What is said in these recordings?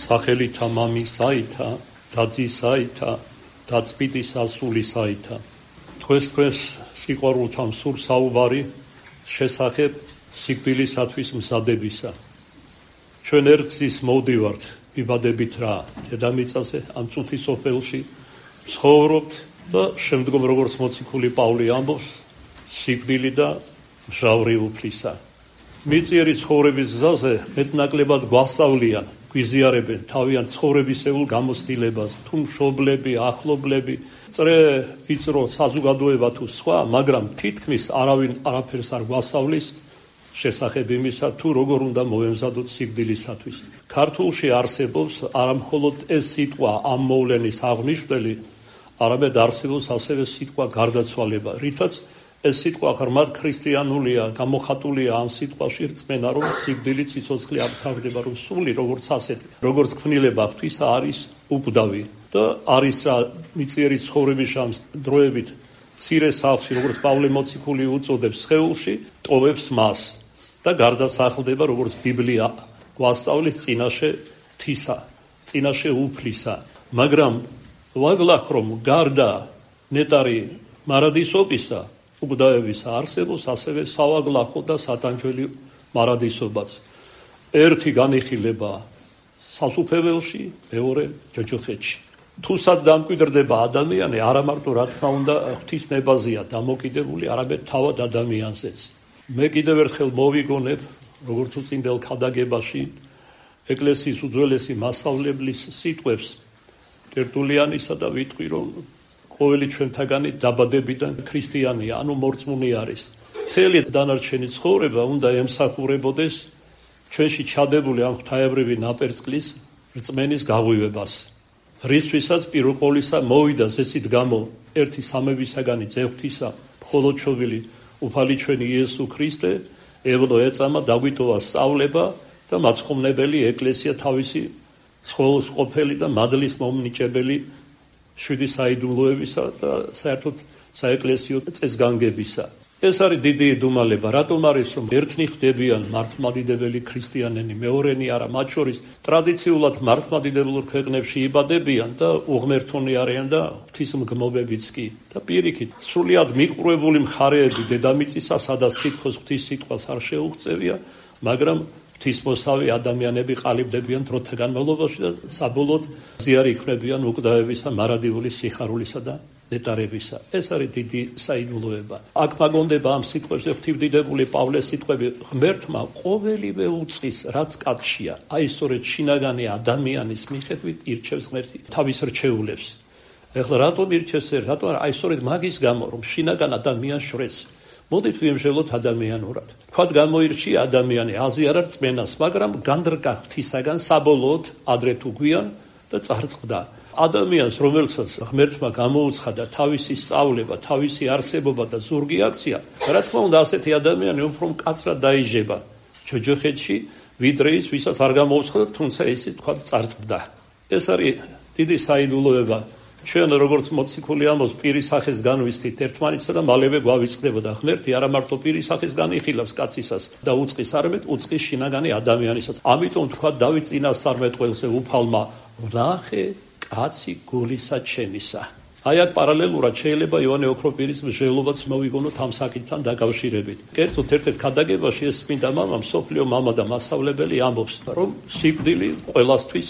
სახელითა მამისაითა, დაძისაითა, დაწმიტის ასულისაითა. დღეს სიყვარულთან სურს საუბარი შესახებ სიკვდილისათვის მზადებისა. ჩვენ ერთის მოვდივართ იბადებით რა დედამიწაზე, ამ წუთის სოფელში ცხოვრობთ და შემდგომ როგორც მოციქული პავლე ამბობს, სიკვდილი და მჟავრი უფლისა. მიწიერი ცხოვრების გზაზე მეტნაკლებად გვასწავლიან, გვიზიარებენ თავიანთ ცხოვრებისეულ გამოცდილებას, თუ მშობლები, ახლობლები, წრე ვიწრო საზოგადოება თუ სხვა, მაგრამ თითქმის არავინ არაფერს არ გვასწავლის შესახებ იმისა, თუ როგორ უნდა მოემზადოთ სიკვდილისათვის. ქართულში არსებობს არა მხოლოდ ეს სიტყვა ამ მოვლენის აღმნიშვნელი, არამედ არსებობს ასევე სიტყვა გარდაცვალება, რითაც ეს სიტყვა ღრმად ქრისტიანულია, გამოხატულია ამ სიტყვაში რწმენა, რომ სიკვდილი სიცოცხლე არ თავდება, რომ სული როგორც ასეთი, როგორც ქმნილება ღვთისა არის უკვდავი და არის რა მიწიერი ცხოვრების ამ დროებით მცირე სახლში, როგორც პავლე მოციქული უწოდებს სხეულში, ტოვებს მას და გარდასახლდება, როგორც ბიბლია გვასწავლის, წინაშე ღვთისა, წინაშე უფლისა. მაგრამ ვაგლახ რომ გარდა ნეტარი მარადისობისა, უკვდავების არსებობს ასევე სავაგლახო და სატანჯველი მარადისობაც. ერთი განიხილება სასუფეველში, მეორე ჯოჯოხეთში. თუ სად დამკვიდრდება ადამიანი, არა მარტო რა თქმა უნდა ღვთის ნებაზეა დამოკიდებული, არამედ თავად ადამიანზეც. მე კიდევ ერთხელ მოვიგონებ, როგორც უწინდელ ქადაგებაში, ეკლესიის უძველესი მასწავლებლის სიტყვებს ტერტულიანისა და ვიტყვი, რომ ყოველი ჩვენთაგანი დაბადებიდან ქრისტიანია, ანუ მორწმუნე არის. მთელი დანარჩენი ცხოვრება უნდა ემსახურებოდეს ჩვენში ჩადებული ამ ღვთაებრივი ნაპერწკლის რწმენის გაღვივებას. რისთვისაც პირველ ყოვლისა მოვიდა ზესით გამო ერთი სამებისაგანი ძეღვთისა, მხოლოდ შობილი უფალი ჩვენი იესო ქრისტე, ევლო ეწამა დაგვიტოვა სწავლება და მაცხოვნებელი ეკლესია თავისი სხეულს ყოფილი და მადლის მომნიჭებელი შვიდი საიდუმლოებისა და საერთოდ საეკლესიო წესგანგებისა. ეს არის დიდი იდუმალება, რატომ არის რომ ერთნი ხდებიან მართლმადიდებელი ქრისტიანები, მეორენი არა, მათ შორის ტრადიციულად მართლმადიდებელ ქვეყნებში იბადებიან და უღმერთონი არიან და ღვთისმგმობებიც კი. და პირიქით, სრულიად მიყრუებული მხარეები დედამიწისა, სადაც თითქოს ღვთის სიტყვას არ შეუღწევია, მაგრამ ღვთისმოსავი ადამიანები ყალიბდებიან დროთა განმავლობაში და საბოლოოდ ზიარი იქმნებიან უკვდავებისა, მარადიული სიხარულისა და ნეტარებისა. ეს არის დიდი საიდუმლოება. აქ მაგონდება ამ სიტყვებზე ღვთივდიდებული პავლეს სიტყვები, ღმერთმა ყოველივე უწყის, რაც კაცშია, აი სწორედ შინაგანი ადამიანის მიხედვით ირჩევს ღმერთი თავის რჩეულებს. ეხლა რატომ ირჩევს, რატომ აი სწორედ მაგის გამო, რომ შინაგან ადამიანს შვრეს. მოდით ვიმსჯელოთ ადამიანურად. თქვათ გამოირჩია ადამიანი, აზიარა რწმენას, მაგრამ განდრკა ღვთისაგან საბოლოოდ ადრე თუ გვიან და წარწყდა. ადამიანს, რომელსაც ღმერთმა გამოუცხადა თავისი სწავლება, თავისი არსებობა და ზურგი აქცია, რა თქმა უნდა ასეთი ადამიანი უფრო მკაცრად დაიჟება ჯოჯოხეთში, ვიდრე ის, ვისაც არ გამოუცხადა, თუმცა ისიც თქვა წარწყდა. ეს არის დიდი საიდუმლოება. ჩვენ როგორც მოციქული ამბობს, პირის სახეს განვისტით ერთმანეთსა და მალევე გვავიწყდებოდა ღმერთი, არა მარტო პირის სახეს განიხილავს კაცისას და უწყის, არამედ უწყის შინაგანი ადამიანისაც. ამიტომ თქვა დავით წინასწარმეტყველზე უფალმა, ვნახე კაცი გულისა ჩემისა. აი აქ პარალელურად შეიძლება იოანე ოქროპირის მსჯელობაც მოვიგონოთ ამ საკითხთან დაკავშირებით. კერძოდ ერთ-ერთ ქადაგებაში ეს წმინდა მამა, მსოფლიო მამა და მასწავლებელი ამბობს, რომ სიკვდილი ყველასთვის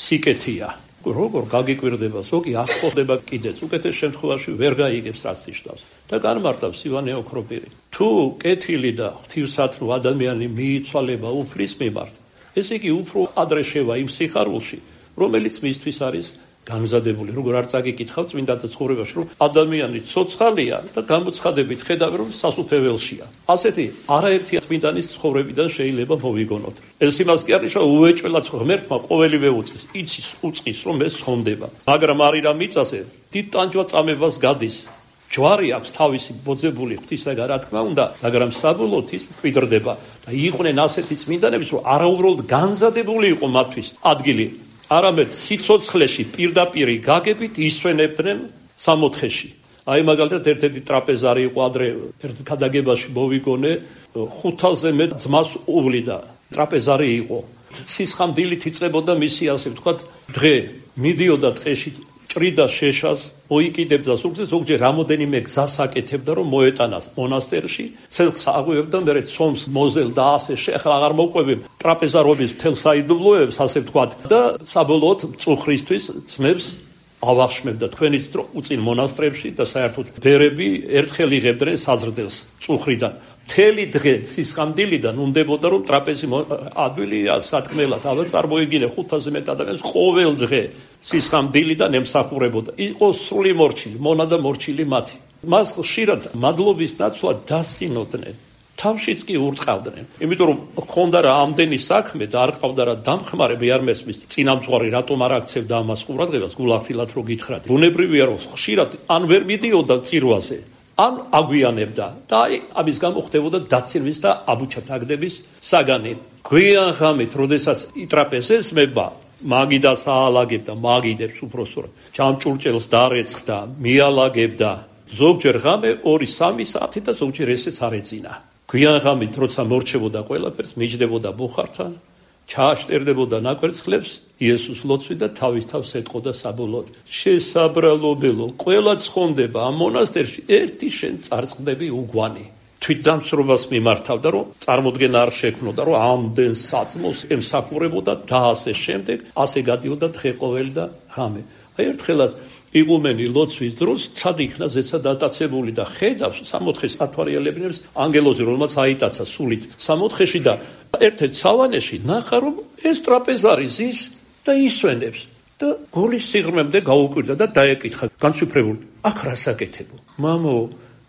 სიკეთეა. როგორ გაგიკვირდება, ზოგი ასწორდება კიდეც, უკეთეს შემთხვევაში ვერ გაიგებს რაც ნიშნავს და განმარტავს ივანე ოქროპირი. თუ კეთილი და ღვთისმსათნო ადამიანი მიიცვალება უფლის მიმართ, ესე იგი უფრო ადრე შევა იმ სიხარულში, რომელიც მისთვის არის განმზადებული. როგორ არ წაგიკითხავ წმინდა ცხოვრებაში, რომ ადამიანი ცოცხალია და გამოცხადებით ხედავ, რომ სასუფეველშია. ასეთი არაერთი წმინდანის ცხოვრებიდან შეიძლება მოვიგონოთ. ეს იმას კი არის, რომ უეჭველად ღმერთმა ყოველივე უწყის, იცის უწყის, რომ ეს ხონდება. მაგრამ არის რა მიწაზე, დიდ ტანჯვა წამებას გადის. ჯვარი აქვს თავისი ბოძებული ღვთისაგან, რა თქმა უნდა, მაგრამ საბოლოოდ ის მკვიდრდება და იყვნენ ასეთი წმინდანების, რომ არაუბრალოდ განზადებული იყო მათთვის ადგილი, არამედ სიცოცხლეში პირდაპირ გაგებით ისვენებდნენ სამოთხეში. აი მაგალითად ერთ-ერთი ტრაპეზარი იყო ადრე ერთ ქადაგებაში მოვიგონე, 500-ზე მეტ ძმას უვლიდა. ტრაპეზარი იყო. სისხამდილით იწყებოდა მისი ასე ვთქვათ დღე. მიდიოდა დღეში ჭრიდა შეშას, მოიკიდებდა ზურგზე, ზოგჯერ რამოდენიმე გზას აკეთებდა, რომ მოეტანას მონასტერში, ცეცხლს აღვივებდა, მერე ცომს მოზელდა ასე ახლა აღარ მოყვები ტრაპეზარობის მთელ საიდუმლოებს, ასე ვთქვათ და საბოლოოდ მწუხრისთვის ძმებს ავახშმებდა თქვენიც რომ უწინ მონასტრებში და საერთოდ ბერები ერთხელ იღებდნენ საზრდელს წუხრიდან. მთელი დღე სისხამდილიდან უნდებოდა რომ ტრაპეზი ადვილია სათქმელად, აბა წარმოიგინე 500-ზე მეტ ადამიანს ყოველ დღე სისხამდილიდან ემსახურებოდა. იყო სრული მორჩილი, მონა და მორჩილი მათი. მას ხშირად მადლობის ნაცვლად დასინოდნენ. თავშიც კი ურწყავდნენ. იმიტომ რომ ხონდა რა ამდენი საქმე და არ ყავდა რა დამხმარები არ მესმის წინამძღვარი რატომ არ აქცევდა ამას ყურადღებას გულახდილად რო გითხრათ. ბუნებრივია რომ ხშირად ან ვერ მიდიოდა წირვაზე, ან აგვიანებდა და აი ამის გამო ხდებოდა დაცინვის და აბუჩათაგდების საგანი. გვიან ღამით, როდესაც იტრაპეზესმება, მაგიდას აალაგებდა, მაგიდებს უბრალოდ ჯამჭურჭელს დარეცხდა, მიალაგებდა. ზოგჯერ ღამე 2-3 საათი და ზოგჯერ ესეც არ ეძინა. გვიან ღამით, როცა მორჩებოდა ყველაფერს, მიჯდებოდა ბუხართან, ჩააშტერდებოდა ნაკვერცხლებს, იესოს ლოცვი და თავის თავს ეტყოდა საბოლოოდ. შესაბრალობელო, ყველა ცხონდება ამ მონასტერში, ერთი შენ წარწყდები უგვანი. თვითდამსრობას მიმართავდა, რომ წარმოდგენა არ შექმნოდა, რომ ამდენ საწმოს ემსახურებოდა და ასე შემდეგ, ასე გადიოდა დღე ყოველი და ღამე. აი ერთხელაც იღუმენი ლოცვის დროს ცად იქნა ზეცა დატაცებული და ხედავს სამოთხეს ათვარიალებინებს ანგელოზი, რომელმაც აიტაცა სულით სამოთხეში და ერთ-ერთ სავანეში ნახა, რომ ეს ტრაპეზარი ზის და ისვენებს და გულის სიღრმემდე გაუკვირდა და დაეკითხა განცვიფრებული, აქ რას აკეთებო? მამო,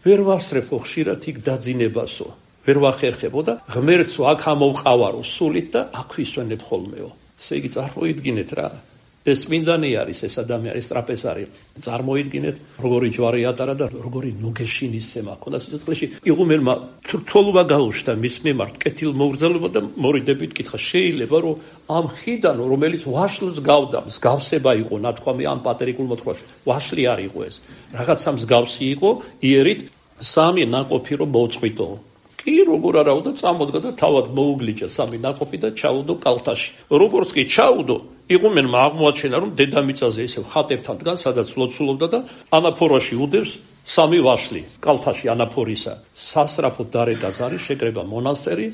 ვერ ვასრებო ხშირად იქ დაძინებასო, ვერ ვახერხებო და ღმერთსო აქ ამოვყავარო სულით და აქ ვისვენებ ხოლმეო. ესე იგი წარმოიდგინეთ რა. ეს მინდანი არის ეს ადამიანი, ეს ტრაპეზარი. წარმოიდგინეთ, როგორი ჯვარი ატარა და როგორი ნუგეშინისცემა ჰქონდა სიცოცხლეში. იღუმენმა თრთოლობა გაუჩნდა მის მიმართ, კეთილმოგრძალობა და მორიდებით კითხა, შეიძლება რომ ამ ხიდან, რომელიც ვაშლს გავდა, მსგავსება იყო, ნათქვამი ამ პატერიკულ მოთხრობაში. ვაშლი არ იყო ეს. რაღაცა მსგავსი იყო, იერით 3 ნაყოფი რომ მოუწყვიტო. კი როგორ არაო და წამოდგა და თავად მოუგლიჭა 3 ნაყოფი და ჩაუდო კალთაში. როგორც კი ჩაუდო, იღუმენმა აღმოაჩენა, რომ დედამიწაზე ისევ ხატებთან დგას, სადაც ლოცულობდა და ანაფორაში უდევს 3 ვაშლი კალთაში ანაფორისა. სასრაფოდ დარეკა ზარი, შეკრება მონასტერი,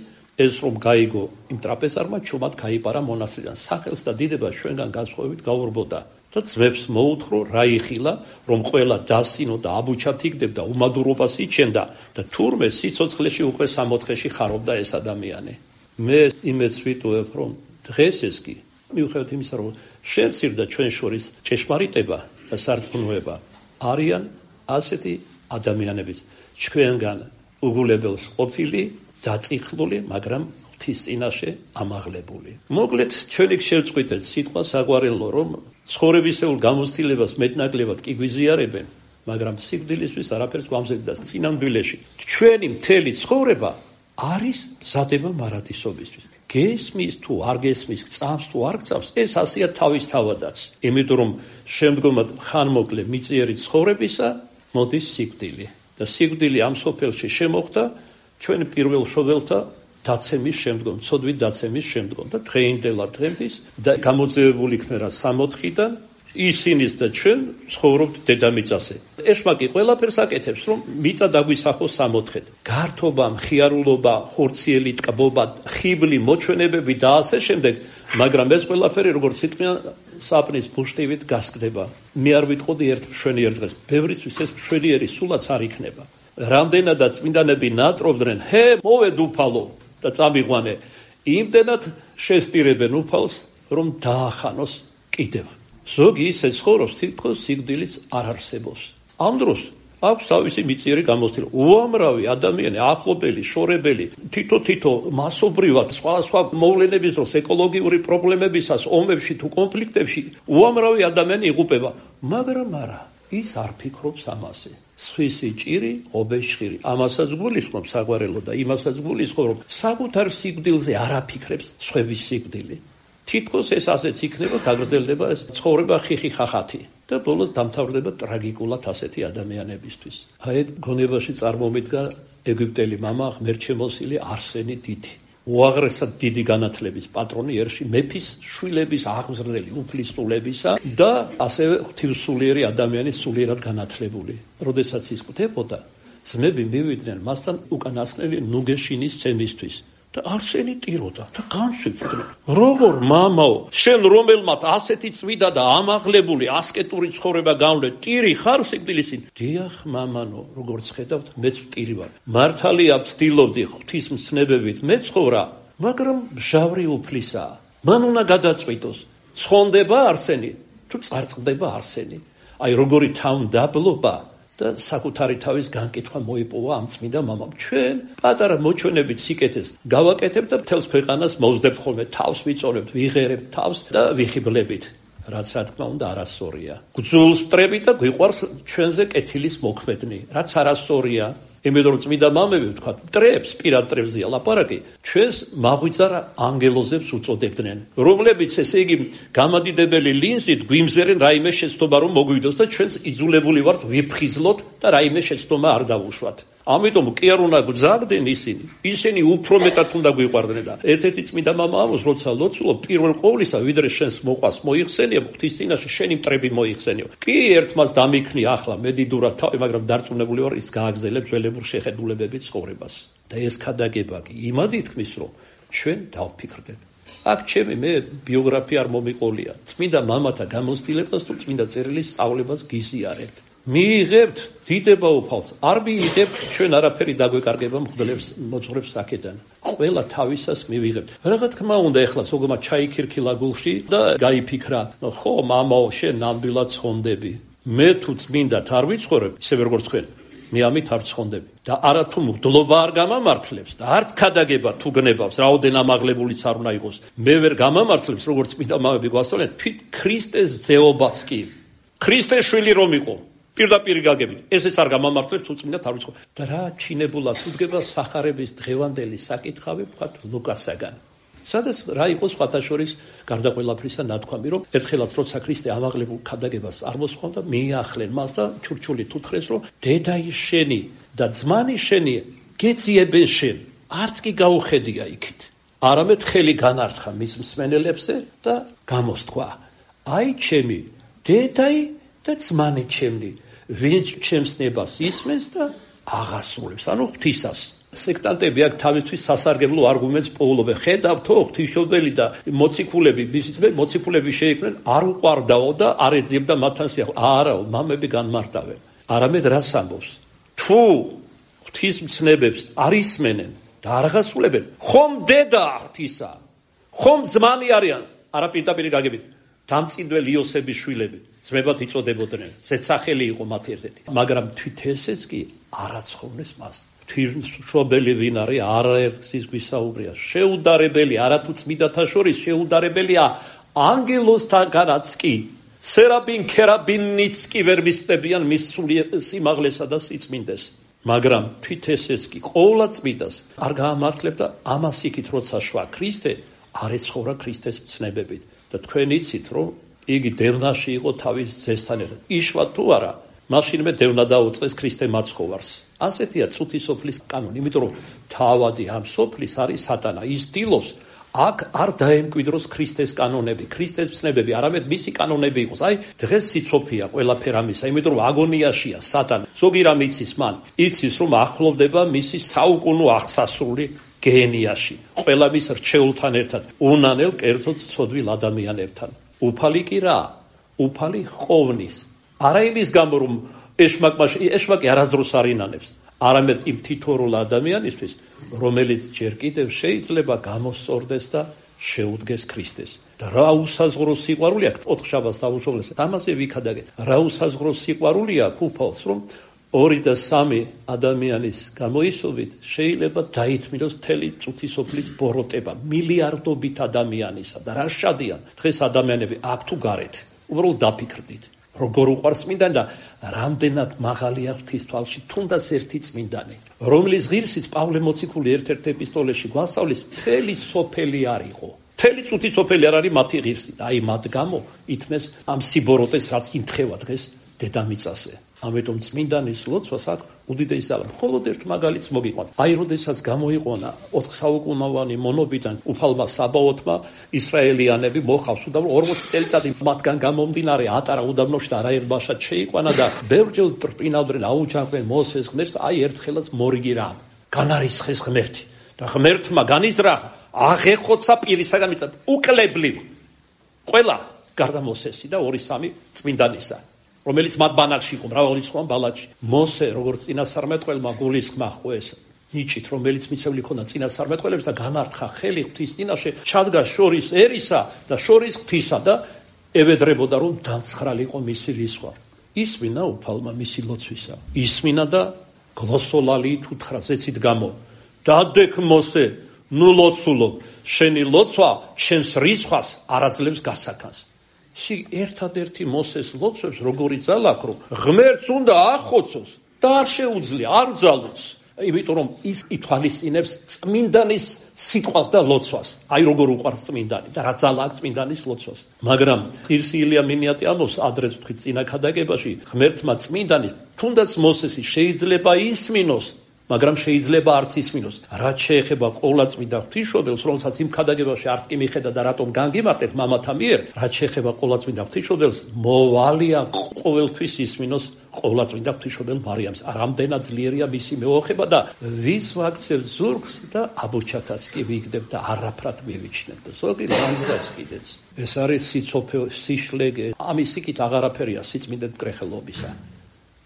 ეს რომ გაიგო იმ ტრაპეზარმა, ჩუმად გაიპარა მონასტრიდან. სახელს და დიდებას ჩვენგან განსხვავებით გაურბოდა და ძმებს მოუთხრო რა იხილა, რომ ყველა დასინო და აბუჩათ იგდებდა, უმადურობას იჩენდა და თურმე სიცოცხლეში უკვე სამოთხეში ხარობდა ეს ადამიანი. მე იმედს ვიტოვებ, რომ დღეს ეს კი მიუხედავად იმისა, რომ შემცირდა ჩვენ შორის ჭეშმარიტება და სარწმუნოება, არიან ასეთი ადამიანების ჩვენგან უგულებელს ყოფილი, დაწიხლული, მაგრამ ღვთის წინაშე ამაღლებული. მოკლედ, ჩვენი შევწყვიტეთ სიტყვა საგვარელო, რომ ცხოვრებისეულ გამოცდილებას მეტნაკლებად კი გვიზიარებენ, მაგრამ სიკვდილისთვის არაფერს გვამზადდა წინამდვილეში. ჩვენი მთელი ცხოვრება არის მზადება მარადისობისთვის. გესმის თუ არ გესმის, გწამს თუ არ გწამს, ეს ასეა თავისთავადაც. იმიტომ რომ შემდგომად ხანმოკლე მიწიერი ცხოვრებისა მოდის სიკვდილი. და სიკვდილი ამ სოფელში შემოხდა ჩვენ პირველ შოველთა დაცემის შემდგომ, ცოდვით დაცემის შემდგომ და დღეინდელად დღემდის და გამოძევებული იქნება 64-დან ისინის და ჩვენ ცხოვრობთ დედამიწაზე. ეშმაკი ყველაფერს აკეთებს, რომ მიწა დაგვისახოს 64-ად. გართობა, მხიარულობა, ხორციელი ტკბობა, ხიბლი, მოჩვენებები და ასე შემდეგ, მაგრამ ეს ყველაფერი როგორც სიტყვიან საპნის ბუშტივით გასკდება. მე არ ვიტყოდი ერთ მშვენიერ დღეს. ბევრისთვის ეს მშვენიერი სულაც არ იქნება. რამდენადაც წმინდანები ნატრობდნენ, ჰე, მოვედ უფალო და წამიყვანე. იმდენად შესტირებენ უფალს, რომ დაახანოს კიდევ. ზოგი ისე ცხოვრობს, თითქოს სიკვდილიც არ არსებობს. ამ დროს აქვს თავისი მიწიერი გამოცდილება. უამრავი ადამიანი, ახლობელი, შორებელი, თითო მასობრივად სხვა მოვლენების დროს, ეკოლოგიური პრობლემებისას, ომებში თუ კონფლიქტებში, უამრავი ადამიანი იღუპება, მაგრამ არა, ის არ ფიქრობს ამაზე. სხვისი ჭირი, ღობეშხირი. ამასაც გულისხმობს საგვარელო და იმასაც გულისხმობს, რომ საკუთარ სიკვდილზე არ აფიქრებს სხვების სიკვდილი. თითქოს ეს ასეც იქნება, გაგრძელდება ეს ცხოვრება ხიხი ხახათი და ბოლოს დამთავრდება ტრაგიკულად ასეთი ადამიანებისთვის. აი გონებაში წარმომიდგა ეგვიპტელი მამა, ღმერთშემოსილი არსენი დიდი. უაღრესად დიდი განათლების პატრონი ერში მეფის შვილების აღმზრდელი უფლისწულებისა და ასევე ღვთივსულიერი ადამიანის სულიერად განათლებული. როდესაც ის კვდებოდა, ძმები მივიდნენ მასთან უკანასკნელი ნუგეშინის ცემისთვის და არსენი ტიროდა და განსვიფრდნენ. როგორ მამაო, შენ რომელმაც ასეთი წვიდა და ამაღლებული ასკეტური ცხოვრება გამლე, ტირი ხარ სიკვდილისინ? დიახ, მამანო, როგორც ხედავთ, მეც ტირი ვარ. მართალია ვცდილობდი ღვთისმცნებებით მეცხოვრა, მაგრამ მჟავრი უფლისაა. მან უნდა გადაწყვიტოს, ცხონდება არსენი თუ წარწყდება არსენი. აი როგორი თავმდაბლობა და საკუთარი თავის განკითხვა მოიპოვა ამ წმინდა მამამ. ჩვენ პატარა მოჩვენებით სიკეთეს გავაკეთებთ და მთელს ქვეყანას მოვსდებთ ხოლმე, თავს ვიწონებთ, ვიღერებთ თავს და ვიხიბლებით. რაც რა თქმა უნდა არასწორია. გძულს ვტრებით და გვიყვარს ჩვენზე კეთილის მოქმედნი, რაც არასწორია. იმიტომ რომ წმინდა მამები ვთქვათ, მტრებს, პირად მტრებზეა ლაპარაკი, ჩვენს მაღვიძარ ანგელოზებს უწოდებდნენ, რომლებიც ესე იგი გამადიდებელი ლინზით გვიმზერენ რაიმე შეცდომა რომ მოგვიდოს და ჩვენც იძულებული ვართ ვიფხიზლოთ და რაიმე შეცდომა არ დავუშვათ. ამიტომ კი არ უნდა გძაგდნენ ისინი უფრო მეტად უნდა გვიყვარდნენ და ერთ-ერთი წმინდა მამა ამბობს, როცა ლოცულობ, პირველ ყოვლისა ვიდრე შენს მოყვას მოიხსენიებ, ღვთის წინაშე შენი მტრები მოიხსენიო. კი ერთმას დამიქნი ახლა მედიდურად თავი, მაგრამ დარწმუნებული ვარ ის გააგზელებს ძველებურ შეხედულებებით ცხოვრებას. და ეს ქადაგება კი იმად ითქმის, რომ ჩვენ დავფიქრდეთ. აქ ჩემი მე ბიოგრაფია არ მომიყოლია. წმინდა მამათა გამოცდილებას თუ წმინდა წერილის სწავლებას გიზიარებთ. მიიღებთ დიდება უფალს, არ მიიღებთ ჩვენ არაფერი დაგვეკარგება მღვდლებს მოძღვრებს აქედან. ყველა თავისას მივიღებთ. რა თქმა უნდა ეხლა სოგომა ჩაიქირქილა გულში და გაიფიქრა, ხო მამაო, შენ ნამდვილად ცხონდები. მე თუ წმინდად არ ვიცხოვრებ, ისე როგორც თქვენ, მე ამით არ ცხონდები. და არა თუ მღვდლობა არ გამამართლებს და არც ქადაგება თუ გნებავს, რაოდენ ამაღლებულიც არ უნდა იყოს. მე ვერ გამამართლებს, როგორც წმინდა მამები გვასწავლენ, თვით ქრისტეს ზეობას კი. ქრისტეს შვილი რომ იყო პირდაპირ გაგებით, ესეც არ გამამართლებს თუ წმინდად არ ვიცხოვ. და რა ჩინებულად უდგება სახარების დღევანდელი საკითხავი ვთქვათ ლუკასაგან. სადაც რა იყო სხვათა შორის გარდა ყველაფრისა ნათქვამი, რომ ერთხელაც როცა ქრისტე ამაღლებულ ქადაგებას არ მოსხვდა, მიახლენ მას და ჩურჩულით უთხრეს, რომ დედაი შენი და ძმანი შენი გეძიებენ შენ, არც კი გაუხედია იქით. არამედ ხელი განართხა მის მსმენელებზე და გამოსთქვა, აი ჩემი დედაი და ძმანი ჩემნი, ვინც ჩემს ნებას ისმენს და აღასრულებს, ანუ ღვთისას. სექტანტები აქ თავისთვის სასარგებლო არგუმენტს პოულობენ. ხედავთო, ღვთისმშობელი და მოციქულები, მოციქულები შეიქმნენ, არ უყვარდაო და არ ეძიებდა მათთან სიახლოვე. არაო, მამები განმარტავენ. არამედ რას ამბობს? თუ ღვთისმცნებებს არ ისმენენ და არ აღასრულებენ, ხომ დედა ღვთისა, ხომ ძმანი არიან, არა პირდაპირ გაგებით. დამწინდველ იოსების შვილები ძმებად იწოდებოდნენ, ზეცახელი იყო მათ ერთ-ერთი. მაგრამ თვით ესეც კი არაცხოვნეს მას. ღვთისმშობელი ვინ არის? არაერთგზის გვისაუბრია. შეუდარებელი, არათუ წმინდათა შორის შეუდარებელია ანგელოსთანაც კი. სერაბინ ქერაბინიც კი ვერ მისწდებიან მის სიმაღლესა და სიწმინდეს. მაგრამ თვით ესეც კი ყოვლა წმინდას არ გაამართლებდა ამას იქით, როცა შვა ქრისტე არ ეცხოვრა ქრისტეს მცნებებით. და თქვენ იცით, რომ იგი დევნაში იყო თავის ძესთან ერთად. იშვა თუ არა, მაშინმე დევნა დაუწყეს ქრისტე მაცხოვარს. ასეთია წუთი სოფლის კანონი, იმიტომ რომ თავადი ამ სოფლის არის სატანა. ის დილობს აქ არ დაემკვიდროს ქრისტეს კანონები, ქრისტეს მცნებები, არამედ მისი კანონები იყოს. აი, დღეს სიცოფია ყველაფერ ამისა, იმიტომ რომ აგონიაშია სატანა. ზოგი რამ იცის მან? იცის, რომ ახლოვდება მისი საუკუნო აღსასრული გენიაში, ყველა მის რჩეულთან ერთად, უნანელ კერძოდ ცოდვილ ადამიანებთან. უფალი კი რა? უფალი ხოვნის. არა იმის გამო, რომ ეშმაკი არასდროს არ ინანებს, არამედ იმ თითოეულ ადამიანისთვის, რომელიც ჯერ კიდევ შეიძლება გამოსწორდეს და შეუდგეს ქრისტეს. და რა უსაზღვრო სიყვარული აქვს, ოთხშაბათს დავუშოვლეს, ამაზე ვიქადაგე. რა უსაზღვრო სიყვარული აქვს უფალს, რომ 2 და 3 ადამიანის გამოისობით შეიძლება დაითმილოს მთელი წუთი სოფლის ბოროტება, მილიარდობით ადამიანისა და რა შადიან დღეს ადამიანები აქ თუ გარეთ. უბრალოდ დაფიქრდით, როგორ უყვარს წმინდანი და რამდენად მაღალია ღვთის თვალში თუნდაც ერთი წმინდანი, რომლის ღირსიც პავლე მოციქული ერთ-ერთ ეპისტოლეში გვასწავლის, მთელი სოფელი არ იყო. მთელი წუთი სოფელი არ არის მათი ღირსი და აი მათ გამო ითმეს ამ სიბოროტეს, რაც იმთხევა დღეს დედამიწაზე. ამიტომ წმინდანის ლოცვას აქვს უდიდესი ძალა. მხოლოდ ერთ მაგალითს მოგიყვანთ. აი, როდესაც გამოიყვანა 4 საუკუნოვანი მონობიდან უფალმა საბაოთმა ისრაელიანები მოხავს და 40 წელიწადი მათგან გამომდინარე ატარა უდაბნოში და არაერბაშად შეიყვანა და ბევრჯერ ტრპინავდნენ, აუჯანყდნენ მოსეს ღმერთს, აი ერთხელაც მორიგი რამ. განარისხეს ღმერთი და ღმერთმა განიზრახა, აღეხოცა პირისაგან მიწა უკლებლივ ყველა გარდა მოსესი და 2-3 წმინდანისა, რომელიც მათ ბანაკში იყო, მრავალი სხვა ბალაჭი. მოსე როგორც წინასწარმეტყველმა გულისხმა ხვეს ნიჭით, რომელიც მიცემული ქონდა წინასწარმეტყველებს და განართხა ხელი ღვთის წინაშე, ჩადგა შორის ერისა და შორის ღვთისა და ევედრებოდა, რომ დამცხრალიყო მისი რისხვა. ისმინა უფალმა მისი ლოცვისა. ისმინა და გლოსოლალით უთხრა ზეცით გამო. დადექ მოსე, ნუ ლოცულობ, შენი ლოცვა ჩემს რისხვას არაძლევს გასაქანს. ში ერთადერთი მოსეს ლოცვებს როგორი ძალა აქვს, რომ ღმერთს უნდა ახოცოს და არ შეუძლია, არ ძალოს. იმიტომ რომ ის ითვალისწინებს წმინდანის სიტყვას და ლოცვას. აი როგორ უყვარს წმინდანი და რა ძალა აქვს წმინდანის ლოცვას. მაგრამ ღირსი ილია მინიატი ამბობს ადრეს ვთქვით წინა ქადაგებაში, ღმერთმა წმინდანის თუნდაც მოსესი შეიძლება ისმინოს, მაგრამ შეიძლება არც ისმინოს. რაც შეეხება ყოვლადწმიდა ღვთისმშობელს, რომელსაც იმ ქადაგებაში არც კი მიხედა და რატომ განგიმარტეთ მამათა მიერ, რაც შეეხება ყოვლადწმიდა ღვთისმშობელს, მოვალია ყოველთვის ისმინოს ყოვლადწმიდა ღვთისმშობელ მარიამს. რამდენად ძლიერია მისი მეოხება და ვის ვაქცევ ზურგს და აბუჩათაც კი ვიგდებ და არაფრად მივიჩნევ. ზოგი განზრახ კიდეც. ეს არის სიცოფე, სიშლეგე. ამის იქით აღარაფერია სიწმინდე მკრეხელობისა.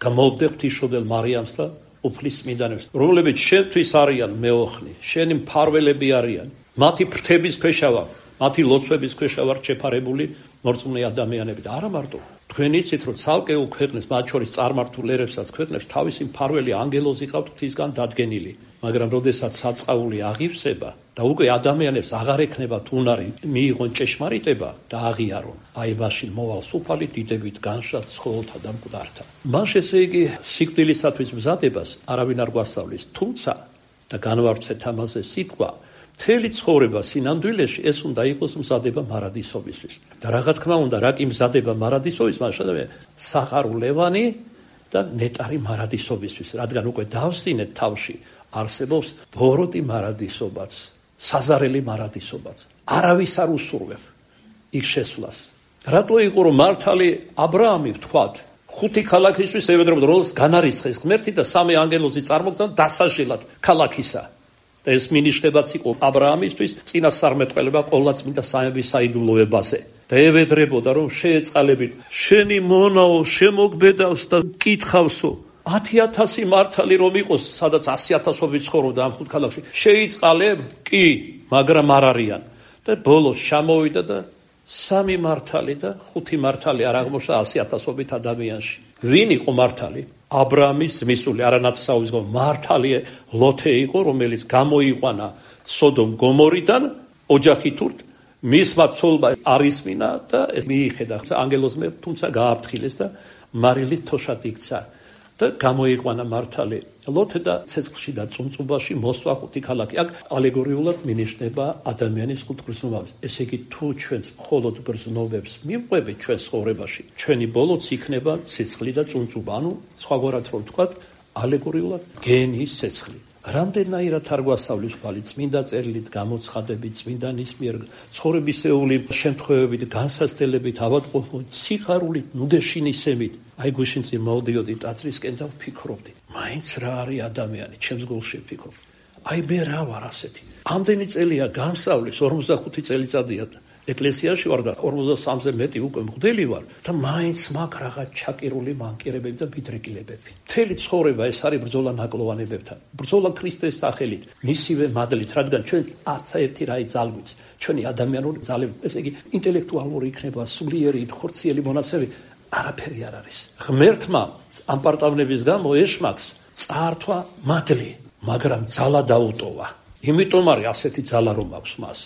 გამოვდე ღვთისმშობელ მარიამს და უფლის წმინდანებს, რომლებიც შენთვის არიან მეოხნი, შენი მფარველები არიან, მათი ფრთების ქვეშა ვარ, მათი ლოცვების ქვეშა ვარ შეფარებული მორწმუნე ადამიანები და არა მარტო. თქვენ იცით, რომ ცალკეულ ქვეყნებს, მათ შორის წარმართულ ერებსაც ქვეყნებს თავისი მფარველი ანგელოზი ყავთ ღვთისგან დადგენილი, მაგრამ როდესაც საწყაული აღივსება და უკვე ადამიანებს აღარ ექნებათ უნარი მიიღონ ჭეშმარიტება და აღიარონ, აი მაშინ მოვალ სუფალი დიდებით განშად ცხოველთა და მკვდართა. მას ესე იგი სიკვდილისათვის მზადებას არავინ არ გვასწავლის, თუმცა და განვავრცეთ ამაზე სიტყვა, მთელი ცხოვრება სინამდვილეში ეს უნდა იყოს მზადება მარადისობისთვის. და რა თქმა უნდა, რა კი მზადება მარადისობის, მაშინ საყარულევანი და ნეტარი მარადისობისთვის, რადგან უკვე დავსინეთ თავში არსებობს ბოროტი მარადისობაც, საზარელი მარადისობაც. არავის არ უსურვებ იქ შესვლას. რატო იყო რომ მართალი აბრაამი ვთქვათ, 5 ქალაქისთვის ევედრებოდა, რომელს განარისხეს ღმერთი და 3 ანგელოზი წარმოგზავნა დასაჟელად ქალაქისა. და ეს მინიშნებაც იყო აბრაამისთვის წინასწარმეტყველება ყოვლადწმინდა სამების საიდუმლოებაზე. და ევედრებოდა რომ შეეწყალებინ შენი მონაო შემოგბედავს და კითხავსო 10,000 მართალი რომ იყოს, სადაც 100,000-ობით ცხოვრობდა ამ 5 ქალაქში, შეიწყალებ? კი, მაგრამ არ არიან. და ბოლოს ჩამოვიდა და 3 მართალი და 5 მართალი არ აღმოჩნდა 100,000-ობით ადამიანში. ვინ იყო მართალი? აბრაამის ძმისწული, არანათესაურის მართალი ლოთე იყო, რომელიც გამოიყვანა სოდომ გომორიდან ოჯახით ურთ, მისმა ცოლმა არ ისმინა და მიიხედა ანგელოზმა, თუმცა გააფრთხილეს და მარილით თოშად იქცა. და გამოიყვანა მართალი ლოთე და ცეცხლში და წუნწუბაში მოსვა 5 ქალაქი. აქ ალეგორიულად მინიშნება ადამიანის 5 გრძნობას. ესე იგი, თუ ჩვენს მხოლოდ გრძნობებს მივყვებით ჩვენ ცხოვრებაში, ჩვენი ბოლოც იქნება ცეცხლი და წუნწუბა. ანუ სხვაგვარად რომ ვთქვათ, ალეგორიულად გენის ცეცხლი. რამდენაირად არ გვასწავლის ბალი წმინდა წერილით, გამოცხადებით, წმინდანის მიერ ცხოვრებისეული შემთხვევებით, განსაცდელებით, ავადმყოფობით, სიხარულით, ნუგეშინისებით. აი გუშინწინ მოვდიოდი ტაძრისკენ და ვფიქრობდი, მაინც რა არის ადამიანი, ჩემს გულში ვფიქრობ. აი მე რა ვარ ასეთი. ამდენი წელია გამსავლის, 45 წელიწადია ეკლესიაში ვარ და 43-ზე მეტი უკვე მღვდელი ვარ და მაინც მაქვს რაღაც ჩაკირული მანკირებები და ბიდრეკილებები. მთელი ცხოვრება ეს არის ბრძოლა ნაკლოვანებებთან, ბრძოლა ქრისტეს სახელით, მისივე მადლით, რადგან ჩვენ არც ერთი რაი ძალგვიც, ჩვენი ადამიანური ძალები, ესე იგი ინტელექტუალური იქნება, სულიერი, ხორციელი მონაცემები არაფერი არ არის. ღმერთმა ამ პარტავნების გამო ეშმაკს წაართვა მადლი, მაგრამ ძალა დაუტოვა. იმიტომ არის ასეთი ძალა რომ აქვს მას.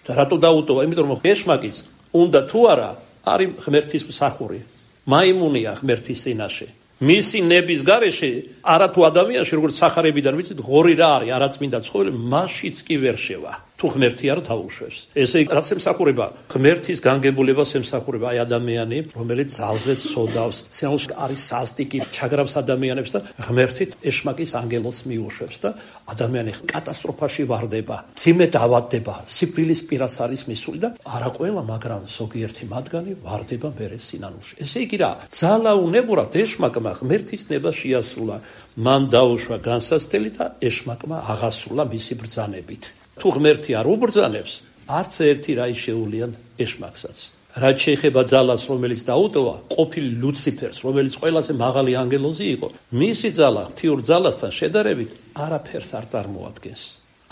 და რატო დაუტოვა? იმიტომ რომ ეშმაკიც უნდა თუ არა არის ღმერთის მსახური. მაიმუნია ღმერთის წინაშე. მისი ნების გარეშე არათუ ადამიანში როგორც სახარებიდან ვიცით ღორი რა არის არაწმინდა ცხოველი, მასშიც კი ვერ შევა. თუ ღმერთი არ დაუშვებს. ესე იგი, რაც ემსახურება ღმერთის განგებულებას ემსახურება აი ადამიანი, რომელიც ძალზე ცოდავს, სიამოვნებაში არის სასტიკი, ჩაგრავს ადამიანებს და ღმერთით ეშმაკის ანგელოზს მიუშვებს და ადამიანი კატასტროფაში ვარდება, ძიმე დავადდება, სიკვდილის პირას არის მისული და არა ყველა, მაგრამ ზოგიერთი მათგანი ვარდება მერე სინანულში. ესე იგი რა, ძალა უნებურად ეშმაკმა ღმერთის ნება შეასრულა, მან დაუშვა განსაცდელი და ეშმაკმა აღასრულა მისი ბრძანებით. თუ ღმერთი არ უბრძანებს, არც ერთი რა შეუვლიან ეშმაკსაც. რაც შეეხება ძალას, რომელიც დაუტოვა ყოფილი ლუციფერს, რომელიც ყველაზე მაღალი ანგელოზი იყო, მისი ძალა ღვთიურ ძალასთან შედარებით არაფერს არ წარმოადგენს.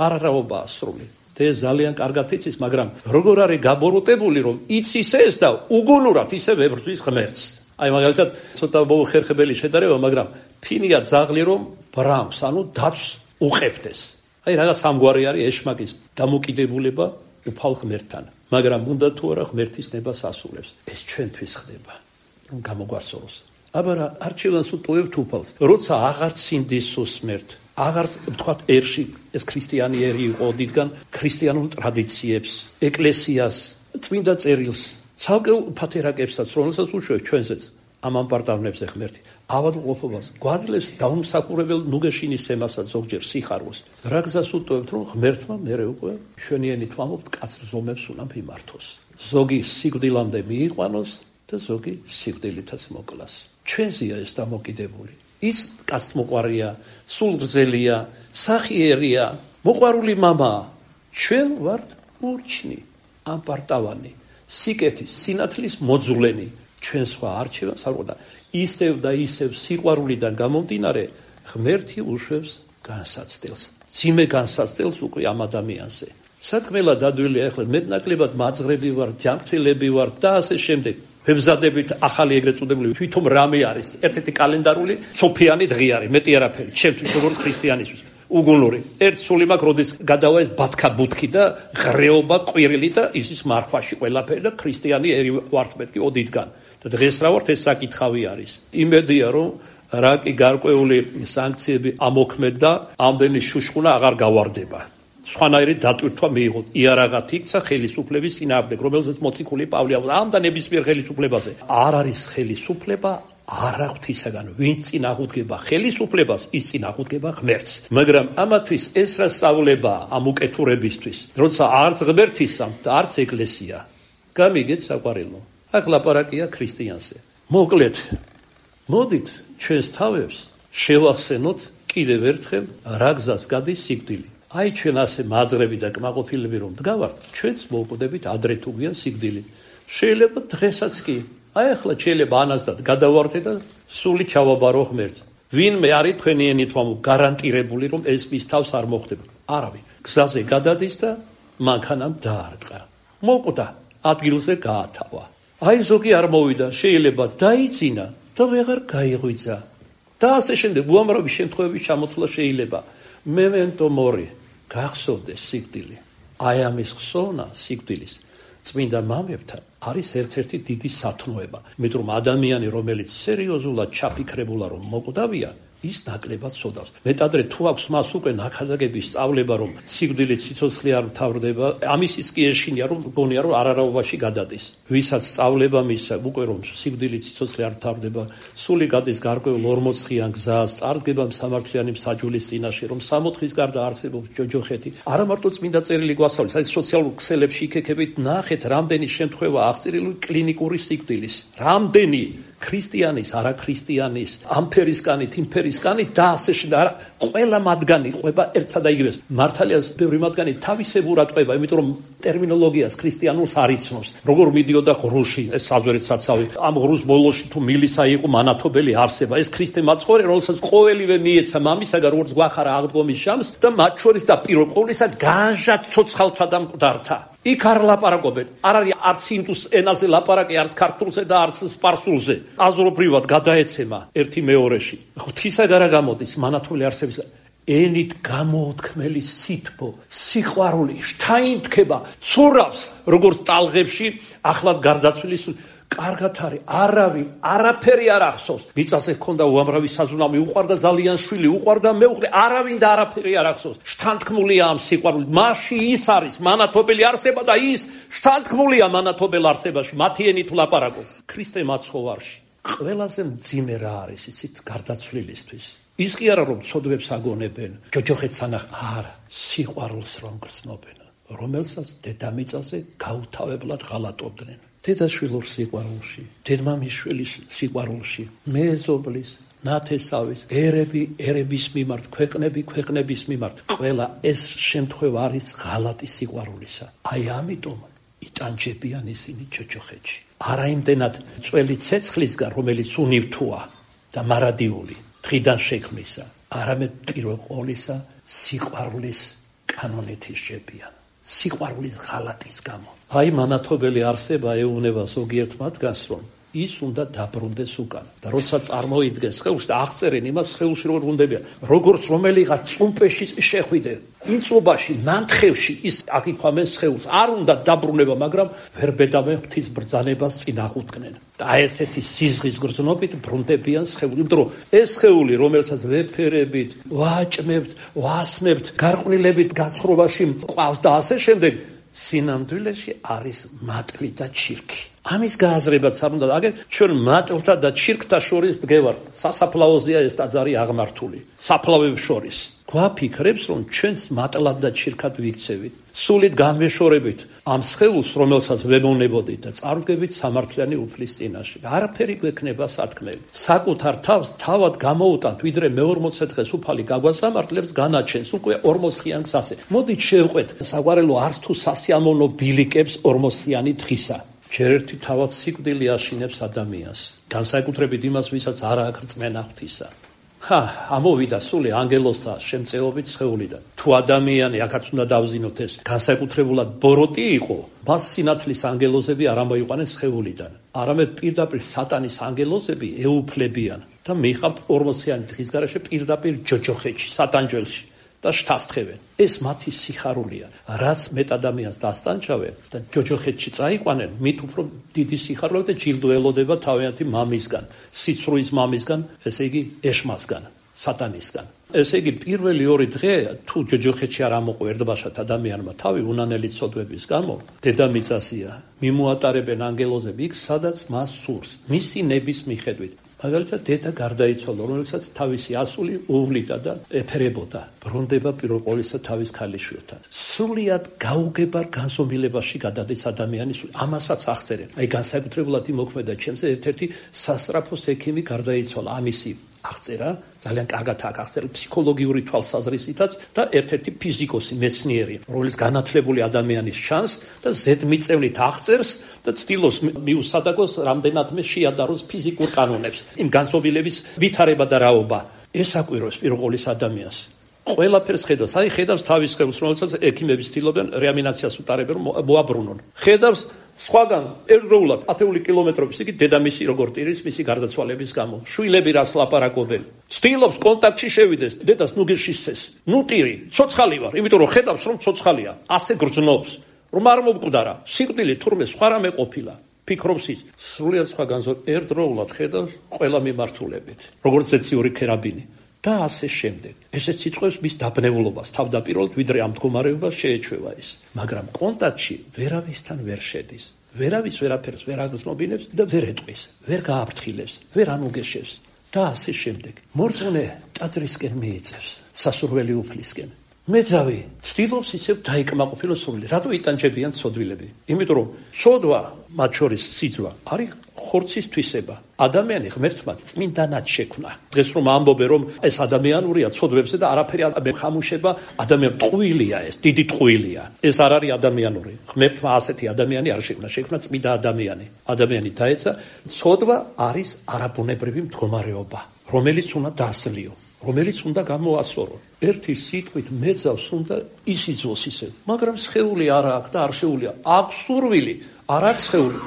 არარაობაა სრული. ეს ძალიან კარგად იცის, მაგრამ როგორ არის გაბოროტებული, რომ იცის ეს და უგუნურად ისე ვებრძვის ღმერთს. აი მაგალითად, ცოტა მოუხერხებელი შედარება, მაგრამ ფინია ძაღლი რომ ბრამს, ანუ დათვს უყევდეს. აი რაღაც ამგვარი არის ეშმაკის დამოკიდებულება უფალ ღმერთთან. მაგრამ უნდა თუ არა ღმერთის ნებას ასრულებს. ეს ჩვენთვის ხდება, რომ გამოგვასწოროს. აბა რა არჩევანს უტოვებთ უფალს, როცა აღარ ცინდის სუსმერთ, აღარც ვთქვათ ერში ეს ქრისტიანი ერი იყო დიდგან ქრისტიანულ ტრადიციებს, ეკლესიას, წმინდა წერილს, ცალკეულ ფათერაკებსაც, რომელსაც უშვებს ჩვენზეც ამ ამპარტავნებზე ღმერთი. ავადმყოფობას გვაძლევს დაუმსახურებელ ნუგეშინის ემასაც ზოგჯერ სიხარულს. რა გზას უტოვებთ, რომ ღმერთმა მერე უკვე ჩვენიენით ვამბობთ კაცრ ზომებს უნდა მიმართოს. ზოგი სიკვდილამდე მიიყვანოს და ზოგი სიკვდილითაც მოკლას. ჩვენზეა ეს დამოკიდებული. ის კაცთმოყვარია, სულგრძელია, სახიერია, მოყვარული მამაა. ჩვენ ვართ ურჩნი, ამპარტავანი, სიკეთის, სინათლის მოძულენი. ჩვენ სხვა არჩევანს არ გვაქვს. ისევ და ისევ სიყვარულიდან გამომდინარე ღმერთი უშვებს განსაცდელს. ძიმე განსაცდელს უკვე ამ ადამიანზე. სათქმელა დადვილია ახლა მეტნაკლებად მაძღრები ვარ, ჯანმრთელები ვარ და ასე შემდეგ. ვებზადებით ახალი ეგრეთ წოდებული თვითონ რამე არის. ერთ-ერთი კალენდარული სოფიანი დღე არის, მეტი არაფერი. ჩემთვის როგორც ქრისტიანისთვის. უგუნური. ერთ სული მაქვს, როდის გადავა ეს ბათქა ბუთქი და ღრეობა ყვირილი და ისის მარხვაში ყველაფერი და ქრისტიანი ერი ვართ მეთქი ოდითგან. და დღეს რა ვართ ეს საკითხავი არის. იმედია რომ რაკი გარკვეული სანქციები ამოქმედ და ამდენი შუშხუნა აღარ გავარდება. სხვანაირი დატვირთვა მიიღოთ. იარაღად იქცა ხელისუფლების წინააღმდეგ, რომელზეც მოციქული პავლე ამ და ნებისმიერ ხელისუფლებაზე. არ არის ხელისუფლება არა ღვთისაგან, ვინც წინააღმდეგება ხელისუფლებას, ის წინააღმდეგება ღმერთს. მაგრამ ამათვის ეს რა სწავლება ამ უკეთურებისთვის, როცა არც ღმერთისამ და არც ეკლესია. გამიგეთ საყვარელო. აქ ლაპარაკია ქრისტიანზე. მოკლედ, მოდით ჩვენს თავებს შევახსენოთ კიდევ ერთხელ რა გზას გადის სიკვდილი. აი ჩვენ ასე მაძღრები და კმაყოფილები რომ დგავართ, ჩვენც მოვკვდებით ადრე თუ გვიან სიკვდილი. შეიძლება დღესაც კი. აი ახლა შეიძლება ანაზდად გადავარდე და სული ჩავაბარო ღმერთს. ვინმე არის თქვენიენით გარანტირებული რომ ეს მის თავს არ მოხდება. არავინ. გზაზე გადადის და მანქანამ დაარტყა. მოკვდა, ადგილზე გაათავა. აი ზოგი არ მოვიდა, შეიძლება დაიძინა და ვეღარ გაიღვიძა. და ასე შემდეგ უამრავი შემთხვევების ჩამოთვლა შეიძლება. მემენტო მორი, გახსოვდეს სიკვდილი. აი ამის ხსოვნა სიკვდილის წმინდა მამებთან არის ერთ-ერთი დიდი სათნოება. იმიტომ რომ ადამიანი, რომელიც სერიოზულად ჩაფიქრებულა რომ მოკვდავია, ის ნაკლებად ცოდავს. მეტადრე თუ აქვს მას უკვე ნაქადაგების სწავლება, რომ სიკვდილი სიცოცხლე არ მთავრდება, ამის ის კი ეშინია, რომ გონია რომ არარავობაში გადადის. ვისაც სწავლება მისცა უკვე რომ სიკვდილი სიცოცხლე არ მთავრდება, სული გადის გარკვეულ 40-იან გზას, წარდგება სამართლიანი მსაჯულის წინაშე, რომ 60-ის გარდა არსებობს ჯოჯოხეთი. არა მარტო წმინდა წერილი გვასწავლის, აი სოციალურ ქსელებში იქეკებით ნახეთ, რამდენი შემთხვევა აღწერილი კლინიკური სიკვდილის. რამდენი ქრისტიანის, არა ქრისტიანის, ამფერისკანით, იმფერისკანით და ასე შემდეგ. ყველა მათგანი ყვება ერთსა და იგივეს. მართალია ბევრი მათგანი თავისებურად ყვება, იმიტომ რომ ტერმინოლოგიას ქრისტიანულს არ იცნობს. როგორ მიდიოდა ღრუში, ეს საზვერეთ საცავი. ამ ღრუს ბოლოში თუ მილისა იყო მანათობელი არსება. ეს ქრისტე მაცხოვრე, რომელსაც ყოველივე მიეცა მამისაგან, როგორც გვახარა აღდგომის შამს და მათ შორის და პირველ ყოვლისა განჟად ცოცხალთა და მკვდართა. იქ არ ლაპარაკობენ. არ არის არც ინდუს ენაზე ლაპარაკი, არც ქართულზე და არც სპარსულზე. აზრობრივად გადაეცემა ერთი მეორეში. ღვთისაგან გამოდის მანათობელი არსების ენით გამოუთქმელი სითბო, სიყვარული, შთაინთქება, ცურავს, როგორც ტალღებში ახლად გარდაცვლილის კარგად არის, არაფერი არ ახსოვს. მიწაზე ჰქონდა უამრავი საზრუნავი, უყვარდა ძალიან შვილი, უყვარდა მეუღლე, არავინ და არაფერი არ ახსოვს. შთანთქმულია ამ სიყვარულით. მასში ის არის მანათობელი არსება და ის შთანთქმულია მანათობელ არსებაში. მათი ენით ვლაპარაკობ. ქრისტე მაცხოვარში ყველაზე მძიმე რა არის, იცით, გარდაცვლილისთვის. ის კი არა რომ ცოდვებს აგონებენ, ჯოჯოხეთს არა, სიყვარულს რომ გრძნობენ, რომელსაც დედამიწაზე გაუთავებლად ღალატობდნენ. დედაშვილურ სიყვარულში, დედმამიშვილის სიყვარულში, მეზობლის, ნათესავის, ერების მიმართ, ქვეყნების მიმართ, ყველა ეს შემთხვევა არის ღალატი სიყვარულისა. აი ამიტომ იტანჯებიან ისინი ჯოჯოხეთში. არა იმდენად წველი ცეცხლისგან, რომელიც უნივთოა და მარადიული დღიდან შექმნისა, არამედ პირველ ყოვლისა სიყვარულის კანონით ისჯებიან. სიყვარულის ღალატის გამო. აი მანათობელი არსება ეუბნება ზოგიერთ მათგანს, რომ ის უნდა დაბრუნდეს უკან. და როცა წარმოიდგეს სხეულში და აღწერენ იმას სხეულში როგორ ბრუნდებიან, როგორც რომელიღაც წუმპეში შეხვიდე, ინწობაში, ნანთხევში ის აკითხავენ სხეულს, არ უნდა დაბრუნება, მაგრამ ვერ ბედავენ ღვთის ბრძანებას წინ აღუდგნენ. და ესეთი სიზღის გრძნობით ბრუნდებიან სხეული, იმიტომ რომ ეს სხეული, რომელსაც ვეფერებით, ვაჭმებთ, ვასმებთ, გარყვნილებით გაცხრობაში მყავს და ასე შემდეგ, სინამდვილეში არის მატლი და ჩირქი. ამის გააზრებაც არ უნდა, აგერ ჩვენ მატლთა და ჩირქთა შორის დგევართ. სასაფლაოზეა ეს ტაძარი აღმართული. საფლავებს შორის. გვაფიქრებს, რომ ჩვენს მატლად და ჩირქად ვიქცევით. სულით განვეშორებით ამ სხეულს, რომელსაც ვემოვნებოდით და წარდგებით სამართლიანი უფლის წინაშე. არაფერი გვექნება სათქმელი. საკუთარ თავს თავად გამოუტანთ, ვიდრე მე-40 დღეს უფალი გაგვასამართლებს, განაჩენს უკვე 40-იან გზაზე. მოდით შევყვეთ საგვარელო არც თუ სასიამოვნო ბილიკებს 40-იანი დღისა. ჯერ ერთი თავად სიკვდილი აშინებს ადამიანს, განსაკუთრებით იმას, ვისაც არ აქვს რწმენა ღვთისა. ამოვიდა სული ანგელოსთა შემწეობით სხეულიდან. თუ ადამიანი, აქაც უნდა დავზინოთ ეს, განსაკუთრებულად ბოროტი იყო, მას სინათლის ანგელოზები არ ამოიყვანეს სხეულიდან. არამედ პირდაპირ სატანის ანგელოზები ეუფლებიან და მიხავთ 40-იანი დღის გარეშე პირდაპირ ჯოჯოხეთში, სატანჯველში. და შთასთხევენ. ეს მათი სიხარულია, რაც მეტ ადამიანს დასტანჩავენ და ჯოჯოხეთში წაიყვანენ, მით უფრო დიდი სიხარული და ჯილდო ელოდება თავიანთი მამისგან, სიცრუის მამისგან, ესე იგი ეშმასგან, სატანისგან. ესე იგი პირველი 2 დღე თუ ჯოჯოხეთში არ ამოყო ერთბაშად ადამიანმა თავი უნანელი ცოდვების გამო, დედამიწაზეა მიმოატარებენ ანგელოზები იქ, სადაც მას სურს, მისი ნების მიხედვით. მაგალითად დედა გარდაიცვალა, რომელსაც თავისი ასული უვლიდა და ეფერებოდა. ბრუნდება პირველ ყოვლისა თავის ქალიშვილთან. სრულიად გაუგებარ განზომილებაში გადადის ადამიანის, ამასაც აღწერენ. აი განსაკუთრებულად იმოქმედა ჩემზე ერთ-ერთი სასწრაფოს ექიმი გარდაიცვალა, ამისი აღწერა, ძალიან კარგად აქვს აღწერილი ფსიქოლოგიური თვალსაზრისითაც და ერთ-ერთი ფიზიკოსი, მეცნიერი, რომელიც განათლებული ადამიანის ჩანს და ზედმიწევნით აღწერს და ცდილობს მიუსადაგოს რამდენადმე შეადაროს ფიზიკურ კანონებს, იმ განზომილების ვითარება და რაობა. ეს აკვირვებს პირველ ყოვლისა ადამიანს. ყველაფერს ხედავს, აი ხედავს თავის სხეულს, რომელსაც ექიმები ცდილობენ რეანიმაციას უტარებენ, რომ მოაბრუნონ. ხედავს სხვაგან ერთდროულად ათეული კილომეტრობის იგი დედამისი როგორ ტირის მისი გარდაცვალების გამო. შვილები რას ლაპარაკობენ. ცდილობს კონტაქტში შევიდეს, დედას ნუ გეშისცეს. ნუ ტირი, ცოცხალი ვარ, იმიტომ რომ ხედავს რომ ცოცხალია, ასე გრძნობს, რომ არ მომკვდარა. სიკვდილი თურმე სხვა რამე ყოფილა. ფიქრობს ის, სრულიად სხვა ერთდროულად ხედავს ყველა მიმართულებით. როგორც ეციური ქერაბინი. და ასე შემდეგ. ესეც იწვევს მის დაბნეულობას, თავდაპირველად ვიდრე ამ მდგომარეობას შეეჩვევა ის. მაგრამ კონტაქტში ვერავისთან ვერ შედის. ვერავის ვერაფერს ვერ აგრძნობინებს და ვერ ეტყვის, ვერ გააფრთხილებს, ვერ ანუგეშებს და ასე შემდეგ. მორწმუნე ტაძრისკენ მიიწევს, სასურველი უფლისკენ. მეძავი ცდილობს ისევ დაიკმაყოფილოს სული. რატო იტანჯებიან ცოდვილები? იმიტომ რომ ცოდვა, მათ შორის სიძვა, არის ხორცის თვისება. ადამიანი ღმერთმა წმინდანად შექმნა. დღეს რომ ამბობენ რომ ეს ადამიანურია ცოდვებზე და არაფერი არ ხამუშება, ადამიანი ტყუილია, ეს დიდი ტყუილია. ეს არ არის ადამიანური. ღმერთმა ასეთი ადამიანი არ შექმნა, შექმნა წმინდა ადამიანი. ადამიანი დაეცა, ცოდვა არის არაბუნებრივი მდგომარეობა, რომელიც უნდა დასლიო. რომელიც უნდა გამოასწორო. ერთი სიტყვით მეძავს უნდა ისიძვოს ისე, მაგრამ სხეული არ აქვს და არ შეუძლია. აქვს სურვილი, არ აქვს სხეული.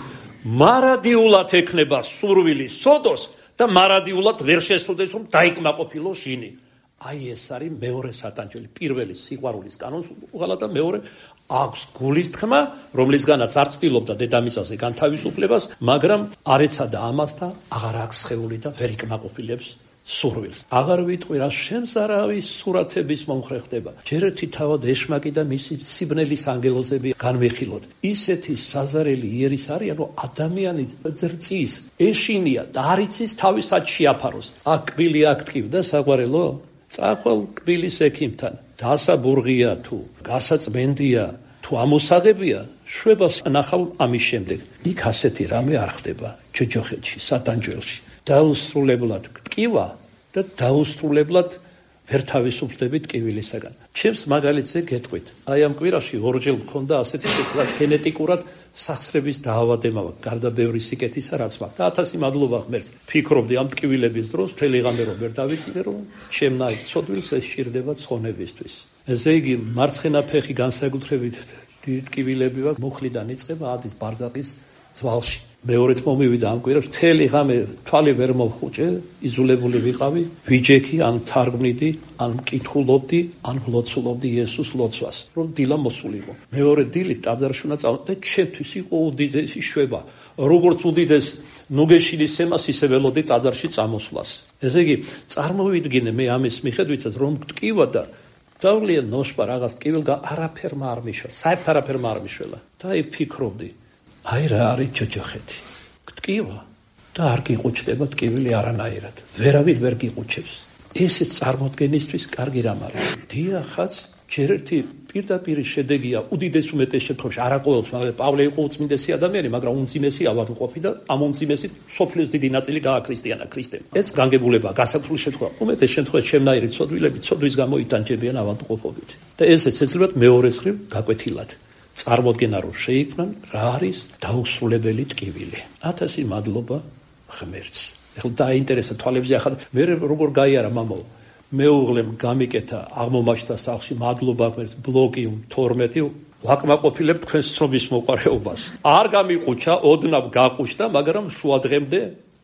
მარადიულად ექნება სურვილი სოდოს და მარადიულად ვერ შესწოდეს რომ დაიკმაყოფილოს შინი. აი ეს არის მეორე სატანჯველი. პირველი სიყვარულის კანონს უღალა და მეორე აქვს გულის თქმა, რომლისგანაც არ ცდილობდა დედამიწაზე განთავისუფლებას, მაგრამ არ ეცადა ამას და აღარ აქვს სხეული და ვერ იკმაყოფილებს სურვილს. აღარ ვიტყვი რა შემზარავის სურათების მომხრე ხდება. ჯერ ერთი თავად ეშმაკი და მისი სიბნელის ანგელოზები განვიხილოთ. ისეთი საზარელი იერის არიან, რომ ადამიანი ზრწის, ეშინია და არ იცის თავისად შეაფაროს. აქ კბილი აქტივდა საყვარელო? წახვალ კბილის ექიმთან. დასაბურღია თუ გასაწმენდია თუ ამოსაღებია, შვებას ნახავ ამის შემდეგ. იქ ასეთი რამე არ ხდება ჯოჯოხეთში, სატანჯველში. დაუსრულებლად ტკივა და დაუსრულებლად ვერ თავისუფლდებით ტკივილისაგან. ჩემს მაგალითზე გეტყვით. აი ამ კვირაში ორჯერ მქონდა ასეთი შეკლა გენეტიკურად სახსრების დაავადება, გარდა ბევრი სიკეთისა რაც მაქვს. და 1000 მადლობა ღმერთს. ფიქრობდი ამ ტკივილების დროს მთელი ღამე რომ ვერ დავიწყიდე, რომ ჩემნაირ ცოდვილს ეს სჭირდება ცხონებისთვის. ესე იგი მარცხენა ფეხი განსაკუთრებით ტკივილები ვაქვს, მუხლიდან იწყება ადის ბარძაყის ძვალში. მეორედ მომივიდა ამ კვირას, მთელი ღამე თვალი ვერ მოვხუჭე, იზოლებული ვიყავი, ვიჯექი, ან თარგმნიდი, ან მკითხულობდი, ან ვლოცულობდი იესოს ლოცვას, რომ დილა მოსულიყო. მეორე დილით ტაძარში უნდა წავედი და ჩემთვის იყო უდიდესი შვება. როგორც უდიდეს ნუგეშილის ემას ისე ველოდი ტაძარში წამოსვლას. ესე იგი, წარმოვიდგინე მე ამის მიხედვითაც, რომ ტკივა და დავლია ნოშპა რაღაც ტკივილგან არაფერმა არ მიშვა, საერთოდ არაფერმა არ მიშველა. და აი ფიქრობდი, აი რა არის ჯოჯოხეთი. ტკივა და არ გიყუჩდება ტკივილი არანაირად. ვერავინ ვერ გიყუჩებს. ესეც წარმოდგენისთვის კარგი რამ არის. დიახაც, ჯერ ერთი პირდაპირ შედეგია უდიდეს უმეტეს შემთხვევაში, არა ყოველთვის, მაგრამ პავლე იყო უწმინდესი ადამიანი, მაგრამ უმძიმესი ავადმყოფი და ამ უმძიმესით სოფლის დიდი ნაწილი გააქრისტიანა ქრისტემ. ეს განგებულება, გასაკუთრებული შემთხვევა, უმეტეს შემთხვევაში ჩემნაირი ცოდვილები ცოდვის გამო იტანჯებიან ავადმყოფობით. და ესეც ეცლებათ მეორეს მხრივ გაკვეთილად. წარმოდგენა რომ შეიქმნან რა არის დაუსრულებელი ტკივილი. 1000 მადლობა ღმერთს. ეხლა დაინტერესა თვალებზე ახლა მე როგორ გაიარა მამაო. მეუღლემ გამიკეთა აღმომაჩნდა სახლში მადლობა ღმერთს ბლოკი 12 ვაკმაყოფილებ თქვენს ცნობის მოყარეობას. არ გამიყუჩა, ოდნავ გაყუჩდა, მაგრამ შუადღემდე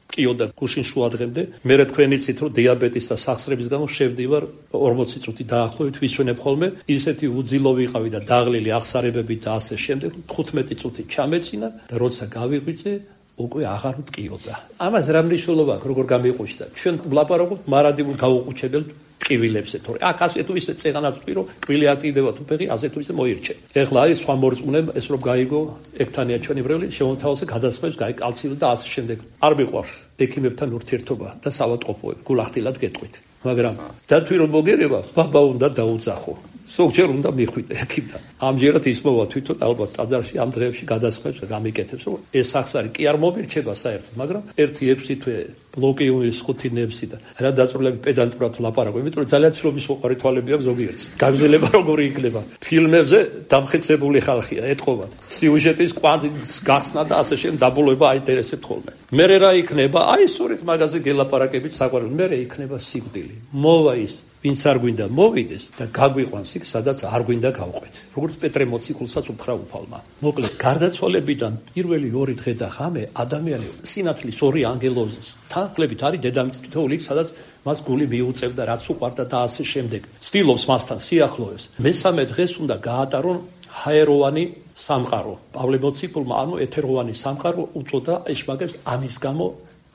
კიოდა გუშინ შუადღემდე მე თქვენი ცით რომ დიაბეტის და სახსრების გამო შევდივარ 40 წუთი დაახლოებით ვისვენებ ხოლმე ისეთი უძილო ვიყავი და დაღლილი აღსარებები და ასე შემდეგ 15 წუთი ჩამეცინა და როცა გავიღვიძე უკვე აღარ მტკიოდა. ამას რა მნიშვნელობა აქვს როგორ გამიყუჩდა? ჩვენ ვლაპარაკობთ მარადებულ გაუყუჩებელ ტკივილებზე, თორე აქ ასე თუ ისე წეღანაც ვთქვი რომ კბილი აქტივდება თუ ფეხი ასე თუ ისე მოირჩე. ეხლა აი სხვა მორწმუნემ ეს რომ გაიგო ექთანია ჩვენი ბრელი შემოთავაზე გადასხმებს გაიკალცილა და ასე შემდეგ. არ მიყვარს ექიმებთან ურთიერთობა და სავადმყოფოები გულახდილად გეტყვით. მაგრამ დათვი რომ მოგერება ბაბა უნდა დაუძახო. ზოგჯერ უნდა მიხვიდე ექიმთან. ამჯერად ის მოვა თვითონ ალბათ ტაძარში ამ დღეებში გადასხმებს გამიკეთებს რომ ეს სახსარი კი არ მომირჩება საერთოდ, მაგრამ 1-6 თვე ბლოკიუმის 5 ნებსი და რა დაწვრილები პედანტურად ლაპარაკობ, იმიტომ რომ ძალიან ცნობის მოყარი თვალები აქვს ზოგიერთს. გაგზელება როგორი იქნება? ფილმებზე დამხეცებული ხალხია, ეთყობათ. სიუჟეტის კვანძის გახსნა და ასე შემდეგ დაბოლოება აინტერესებთ ხოლმე. მერე რა იქნება? აი სწორედ მაგაზე გელაპარაკებით საყვარელი. მერე იქნება სიკვდილი. მოვა ის ვინც არ გვინდა მოვიდეს და გაგვიყვანს იქ, სადაც არ გვინდა გავყვეთ. როგორც პეტრე მოციქულსაც უთხრა უფალმა. მოკლედ, გარდაცვალებიდან პირველი 2 დღე და ღამე ადამიანი სინათლის 2 ანგელოზის თანხლებით არის დედამიწის თითოეული იქ, სადაც მას გული მიუწევდა, რაც უყვარდა და ასე შემდეგ. ცდილობს მასთან სიახლოვეს. მესამე დღეს უნდა გაატარონ ჰაეროვანი სამყარო. პავლე მოციქულმა ანუ ეთეროვანი სამყარო უწოდა ეშმაკებს ამის გამო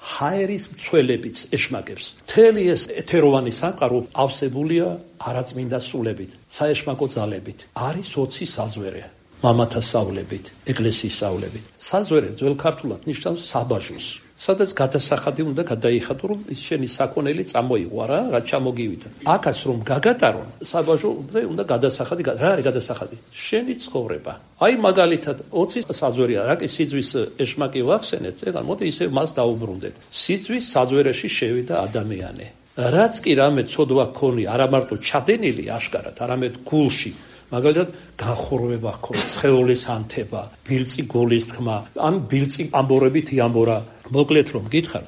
ჰაერის მცველებიც ეშმაკებს. მთელი ეს ეთეროვანი სამყარო ავსებულია არაწმინდა სულებით, საეშმაკო ძალებით. არის 20 საზვერე, მამათა სავლებით, ეკლესიის სავლებით. საზვერე ძველ ქართულად ნიშნავს საბაჟოს. სადაც გადასახადი უნდა გადაიხადო, რომ შენი საქონელი წამოიღო რა ჩამოგივიდა. აქაც რომ გაგატარონ, საბაჟოზე უნდა გადასახადი. რა არის გადასახადი? შენი ცხოვრება. აი მაგალითად 20 საზვერია, რა კი სიძვის ეშმაკი ვახსენეთ, ეხლა მოდი ისე მას დაუბრუნდეთ. სიძვის საზვერეში შევიდა ადამიანი. რაც კი რამე ცოდვა ქონი, არა მარტო ჩადენილი აშკარად, არამედ გულში მაგალითად განხორვება ქონდა, სხეულის ანთება, ბილწი გოლის თქმა, ან ბილწი ამბორებით იამბორა. მოკლედ რომ გითხარ,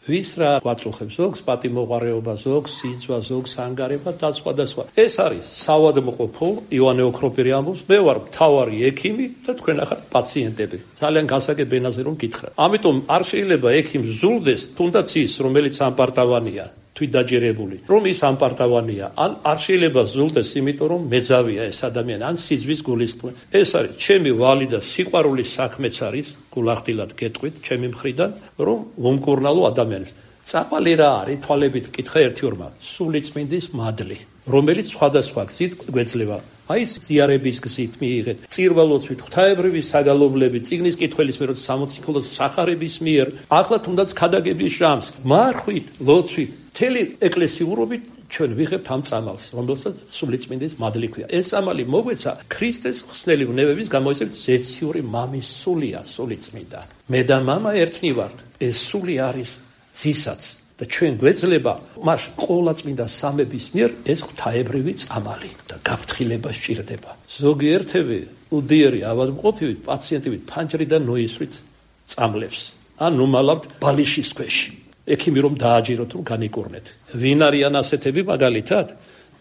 ვის რა გვაწუხებს ზოგს, პატიმოყარეობა ზოგს, სიძვა ზოგს, ანგარება და სხვა. ეს არის საავადმყოფო ივანე ოქროპირი ამბობს, მე ვარ მთავარი ექიმი და თქვენ ახლა პაციენტები. ძალიან გასაგებ ენაზე რომ გითხრათ. ამიტომ არ შეიძლება ექიმს ზულდეს, თუნდაც ის, რომელიც ამპარტავანია. თვით დაჯერებული, რომ ის ამპარტავანია, ან არ შეიძლება ზულდეს, იმიტომ რომ მეძავია ეს ადამიანი, ან სიძვის გულისწყლე. ეს არის ჩემი ვალი და სიყვარულის საქმეც არის, გულახდილად გეტყვით, ჩემი მხრიდან, რომ ვუმკურნალო ადამიანებს. წამალი რა არის, თვალებით კითხა ერთი-ორმა, სულიწმინდის მადლი, რომელიც სხვადასხვა გზით გვეძლება. აი ზიარების გზით მიიღეთ, წირვალოცვით, ღვთაებრივი საგალობლებით, წიგნის კითხველის მიერ, 60 ქულოს სახარების მიერ, ახლა თუნდაც ქადაგების ჟამს, მარხვით, ლოცვით, მთელი ეკლესიურობით ჩვენ ვიღებთ ამ წამალს, რომელსაც სულიწმინდის მადლი ქვია. ეს წამალი მოგვეცა ქრისტეს ხსნელი ვნებების გამოიცემთ ზეციური მამის სულია, სულიწმინდა. მე და მამა ერთნი ვართ. ეს სული არის ძისაც და ჩვენ გვეძლება მას ყოლა წმინდა სამების მიერ ეს ღვთაებრივი წამალი და გაფრთხილება სჭირდება. ზოგიერთები უდიერი ავადმყოფივით, პაციენტივით ფანჯრიდან ნოისვით წამლებს. ან ნუმალავთ ბალიშის ქვეშ. ექიმი რომ დააჯეროთ, რომ განიკურნეთ. ვინ არიან ასეთები მაგალითად?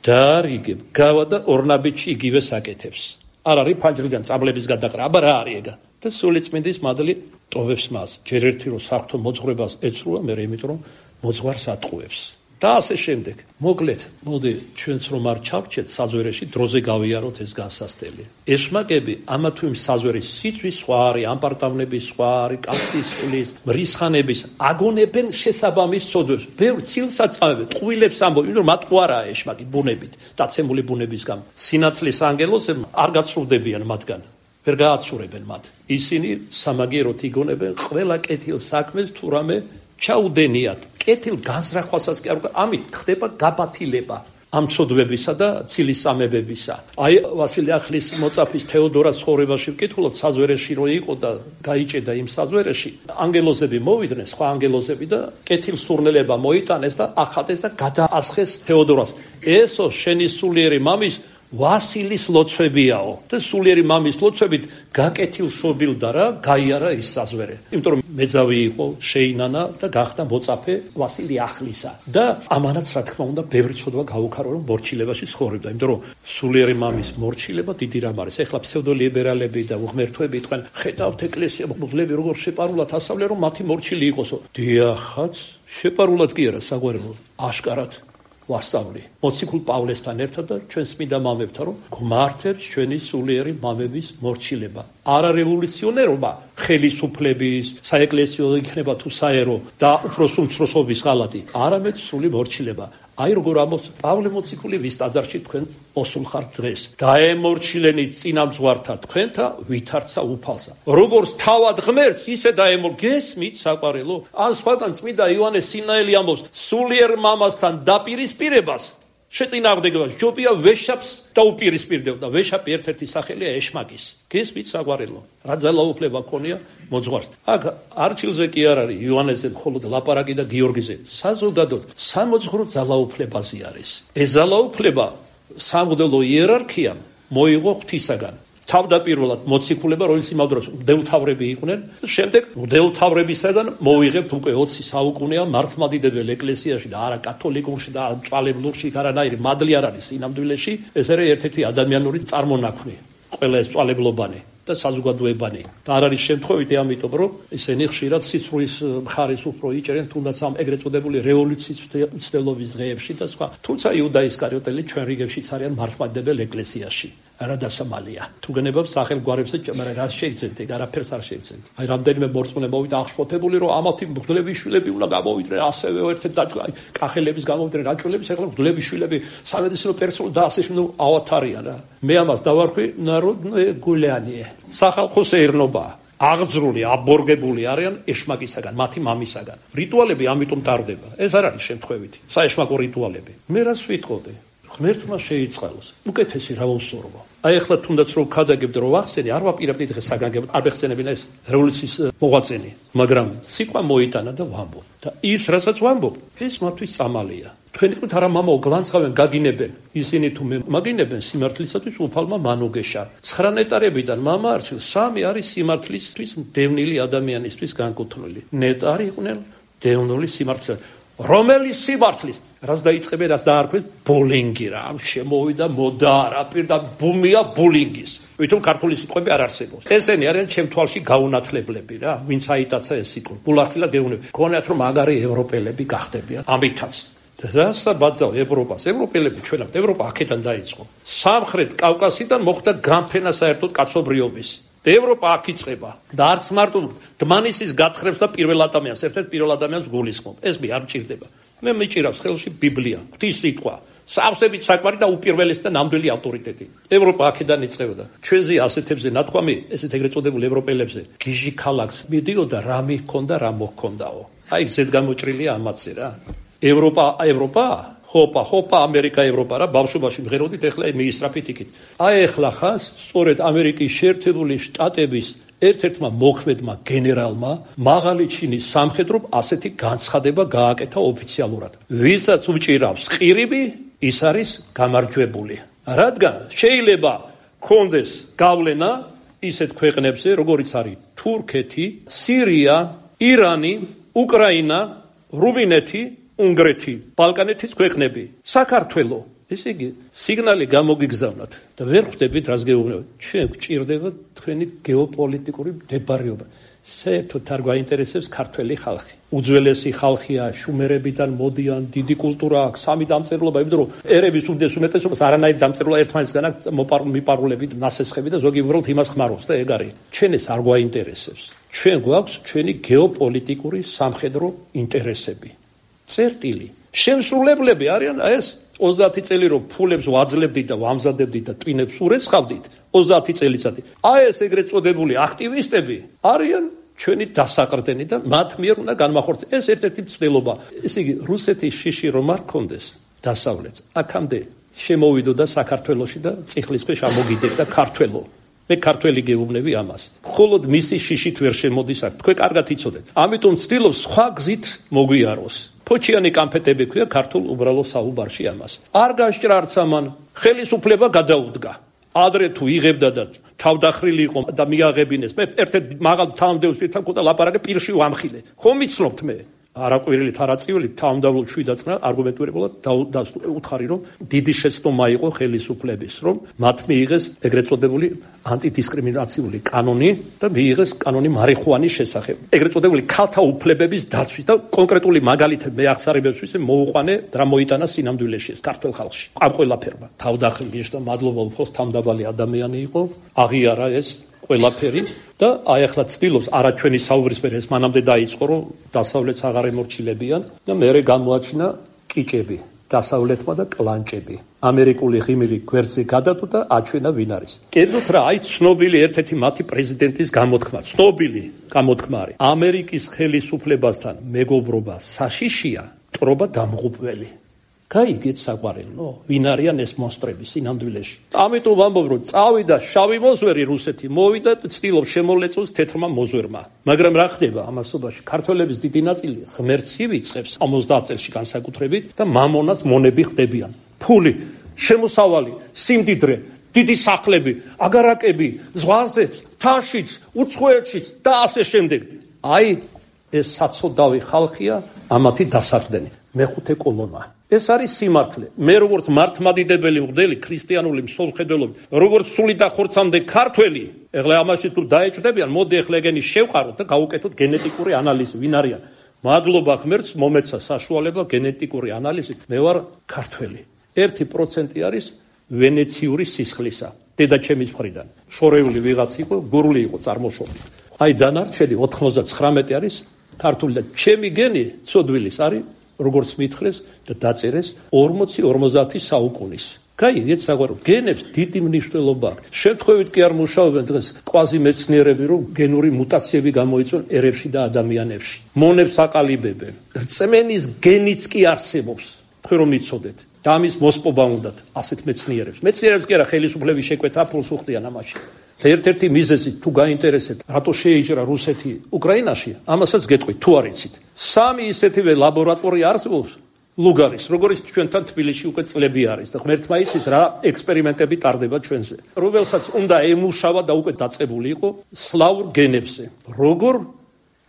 დაარიგებ, გავა და ორნაბიჯში იგივე საკეთებს. არ არის ფანჯრიდან წამლების გადაყრა, აბა რა არის ეგა? და სულიწმინდის მადლი ტოვებს მას. ჯერ ერთი რომ საღვთო მოძღვრებას ეცრუა, მე იმიტომ რომ მოძღვარს ატყუებს. და ასე შემდეგ. მოკლედ, მოდი ჩვენც რომ არ ჩავჭეთ საზვერეში, დროზე გავიაროთ ეს განსასწრელი. ეშმაკები ამა თუ იმ საზვერის სიძვის სხვა არის, ამპარტავნების სხვა არის, კაცის სულის, მრისხანების აგონებენ შესაბამის ცოდვებს. ბევრ ცილსაც წავებენ, ტყუილებს ამბობენ, რომ მათ ყო არაა ეშმაკი ბუნებით, დაცემული ბუნების გამო. სინათლის ანგელოზები არ გაცრუვდებიან მათგან. ვერ გააცურებენ მათ. ისინი სამაგიეროდ იგონებენ ყველა კეთილ საქმეს თუ რამე ჩაუდენიათ. კეთილ განზრახვასაც კი არ უკვე ამით ხდება გაბათილება ამ ცოდვებისა და ცილის სამებებისა. აი ვასილე ახლის მოწაფის თეოდორას ცხოვრებაში ვკითხულობ, საზვერეში რო იყო და გაიჭედა იმ საზვერეში, ანგელოზები მოვიდნენ, სხვა ანგელოზები და კეთილ სურნელება მოიტანეს და ახატეს და გადაასხეს თეოდორას. ესო შენი სულიერი მამის ვასილის ლოცვებიაო და სულიერი მამის ლოცვებით გაკეთილ შობილდა რა, გაიარა ის საზვერე. იმიტომ რომ მეძავი იყო, შეინანა და გახდა მოწაფე ვასილი ახლისა. და ამანაც რა თქმა უნდა ბევრი ცოდვა გაუქარო, რომ მორჩილებაში ცხოვრობდა. იმიტომ რომ სულიერი მამის მორჩილება დიდი რამ არის. ეხლა ფსევდოლიბერალები და უღმერთოები იტყვენ, ხედავთ ეკლესია მღვდლები როგორ შეპარულად ასავლენ, რომ მათი მორჩილი იყოსო. დიახაც, შეპარულად კი არა, საგვარეულო, აშკარად ვასწავლი მოციქულ პავლესთან ერთად და ჩვენს წმინდა მამებთან, რომ გვმართებს ჩვენი სულიერი მამების მორჩილება. არა რევოლუციონერობა, ხელისუფლების, საეკლესიო იქნება თუ საერო და უფროს უმცროსობის ღალატი, არამედ სული მორჩილება. აი როგორ ამბობს პავლე მოციქული ვის ტაძარში თქვენ ოსულ ხართ დღეს. დაემორჩილენი წინამძღვართა თქვენთა ვითარცა უფალსა. როგორც თავად ღმერთს, ისე გესმით საყვარელო. ან სხვაგან წმინდა იოანე სინაელი ამბობს, სულიერ მამასთან დაპირისპირებას შეწინააღმდეგება ჯობია ვეშაპს დაუპირისპირდებოდა. ვეშაპი ერთ-ერთი სახელია ეშმაკის. გესმით საყვარელო. რა ძალაუფლება ქონია მოძღვარს. აქ არჩილზე კი არ არის იოანეზე მხოლოდ ლაპარაკი და გიორგიზე. საზოგადოდ სამოძღვრო ძალაუფლებაზე არის. ეს ძალაუფლება სამღვდელო იერარქიამ მოიღო ღვთისაგან. თავდაპირველად მოციქულება, რომელიც იმავდროულად მღვდელმთავრები იყვნენ, შემდეგ მღვდელმთავრებისაგან მოვიღებთ უკვე 20 საუკუნეა მართლმადიდებელ ეკლესიაში და არა კათოლიკურში და მწვალებლურში არანაირი მადლი არ არის სინამდვილეში. ეს არის ერთ-ერთი ადამიანური წარმონაქმნი, ყველა ეს მწვალებლობანი და საზოგადოებანი. და არ არის შემთხვევითი, ამიტომ რომ ისინი ხშირად სიცრუის მხარეს უფრო იჭერენ, თუნდაც ამ ეგრეთ წოდებული რევოლუციის მცდელობის დღეებში და სხვა. თუმცა იუდა ისკარიოტელი ჩვენ რიგებშიც არიან მართლმადიდებელ ეკლესიაში. არა დასამალია. თუ გენებავს სახელგვარებს და მაგრამ რა შეიცენთ, ეგ არაფერს არ შეიცენთ. აი რამდენიმე მორწმუნე მოვიდა აღშფოთებული, რომ ამათი მღვდლების შვილები უნდა გამოვიდნენ, ასევე ერთად აი კახელების გამოვიდნენ რაჭველების, ახლა მღვდლების შვილები სამედიცინო პერსონალი და ასე შემდეგ ავათარია რა. მე ამას დავარქვი ნაროდნოე გულიანიე. სახალხო სეირნობა. აღძრული, აბორგებული არიან ეშმაკისაგან, მათი მამისაგან. რიტუალები ამიტომ ტარდება. ეს არ არის შემთხვევითი. საეშმაკო რიტუალები. მე რას ვიტყოდი? ღმერთმა შეიწყალოს. უკეთესი რა ვუსურვო. აი ახლა თუნდაც რომ ქადაგებდი რომ ვახსენე, არ ვაპირებდი დღეს საგანგებოდ, არ ვეხსენებინა ეს რევოლუციის მოღვაწენი, მაგრამ სიტყვა მოიტანა და ვამბობ. და ის რასაც ვამბობ, ეს მათთვის წამალია. თქვენ თქვით არა მამაო გლანცღავენ გაგინებენ. ისინი თუ მაგინებენ სიმართლისათვის უფალმა მანუგეშა. 9 ნეტარებიდან მამა არჩილ 3 არის სიმართლისთვის დევნილი ადამიანისთვის განკუთვნილი. ნეტარი იყვნენ დევნილი სიმართლის. რომელი სიმართლის რაც დაიწყებენ, რაც დაარქვეს ბულინგი რა, შემოვიდა მოდა არაფერ და ბუმია ბულინგის. ვითომ ქართული სიტყვები არ არსებობს. ესენი არიან ჩემ თვალში გაუნათლებლები რა, ვინც აიტაცა ეს სიტყვა. ბულახილა გეუნები. გქონიათ რომ მაგარი ევროპელები გახდებიან. ამითაც რასა ბაძავ ევროპას? ევროპელები ჩვენამდე ევროპა აქედან დაიწყო. სამხრეთ კავკასიდან მოხდა განფენა საერთოდ კაცობრიობის. ევროპა აქ იწყება და არც მარტო დმანისის გათხრებს და პირველ ადამიანს, ერთ-ერთ პირველ ადამიანს გულისხმობ. ეს მე არ მჭირდება. მე მიჭირავს ხელში ბიბლია, ღვთის სიტყვა, სავსებით საკვარი და უპირველესი და ნამდვილი ავტორიტეტი. ევროპა აქედან იწყებოდა. ჩვენზე ასეთებზე ნათქვამი, ესეთ ეგრეთ წოდებულ ევროპელებზე, გიჟი ქალაქს მიდიოდა, რა მიჰქონდა, რა მოჰქონდაო. აი ზედ გამოჭრილია ამათზე რა. ევროპა ხოპა ამერიკა ევროპა რა ბავშვობაში მღეროდით ეხლა მიისწრაფით იქით. აი ეხლა ხას სწორედ ამერიკის შეერთებული შტატების ერთ-ერთმა მოქმედმა გენერალმა მაღალი ჩინის სამხედრომ ასეთი განცხადება გააკეთა ოფიციალურად. ვისაც უჭირავს ყირიმი, ის არის გამარჯვებული. რადგან შეიძლება კონდეს გავლენა ისეთ ქვეყნებზე, როგორიც არის თურქეთი, სირია, ირანი, უკრაინა, რუმინეთი, უნგრეთი, ბალკანეთის ქვეყნები, საქართველო. ესე იგი, სიგნალი გამოგიგზავნათ და ვერ ხვდებით რას გეუბნებათ. ჩვენ გვჭირდება თქვენი გეოპოლიტიკური მდებარეობა. საერთოდ არ გვაინტერესებს ქართველი ხალხი. უძველესი ხალხია, შუმერებიდან მოდიან, დიდი კულტურა აქვს, სამი დამწერლობა, იმიტომ რომ ერების უმეტესობას არანაირი დამწერლობა ერთმანეთსგან აქვს მიპარულებით, ნასესხები და ზოგი უბრალოდ იმას ხმარობს და ეგ არის. ჩვენ ეს არ გვაინტერესებს. ჩვენ გვაქვს ჩვენი გეოპოლიტიკური სამხედრო ინტერესები. წერტილი. შემსრულებლები არიან ეს 30 წელი რომ ფულებს ვაძლებდით და ვამზადებდით და ტვინებს ურეცხავდით 30 წელიწადი. აი ეს ეგრეთ წოდებული აქტივისტები არიან ჩვენი დასაყრდენი და მათ მიერ უნდა განმახორციელოს. ეს ერთ-ერთი მცდელობა. ესე იგი, რუსეთის შიში რომ არ კონდეს დასავლეთს, აქამდე შემოვიდოდა საქართველოში და წიხლის ქვეშ ამოგიდებდა ქართველო. მე ქართველი გეუბნები ამას. მხოლოდ მისი შიშით ვერ შემოდის აქ. თქვენ კარგად იცოდეთ. ამიტომ ცდილობს სხვა გზით მოგვიაროს. ფოჩიანი კამფეტები ქვია ქართულ უბრალო საუბარში ამას. არ გასჭრა არც ამან ხელისუფლება გადაუდგა. ადრე თუ იღებდა და თავდახრილი იყო და მიაღებინეს. მე ერთ-ერთ მაღალ თანამდებობს პირთან მქონდა ლაპარაკი პირში ვამხილე. ხომ იცნობთ მე? არაკვირილით არაწივლით თავმდაბლობ შვიდაწყნა არგუმენტირებულად უთხარი რომ დიდი შეცდომა იყო ხელისუფლების რომ მათ მიიღეს ეგრეთ წოდებული ანტიდისკრიმინაციული კანონი და მიიღეს კანონი მარიხუანის შესახებ ეგრეთ წოდებული ქალთა უფლებების დაცვის და კონკრეტული მაგალითები მე აღსარებებს ვისე მოუყვანე რა მოიტანა სინამდვილეში ეს ქართულ ხალხში ამ ყველაფერმა თავდახრილი და მადლობა უფროს თავმდაბალი ადამიანი იყო აღიარა ეს ყველაფერი და აი ახლა ცდილობს არა ჩვენი საუბრისფერი ეს მანამდე დაიწყო რომ დასავლეთს აღარ ემორჩილებიან და მერე გამოაჩინა კიჭები დასავლეთმა და კლანჭები ამერიკული ღიმილი გვერდზე გადადო და აჩვენა ვინ არის კერძოდ რა აი ცნობილი ერთ-ერთი მათი პრეზიდენტის გამოთქმა ცნობილი გამოთქმა არის ამერიკის ხელისუფლებასთან მეგობრობა საშიშია ტრობა დამღუპველი გაიგეთ საყვარელო, ვინ არიან ეს მონსტრები სინამდვილეში. ამიტომ ვამბობ, რომ წავიდა შავი მოზვერი რუსეთი, მოვიდა და ცდილობს შემოვლეწოს თეთრმა მოზვერმა. მაგრამ რა ხდება ამასობაში? ქართველების დიდი ნაწილი ღმერთს ივიწყებს 50 წელში განსაკუთრებით და მამონას მონები ხდებიან. ფული, შემოსავალი, სიმდიდრე, დიდი სახლები, აგარაკები, ზღვაზეც, თაშიც, უცხოეთშიც და ასე შემდეგ. აი ეს საცოდავი ხალხია, ამათი დასაყრდენი. მეხუთე კოლონა. ეს არის სიმართლე. მე როგორც მართლმადიდებელი მღვდელი ქრისტიანული მსოფლმხედველობი, როგორც სული და ხორცამდე ქართველი, ეხლა ამაში თუ დაეჭდებიან, მოდი ეხლა ეგენი შევყაროთ და გავუკეთოთ გენეტიკური ანალიზი, ვინ არიან. მადლობა ღმერთს მომეცა საშუალება გენეტიკური ანალიზით. მე ვარ ქართველი. 1% არის ვენეციური სისხლისა. დედაჩემის მხრიდან. შორეული ვიღაც იყო, გურული იყო წარმოშობით. აი დანარჩენი 99 არის ქართული და ჩემი გენი ცოდვილის არის როგორც მითხრეს და დაწერეს 40-50 საუკუნის. გაიგეთ საყვარელო, გენებს დიდი მნიშვნელობა აქვს. შემთხვევით კი არ მუშაობენ დღეს ყვაზი მეცნიერები, რომ გენური მუტაციები გამოიწვიონ ერებში და ადამიანებში. მონებს აყალიბებენ. რწმენის გენიც კი არსებობს. თქვენ რომ იცოდეთ და ამის მოსპობა უნდათ ასეთ მეცნიერებს. მეცნიერებს კი არა ხელისუფლების შეკვეთა ფულს უხდიან ამაში. ერთ-ერთი მიზეზი თუ გაინტერესეთ, რატო შეიჭრა რუსეთი უკრაინაში, ამასაც გეტყვით, თუ არ იცით. 3 ისეთივე ლაბორატორია არსებობს ლუგარის, როგორც ჩვენთან თბილისში უკვე წლები არის და ღმერთმა იცის რა ექსპერიმენტები ტარდება ჩვენზე. რომელსაც უნდა ემუშავა და უკვე დაწყებული იყო სლავურ გენებზე. როგორ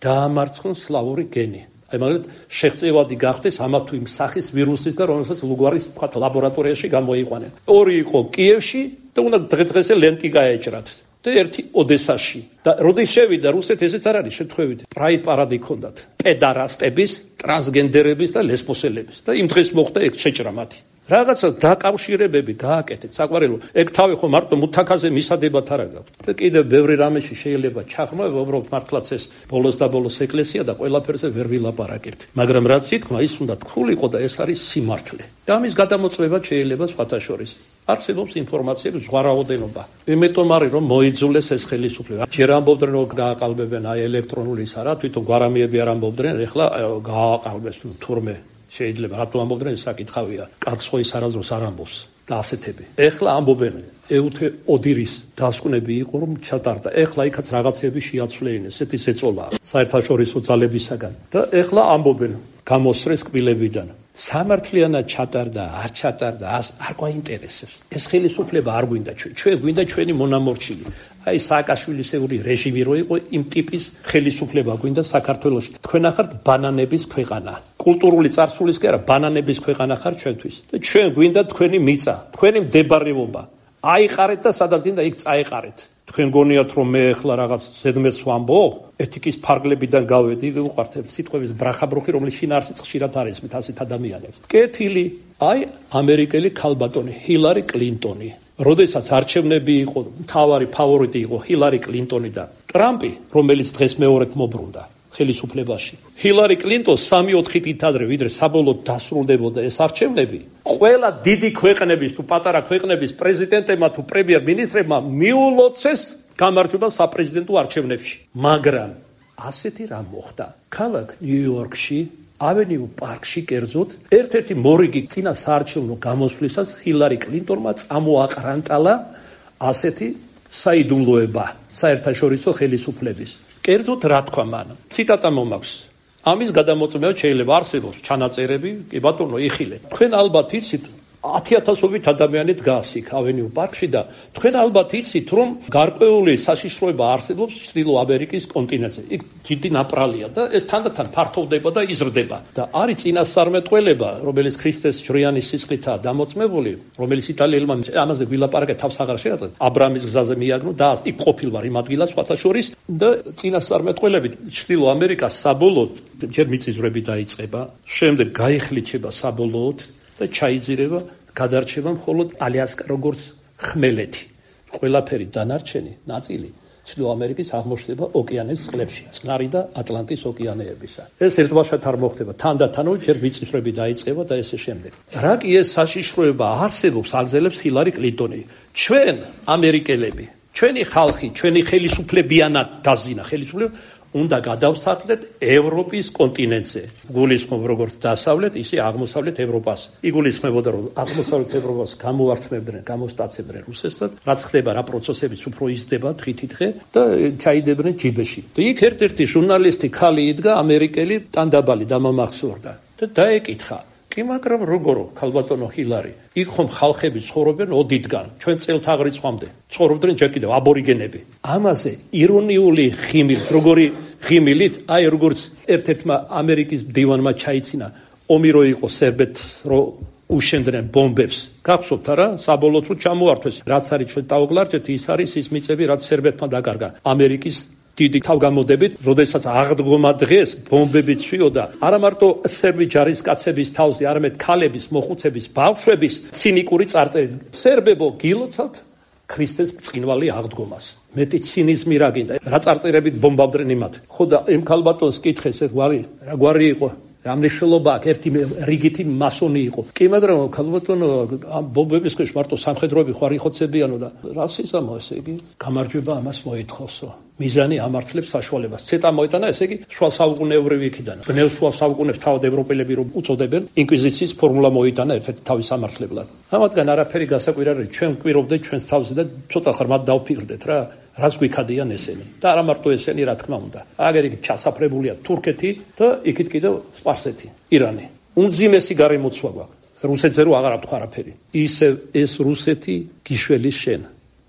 დაამარცხონ სლავური გენი? აი მაგალითად შეღწევადი გახდეს ამა თუ იმ სახის ვირუსის და რომელსაც ლუგარის ლაბორატორიაში გამოიყვანენ. 2 იყო კიევში და უნდა დღე-დღესე ლენტი გაეჭრათ. და და ერთი ოდესაში. და როდის შევიდა რუსეთი, ესეც არ არის შემთხვევით. პრაიდ პარადი ჰქონდათ პედარასტების, ტრანსგენდერების და ლესბოსელების და იმ დღეს მოხდა ეგ შეჭრა მათი. რაღაცა დაკავშირებები გააკეთეთ, საყვარელო. ეგ თავი ხო მარტო მუთაქაზე მისადებად არ აქვს. და კიდევ ბევრი რამეში შეიძლება ჩახმოება, უბრალოდ მართლაც ეს ბოლოს და ბოლოს ეკლესია და ყველაფერზე ვერ ვილაპარაკებთ. მაგრამ რაც ითქმა, ის უნდა თქულიყო და ეს არის სიმართლე. და ამის გადამოწმება შეიძლება სხვათა შორის. არსებობს ინფორმაციების ზღვა რაოდენობა. იმიტომ არის რომ მოიძულეს ეს ხელისუფლება. ჯერ ამბობდნენ რომ გააყალბებენ აი ელექტრონული ისა რა, თვითონ გვარამიები არ ამბობდნენ, ეხლა გააყალბეს თურმე. შეიძლება რატო ამბობდნენ ეს საკითხავია. კარგს ხო ის არასდროს არ ამბობს და ასეთები. ეხლა ამბობენ ეუთე ოდირის დასკვნები იყო რომ ჩატარდა. ეხლა იქაც რაღაცები შეაცვლეინეს, ესეთი ზეწოლაა საერთაშორისო ძალებისაგან. და ეხლა ამბობენ გამოსრეს კბილებიდან. სამართლიანად ჩატარდა, არ ჩატარდა, არ გვაინტერესებს. ეს ხელისუფლება არ გვინდა ჩვენ გვინდა ჩვენი მონამორჩილი. აი სააკაშვილისეული რეჟიმი რო იყო, იმ ტიპის ხელისუფლება გვინდა საქართველოში. თქვენ ახართ ბანანების ქვეყანა. კულტურული წარსულის კი არა, ბანანების ქვეყანა ხარ ჩვენთვის. და ჩვენ გვინდა თქვენი მიწა, თქვენი მდებარეობა. აიყარეთ და სადაც გინდა იქ წაეყარეთ. თქვენ გონიათ რომ მე ახლა რაღაც ზედმეტს ვამბობ, ეთიკის ფარგლებიდან გავედი, ვუყვართ სიტყვების ბრახაბრუხი, რომელიც შინაარსიც ხშირად არის მით ასეთ ადამიანებს. კეთილი, აი ამერიკელი ქალბატონი ჰილარი კლინტონი. როდესაც არჩევნები იყო, მთავარი ფავორიტი იყო ჰილარი კლინტონი და ტრამპი, რომელიც დღეს მეორედ მობრუნდა ხელისუფლებაში. ჰილარი კლინტონს 3-4 ადრე, ვიდრე საბოლოოდ დასრულდებოდა ეს არჩევნები, ყველა დიდი ქვეყნების თუ პატარა ქვეყნების პრეზიდენტებმა თუ პრემიერ-მინისტრებმა მიულოცეს გამარჯვება საპრეზიდენტო არჩევნებში. მაგრამ ასეთი რამ მოხდა. ქალაქ ნიუ-იორკში, ავენიუ პარკში კერძოდ, ერთ-ერთი მორიგი წინა საარჩევნო გამოსვლისას ჰილარი კლინტონმა წამოაყრანტალა ასეთი საიდუმლოება საერთაშორისო ხელისუფლების. კერძოდ რა თქვა მან? ციტატა მომაქვს. ამის გადამოწმება შეიძლება არსებობს ჩანაწერები, კი ბატონო, იხილეთ. თქვენ ალბათ იცით 10,000-ობით ადამიანი დგას იქ ავენიუ პარკში და თქვენ ალბათ იცით რომ გარკვეული საშიშროება არსებობს ჩრდილო ამერიკის კონტინენტზე. იქ დიდი ნაპრალია და ეს თანდათან ფართოვდება და იზრდება. და არის წინასწარმეტყველება, რომელიც ქრისტეს ჯვრიანის სისხლითაა დამოწმებული, რომელიც იტალიელმა ამაზე ვილაპარაკე თავს აღარ შეაწყვეტ. აბრამის გზაზე მიაგნო და იქ ყოფილვარ იმ ადგილას სხვათა შორის და წინასწარმეტყველებით ჩრდილო ამერიკას საბოლოოდ ჯერ მიწისძვრები დაიწყება, შემდეგ გაიხლიჩება საბოლოოდ და ჩაიძირება, გადარჩება მხოლოდ ალიასკა როგორც ხმელეთი. ყველაფერი დანარჩენი ნაწილი ჩრდილო ამერიკის აღმოჩნდება ოკეანეების წყლებში, წყნარი და ატლანტის ოკეანეებისა. ეს ერთბაშად არ მოხდება. თანდათანო ჯერ მიწისძვრები დაიწყება და ესე შემდეგ. რა კი ეს საშიშროება არსებობს, აგზელებს ჰილარი კლინტონი. ჩვენ ამერიკელები, ჩვენი ხალხი, ჩვენი ხელისუფლებიანად დაზინა ხელისუფლება უნდა გადავსახლეთ ევროპის კონტინენტზე. გულისხმობ როგორც დასავლეთ, ისე აღმოსავლეთ ევროპას. იგულისხმებოდა რომ აღმოსავლეთ ევროპას გამოვართმევდნენ, გამოსტაცებდნენ რუსეთთან, რაც ხდება რა პროცესებიც უფრო იზრდება დღითიდღე და ჩაიდებდნენ ჯიბეში. და იქ ერთ-ერთი ჟურნალისტი ხალი იდგა, ამერიკელი ტანდაბალი დამამახსოვრდა და დაეკითხა: კი, მაგრამ როგორო, ქალბატონო ჰილარი, იქ ხომ ხალხები ცხოვრობენ ოდითგან, ჩვენ წელთაღრიცხვამდე ცხოვრობდნენ ჯერ კიდევ აბორიგენები. ამაზე ირონიული ხიმილით, როგორი ხიმილით, აი როგორც ერთ-ერთმა ამერიკის მდივანმა ჩაიცინა, ომი რო იყო სერბეთს რო უშენდნენ ბომბებს. გახსოვთ არა? საბოლოოდ რო ჩამოართვეს, რაც არის ჩვენ დავგლარჯეთ, ის არის ის მიწები, რაც სერბეთმა დაკარგა ამერიკის დიდი თავგამოდებით, როდესაც აღდგომა დღეს ბომბები ცვიოდა, არა მარტო სერბი ჯარისკაცების თავზე, არამედ ქალების, მოხუცების, ბავშვების ცინიკური წარწერით. სერბებო, გილოცავთ ქრისტეს ბრწყინვალე აღდგომას. მეტი ცინიზმი რა გინდა? რა წარწერებით ბომბავდნენ იმათ? ხო და იმ ქალბატონს კითხეს, რა გვარი იყო? რა მნიშვნელობა აქვს? ერთი რიგითი მასონი იყო. კი, მაგრამ ქალბატონო, ამ ბომბების ქვეშ მარტო სამხედროები ხო არ იხოცებიანო და რა სიზამო ესე იგი? გამარჯვება ამას მოითხოვსო. მიზანი ამართლებს საშუალებას. ცეტა მოიტანა, ესე იგი, შუა საუკუნეებრივი იქიდან. ბნელ შუა საუკუნეებს თავად ევროპელები რომ უწოდებენ, ინკვიზიციის ფორმულა მოიტანა ერთ-ერთი თავის ამართლებლად. ამათგან არაფერი გასაკვირი არ არის, ჩვენ გვკვირობდეთ ჩვენს თავზე და ცოტა ხრმად დავფიქრდეთ რა. რას გვიქადიან ესენი? და არა მარტო ესენი, რა თქმა უნდა. აგერ იქ ჩასაფრებულია თურქეთი და იქით კიდევ სპარსეთი, ირანი. უმძიმესი გარემოცვა გვაქვს. რუსეთზე რო აღარ აქვს არაფერი. ისევ ეს რუსეთი გიშველის შენ.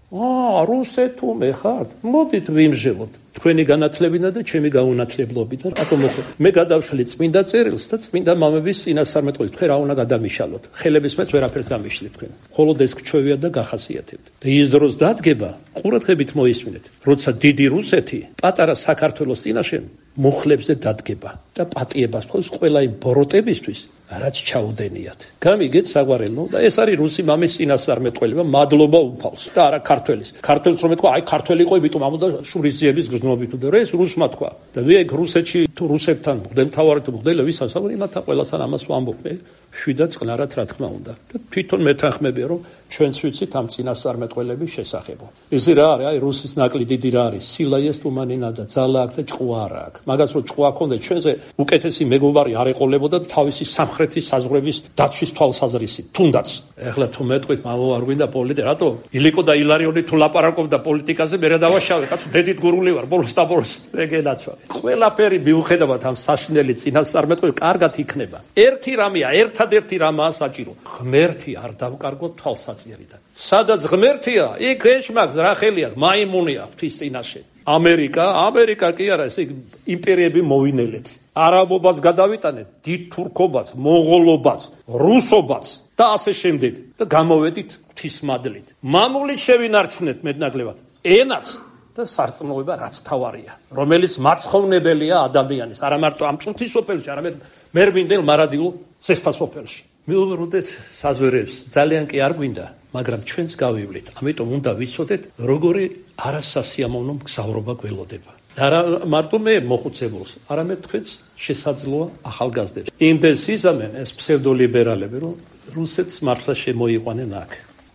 რუსეთუმე ხართ? მოდით ვიმჟელოთ. თქვენი განათლებინა და ჩემი გაუნათლებლობითა. რატომ მოხდა? მე გადავშლი წმინდა წერილს და წმინდა მამების წინასწარმეტყველს. თქვენ რა უნდა გადამიშალოთ? ხელების მეც ვერაფერს გამიშლით თქვენ. მხოლოდ ეს გჩვევიათ და გახასიათებთ. და ის დროს დადგება, ყურადღებით მოისმინეთ, როცა დიდი რუსეთი პატარა საქართველოს წინაშე მუხლებზე დადგება და პატიებას ხოს ყველა იმ ბოროტებისთვის, რაც ჩაუდენიათ. გამიგეთ საგვარელო და ეს არის რუსი მამის წინასწარმეტყველება, მადლობა უფალს და არა ქართველის. ქართველს რომ ეთქვა, აი ქართველი იყო, იმიტომ ამოდა შურისძიების გზნობით და ეს რუსმა თქვა. და მე ეგ რუსეთში თუ რუსებთან მღვდელმთავარი თუ მღვდელი ვისაც ამბობ, იმათან ყველასთან ამას ვამბობ მე. შვიდა წყნარად რა თქმა უნდა. და თვითონ მეთანხმებია რომ ჩვენც ვიცით ამ წინასწარმეტყველების შესახებ. ესე რა არის? აი რუსის ნაკლი დიდი რა არის? სილაიეს თუმანინა და ძალა აქვს და ჭყვა არა აქვს. მაგას რომ ჭყვა ქონდა ჩვენზე უკეთესი მეგობარი არ ეყოლებოდა თავისი სამხრეთის საზღვრების დაცვის თვალსაზრისით. თუნდაც ეხლა თუ მეტყვით მამო არ გვინდა პოლიტიკა, რატო? ილიკო და ილარიონი თუ ლაპარაკობდა პოლიტიკაზე, მე რა დავაშავე? კაცო დედით გურული ვარ, ბოლოს და ბოლოს მე გენაცვალე. ყველაფერი მიუხედავად ამ საშინელი წინასწარმეტყველების კარგად იქნება. ერთი რამეა, ერთადერთი რამაა საჭირო. ღმერთი არ დავკარგოთ თვალსაჩინარიდან. სადაც ღმერთია, იქ ეშმაკს რა ხელი აქვს, მაიმუნი აქვს ღვთის წინაშე. ამერიკა კი არა, ეს იმპერიები მოვინელეთ. არაბობას გადავიტანეთ, დიდ თურქობას, მონღოლობას, რუსობას და ასე შემდეგ და გამოვედით ღვთის მადლით. მამულით შევინარჩუნეთ მეტნაკლებად ენას და სარწმუნოება რაც თავარია, რომელიც მარცხოვნებელია ადამიანის, არა მარტო ამ წუთის სოფელში, არამედ მერვინდელ მარადილო ზესთა სოფელში. მიუბრუნდეთ საზვერებს, ძალიან კი არ გვინდა, მაგრამ ჩვენც გავივლით. ამიტომ უნდა ვიცოდეთ, როგორი არასასიამოვნო მგზავრობა გველოდება. და არა მარტო მე მოხუცებულს, არამედ თქვენც შესაძლოა ახალგაზრდებს. იმდენს იზამენ ეს ფსევდოლიბერალები, რომ რუსეთს მართლა შემოიყვანენ აქ.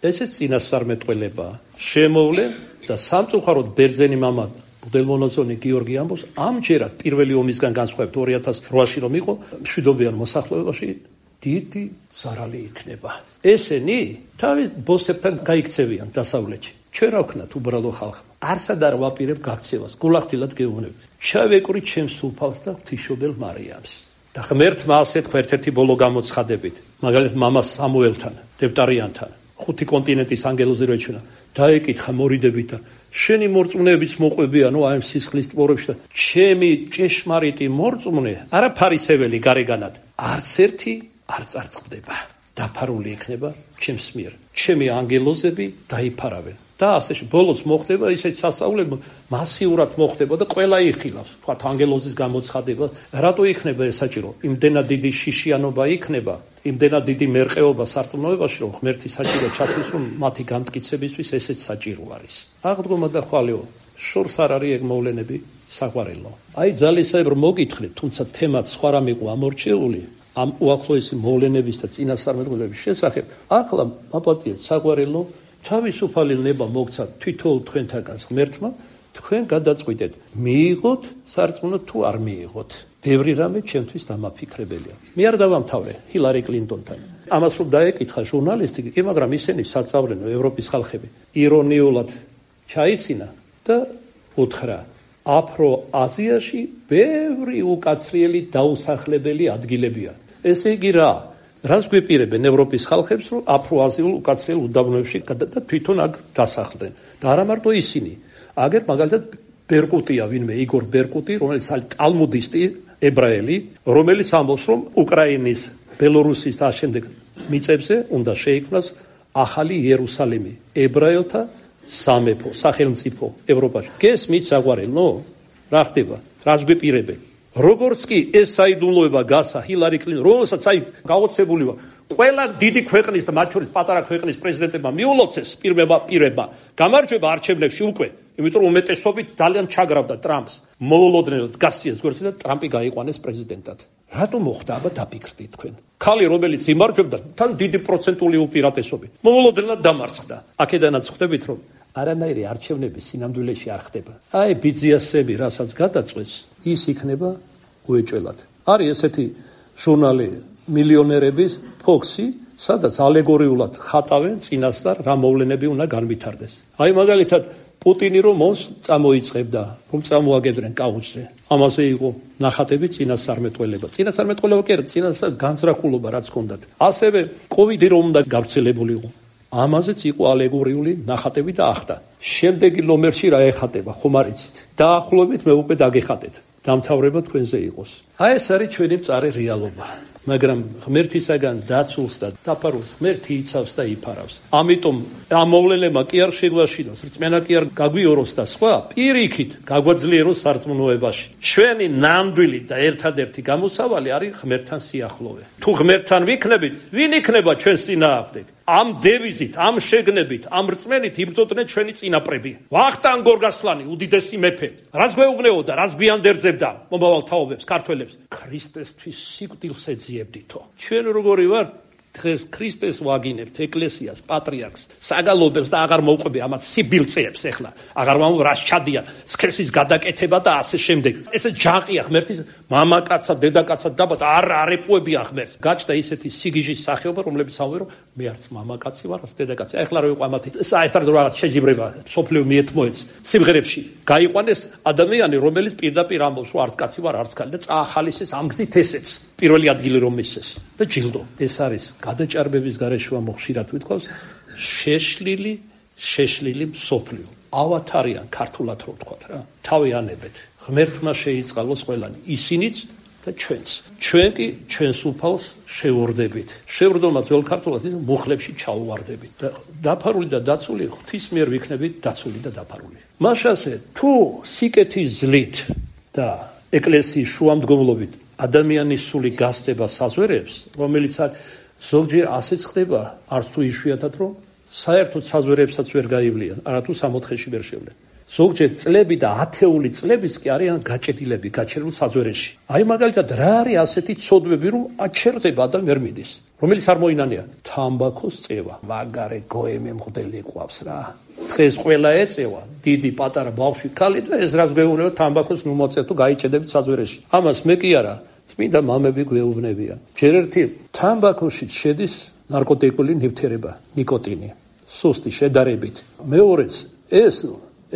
ესეც წინასწარმეტყველებაა. შემოვლენ და სამწუხაროდ ბერძენი მამა მღვდელმონაზონი გიორგი ამბობს, ამჯერად პირველი ომისგან განსხვავებით 2008-ში რომ იყო მშვიდობიან მოსახლეობაში დიდი ზარალი იქნება. ესენი თავის ბოსებთან გაიქცევიან დასავლეთში. ჩვენ რა ვქნათ უბრალო ხალხმა? არსად არ ვაპირებ გაქცევას, გულახდილად გეუბნები. ჩავეკვრით ჩემს უფალს და ღვთისმშობელ მარიამს. და ღმერთმა ასე თქვა ერთ-ერთი ბოლო გამოცხადებით, მაგალითად მამა სამუელთან, დევტარიანთან, 5 კონტინენტის ანგელოზი რო ეჩვენა, დაეკითხა მორიდებით და შენი მორწმუნეებიც მოყვებიანო აი ამ სისხლის ტბორებში და ჩემი ჭეშმარიტი მორწმუნე, არა ფარისეველი გარეგანად, არც ერთი არ წარწყდება. დაფარული იქნება ჩემს მიერ. ჩემი ანგელოზები დაიფარავენ. და ასე ბოლოს მოხდება ისეთ სასწაულები მასიურად მოხდება და ყველა იხილავს. თქვათ ანგელოზის გამოცხადება, რატო იქნება ეს საჭირო? იმდენად დიდი შიშიანობა იქნება, იმდენად დიდი მერყეობა სარწმუნოებაში, რომ ღმერთი საჭირო ჩათვლის, რომ მათი განმტკიცებისთვის ესეც საჭირო არის. აღდგომა და ხვალეო, შორს არ არის ეგ მოვლენები საყვარელო. აი ძალისებრ მოგითხრით, თუმცა თემაც სხვა რამ იყო ამორჩეული. ამ უახლოესი მოვლენების და წინასწარმეტყველების შესახებ, ახლა აპატიეთ საყვარელო თავისუფალი ნება მოგცათ თვითონ თქვენთაგან ღმერთმა, თქვენ გადაწყვიტეთ, მიიღოთ სარწმუნო თუ არ მიიღოთ. ბევრი რამე ჩემთვის დამაფიქრებელია. მე არ დავამთავრე ჰილარი კლინტონთან. ამას რომ დაეკითხა ჟურნალისტი, კი, მაგრამ ისინი საწავლენო ევროპის ხალხები ირონიულად ჩაიცინა და უთხრა, აფრო-აზიაში ბევრი უკაცრიელი დაუსახლებელი ადგილებია. ესე იგი რა? რას გვეპირებენ ევროპის ხალხებს, რომ აფრო-აზიულ უკაცრიელ უდაბნოებში და თვითონ აქ დასახლდნენ. და არა მარტო ისინი. აგერ მაგალითად ბერკუტია ვინმე იგორ ბერკუტი, რომელიც არის ტალმუდისტი ებრაელი, რომელიც ამბობს, რომ უკრაინის, ბელორუსის და შემდეგ მიწებზე უნდა შეიქმნას ახალი იერუსალიმი, ებრაელთა სამეფო, სახელმწიფო ევროპაში. გესმით საყვარელო? რა ხდება? რას გვეპირებენ? როგორც კი ეს საიდუმლოება გასა ჰილარი კლინტონ, რომელსაც აი გაოცებული ვარ, ყველა დიდი ქვეყნის და მათ შორის პატარა ქვეყნის პრეზიდენტებმა მიულოცეს პირება გამარჯვება არჩევნებში უკვე, იმიტომ რომ უმეტესობით ძალიან ჩაგრავდა ტრამპს. მოულოდნელად გასციეს გვერდზე და ტრამპი გაიყვანეს პრეზიდენტად. რატო მოხდა? აბა დაფიქრდით თქვენ. ხალი რომელიც იმარჯვებდა, თან დიდი პროცენტული უპირატესობით. მოულოდნელად დამარცხდა. აქედანაც ხვდებით რომ არანაირი არჩევნები სინამდვილეში არ ხდება. აი ბიძიასები რასაც გადაწყვეს, ის იქნება უეჭველად. არის ესეთი ჟურნალი მილიონერების ფოქსი, სადაც ალეგორიულად ხატავენ წინასწარ რა მოვლენები უნდა განვითარდეს. აი მაგალითად პუტინი რომ მოსს წამოიწყებდა, რომ წამოაგებდნენ კაუჩზე. ამაზე იყო ნახატები წინასწარმეტყველება. წინასწარმეტყველება კი არა, წინასწარ განზრახულობა რაც ჰქონდათ. ასევე კოვიდი რომ უნდა გავრცელებულიყო. ამაზეც იყო ალეგორიული ნახატები და ახდა. შემდეგი ნომერში რა ეხატება, ხომ არ იცით? დაახლოებით მე უკვე დაგეხატეთ. დამთავრება თქვენზე იყოს. აი ეს არის ჩვენი მწარე რეალობა. მაგრამ ღმერთისაგან დაცულს და დაფარულს ღმერთი იცავს და იფარავს. ამიტომ ამ მოვლენებმა კი არ შეგვაშინოს, რწმენა კი არ გაგვიოროს და სხვა, პირიქით გაგვაძლიეროს სარწმუნოებაში. ჩვენი ნამდვილი და ერთადერთი გამოსავალი არის ღმერთთან სიახლოვე. თუ ღმერთთან ვიქნებით, ვინ იქნება ჩვენს წინააღმდეგ? ამ დევიზით, ამ შეგნებით, ამ რწმენით იბრძოდნენ ჩვენი წინაპრები. ვახტანგ გორგასლანი, უდიდესი მეფე, რას გვეუბნეოდა, რას გვიანდერძებდა მომავალ თაობებს, ქართველებს? ქრისტესთვის სიკვდილს ეძიებდითო. ჩვენ როგორი ვართ? დღეს ქრისტეს ვაგინებთ, ეკლესიას, პატრიარქს, საგალობებს და აღარ მოვყვები ამათ სიბილწეებს ახლა. აღარ მომვა რას ჩადიან, სქესის გადაკეთება და ასე შემდეგ. ესე ჯაყია ღმერთის მამაკაცად, დედაკაცად დაბადა, არ ეპოებია ღმერთს. გაჩნდა ისეთი სიგიჟის სახეობა, რომლებიც ამბობენ, რომ მე არც მამაკაცი ვარ, არც დედაკაცი. ახლა რა ვიყო ამათი საერთოდ რაღაც შეჯიბრება სოფლიო მიეთმოეც სიმღერებში. გაიყვანეს ადამიანი, რომელიც პირდაპირ ამბობს, რომ არც კაცი ვარ, არც ქალი და წაახალისეს ამ გზით ესეც. პირველი ადგილი რომ მისცეს და ჯილდო. ეს არის გადაჭარბების გარეშე მოხშირად ვიტყავს შეშლილი მსოფლიო. ავათარიან ქართულად რო ვთქვა რა. თავი ანებეთ. ღმერთმა შეიწყალოს ყველანი, ისინიც და ჩვენც. ჩვენ კი ჩვენს უფალს შევორდებით. შევრდომა ძველ ქართულად ის მუხლებში ჩაუვარდებით. დაფარული და დაცული ღვთის მიერ ვიქნებით დაცული და დაფარული. მაშასე თუ სიკეთის ძლით და ეკლესიის შუამდგომლობით ადამიანის სული გასდება საზვერებს, რომელიც არის ზოგჯერ ასეც ხდება, არც თუ იშვიათად რომ საერთოდ საზვერებსაც ვერ გაივლიან, არათუ 60-ში ვერ შევლენ. ზოგჯერ წლები და ათეული წლებიც კი არიან გაჭედილები, გაჩერებულ საზვერეში. აი მაგალითად რა არის ასეთი ცოდვები, რომ აჩერდება და ვერ მიდის, რომელიც არ მოინანია თამბაქოს წევა. მაგარე გოემე მღვდელი ყავს რა. დღეს ყველა ეწევა, დიდი პატარა ბავშვი ქალი და ეს რას გვეუბნება თამბაქოს ნუ მოწევ თუ გაიჭედებით საზვერეში. ამას მე კი არა, წმინდა მამები გვეუბნებიან. ჯერ ერთი თამბაქოში შედის ნარკოტიკული ნივთიერება, ნიკოტინი, სუსტი შედარებით. მეორეც ეს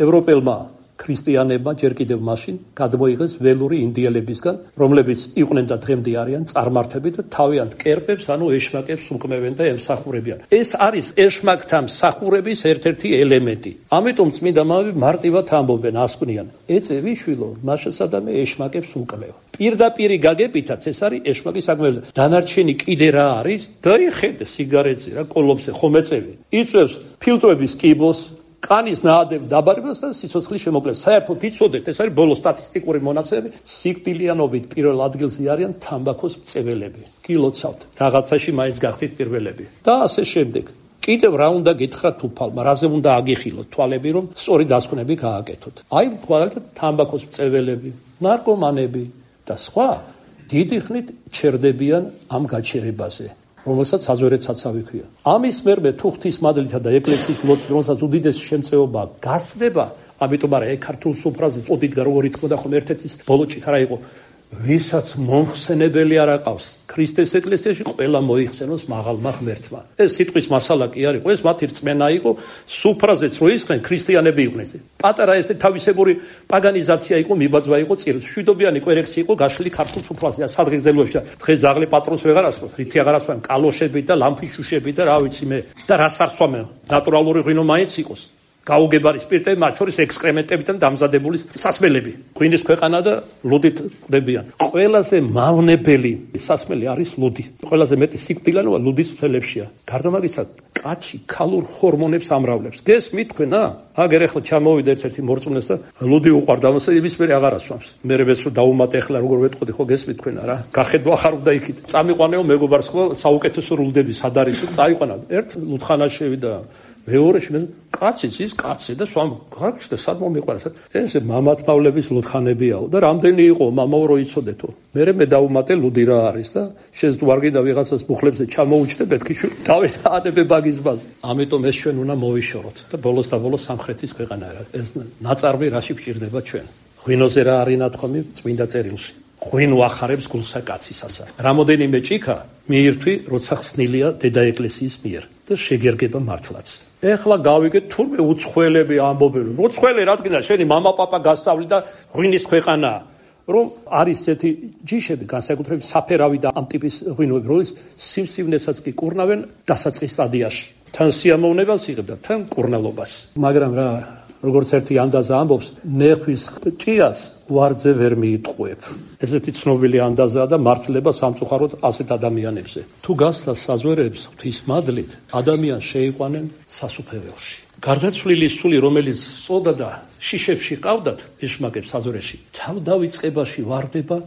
ევროპელმა ქრისტიანებმა ჯერ კიდევ მაშინ გადმოიღეს ველური ინდიელებისგან, რომლებიც იყვნენ და დღემდე არიან წარმართები და თავიანთ კერპებს, ანუ ეშმაკებს უკმევენ და ემსახურებიან. ეს არის ეშმაკთა მსახურების ერთ-ერთი ელემენტი. ამიტომ წმინდა მამები მარტივად ამბობენ, ასკვნიან, ეწე ვიშვილო, მაშასადამე ეშმაკებს უკმევ. პირდაპირი გაგებითაც ეს არის ეშმაკის საქმეა. დანარჩენი კიდე რა არის? დაიხედე სიგარეტზე რა, კოლოფზე ხომ ეწევი. იწევს ფილტრების კიბოს, კანის ნაადებ დაბარებას და სიცოცხლის შემოკლებას. საერთოდ იცოდეთ, ეს არის ბოლო სტატისტიკური მონაცემები, სიკვდილიანობით პირველ ადგილზე არიან თამბაქოს მწეველები. გილოცავთ, რაღაცაში მაინც გახდით პირველები. და ასე შემდეგ. კიდევ რა უნდა გითხრათ უფალმა, რაზე უნდა აგიხილოთ თვალები, რომ სწორი დასკვნები გააკეთოთ. აი, თვალეთ თამბაქოს მწეველები, ნარკომანები და სხვა დიდი ხნით ჩერდებიან ამ გაჩერებაზე, რომელსაც საზვერეცაცავი ქვია. ამის მერმე თუ ღვთის მადლითა და ეკლესიის ლოცვით, რომელსაც უდიდესი შემწეობა გასდება, ამიტომ არა ქართულ სუფრაზე წოდიდგა როგორი თქმა და ხომ ერთ-ერთის ბოლოჭით არა იყო, ვისაც მომხსენებელი არ აყავს ქრისტეს ეკლესიაში, ყველა მოიხსენოს მაღალმა ღმერთმა. ეს სიტყვის მასალა კი არ იყო, ეს მათი რწმენა იყო, სუფრაზეც რო ისხენ ქრისტიანები იყვნენ. პატარა ესე თავისებური პაგანიზაცია იყო, მიბაძვა იყო წირს. შვიდობიანი კვერექსი იყო გაშლილი ქართულ სუფრაზე და სადღეგრძელოებში. დღეს ზაღლი პატრონს ვეღარ ასვამს, რითი აღარ ასვამს, კალოშები და ლამფიშუშები და რა ვიცი მე. და რას არსვამენ? ნატურალური ღვინო მაინც იყოს. გაუგებარი სპირტები, მათ შორის ექსკრემენტებიდან დამზადებული სასმელები. ღვინის ქვეყანა და ლუდით ყდებიან. ყველაზე მავნებელი სასმელი არის ლუდი. ყველაზე მეტი სიკვდილიანობა ლუდის ფელებშია. გარდა მაგისა, კაცი ქალურ ჰორმონებს ამრავლებს. გესმით თქვენ, აგერ ახლა ჩამოვიდა ერთ-ერთი მორწმუნეს და ლუდი უყვარდა, ამასე იმის მერე აღარ ასვამს. მერე რო დაუმატე ახლა როგორ ვეტყოდი, ხო გესმით თქვენ რა? გახედვა ხარ უნდა იქით. წამიყვანეო მეგობარს ხო საუკეთესო ლუდები სად არის? წაიყვანა. ერთ ლუდხანაში შევიდა. მეორეში მე კაციც ის კაცი და სვამ გაგშდა სად მომიყვანეს. ეს მამათმავლების ლუდხანებიაო და რამდენი იყო მამაო რო იცოდეთო. მე დაუმატე ლუდი რა არის და შეძვარგიდა ვიღაცას მუხლებზე ჩამოუჩდე ბეთქიშვილი დავით ანებე ბაგიზბაზე. ამიტომ ეს ჩვენ უნდა მოვიშოროთ და ბოლოს და ბოლოს სამხრეთის ქვეყანა რა. ეს ნაწარმი რაში გჭირდება ჩვენ. ღვინოზე რა არის ნათქვამი წმინდა წერილში. ღვინო ახარებს გულსა კაცისასა. რამოდენიმე ჭიქა მიირთვი, როცა ხსნილია დედა ეკლესიის მიერ და შეგერგება მართლაც. ეხლა გავიგეთ თურმე უცხოელები ამბობენ, უცხოელი რადგან შენი მამა პაპა გასწავლი და ღვინის ქვეყანაა, რომ არის ესეთი ჯიშები, განსაკუთრებით საფერავი და ამ ტიპის ღვინოები, რომელიც სიმსივნესაც კი კურნავენ დასაწყის სტადიაში. თან სიამოვნებას იღებდა, თან კურნალობას. მაგრამ რა, როგორც ერთი ანდაზა ამბობს, ნეხვის ჭიას ვარძე ვერ მიიტყუებ. ესეთი ცნობილი ანდაზაა და მართლება სამწუხაროდ ასეთ ადამიანებზე. თუ გასცდა საზვერებს ღვთის მადლით, ადამიანს შეიყვანენ სასუფეველში. გარდაცვლილი სული, რომელიც წოდა და შიშებში ყავდათ ეშმაკებს საზვერეში, თავდავიწყებაში ვარდება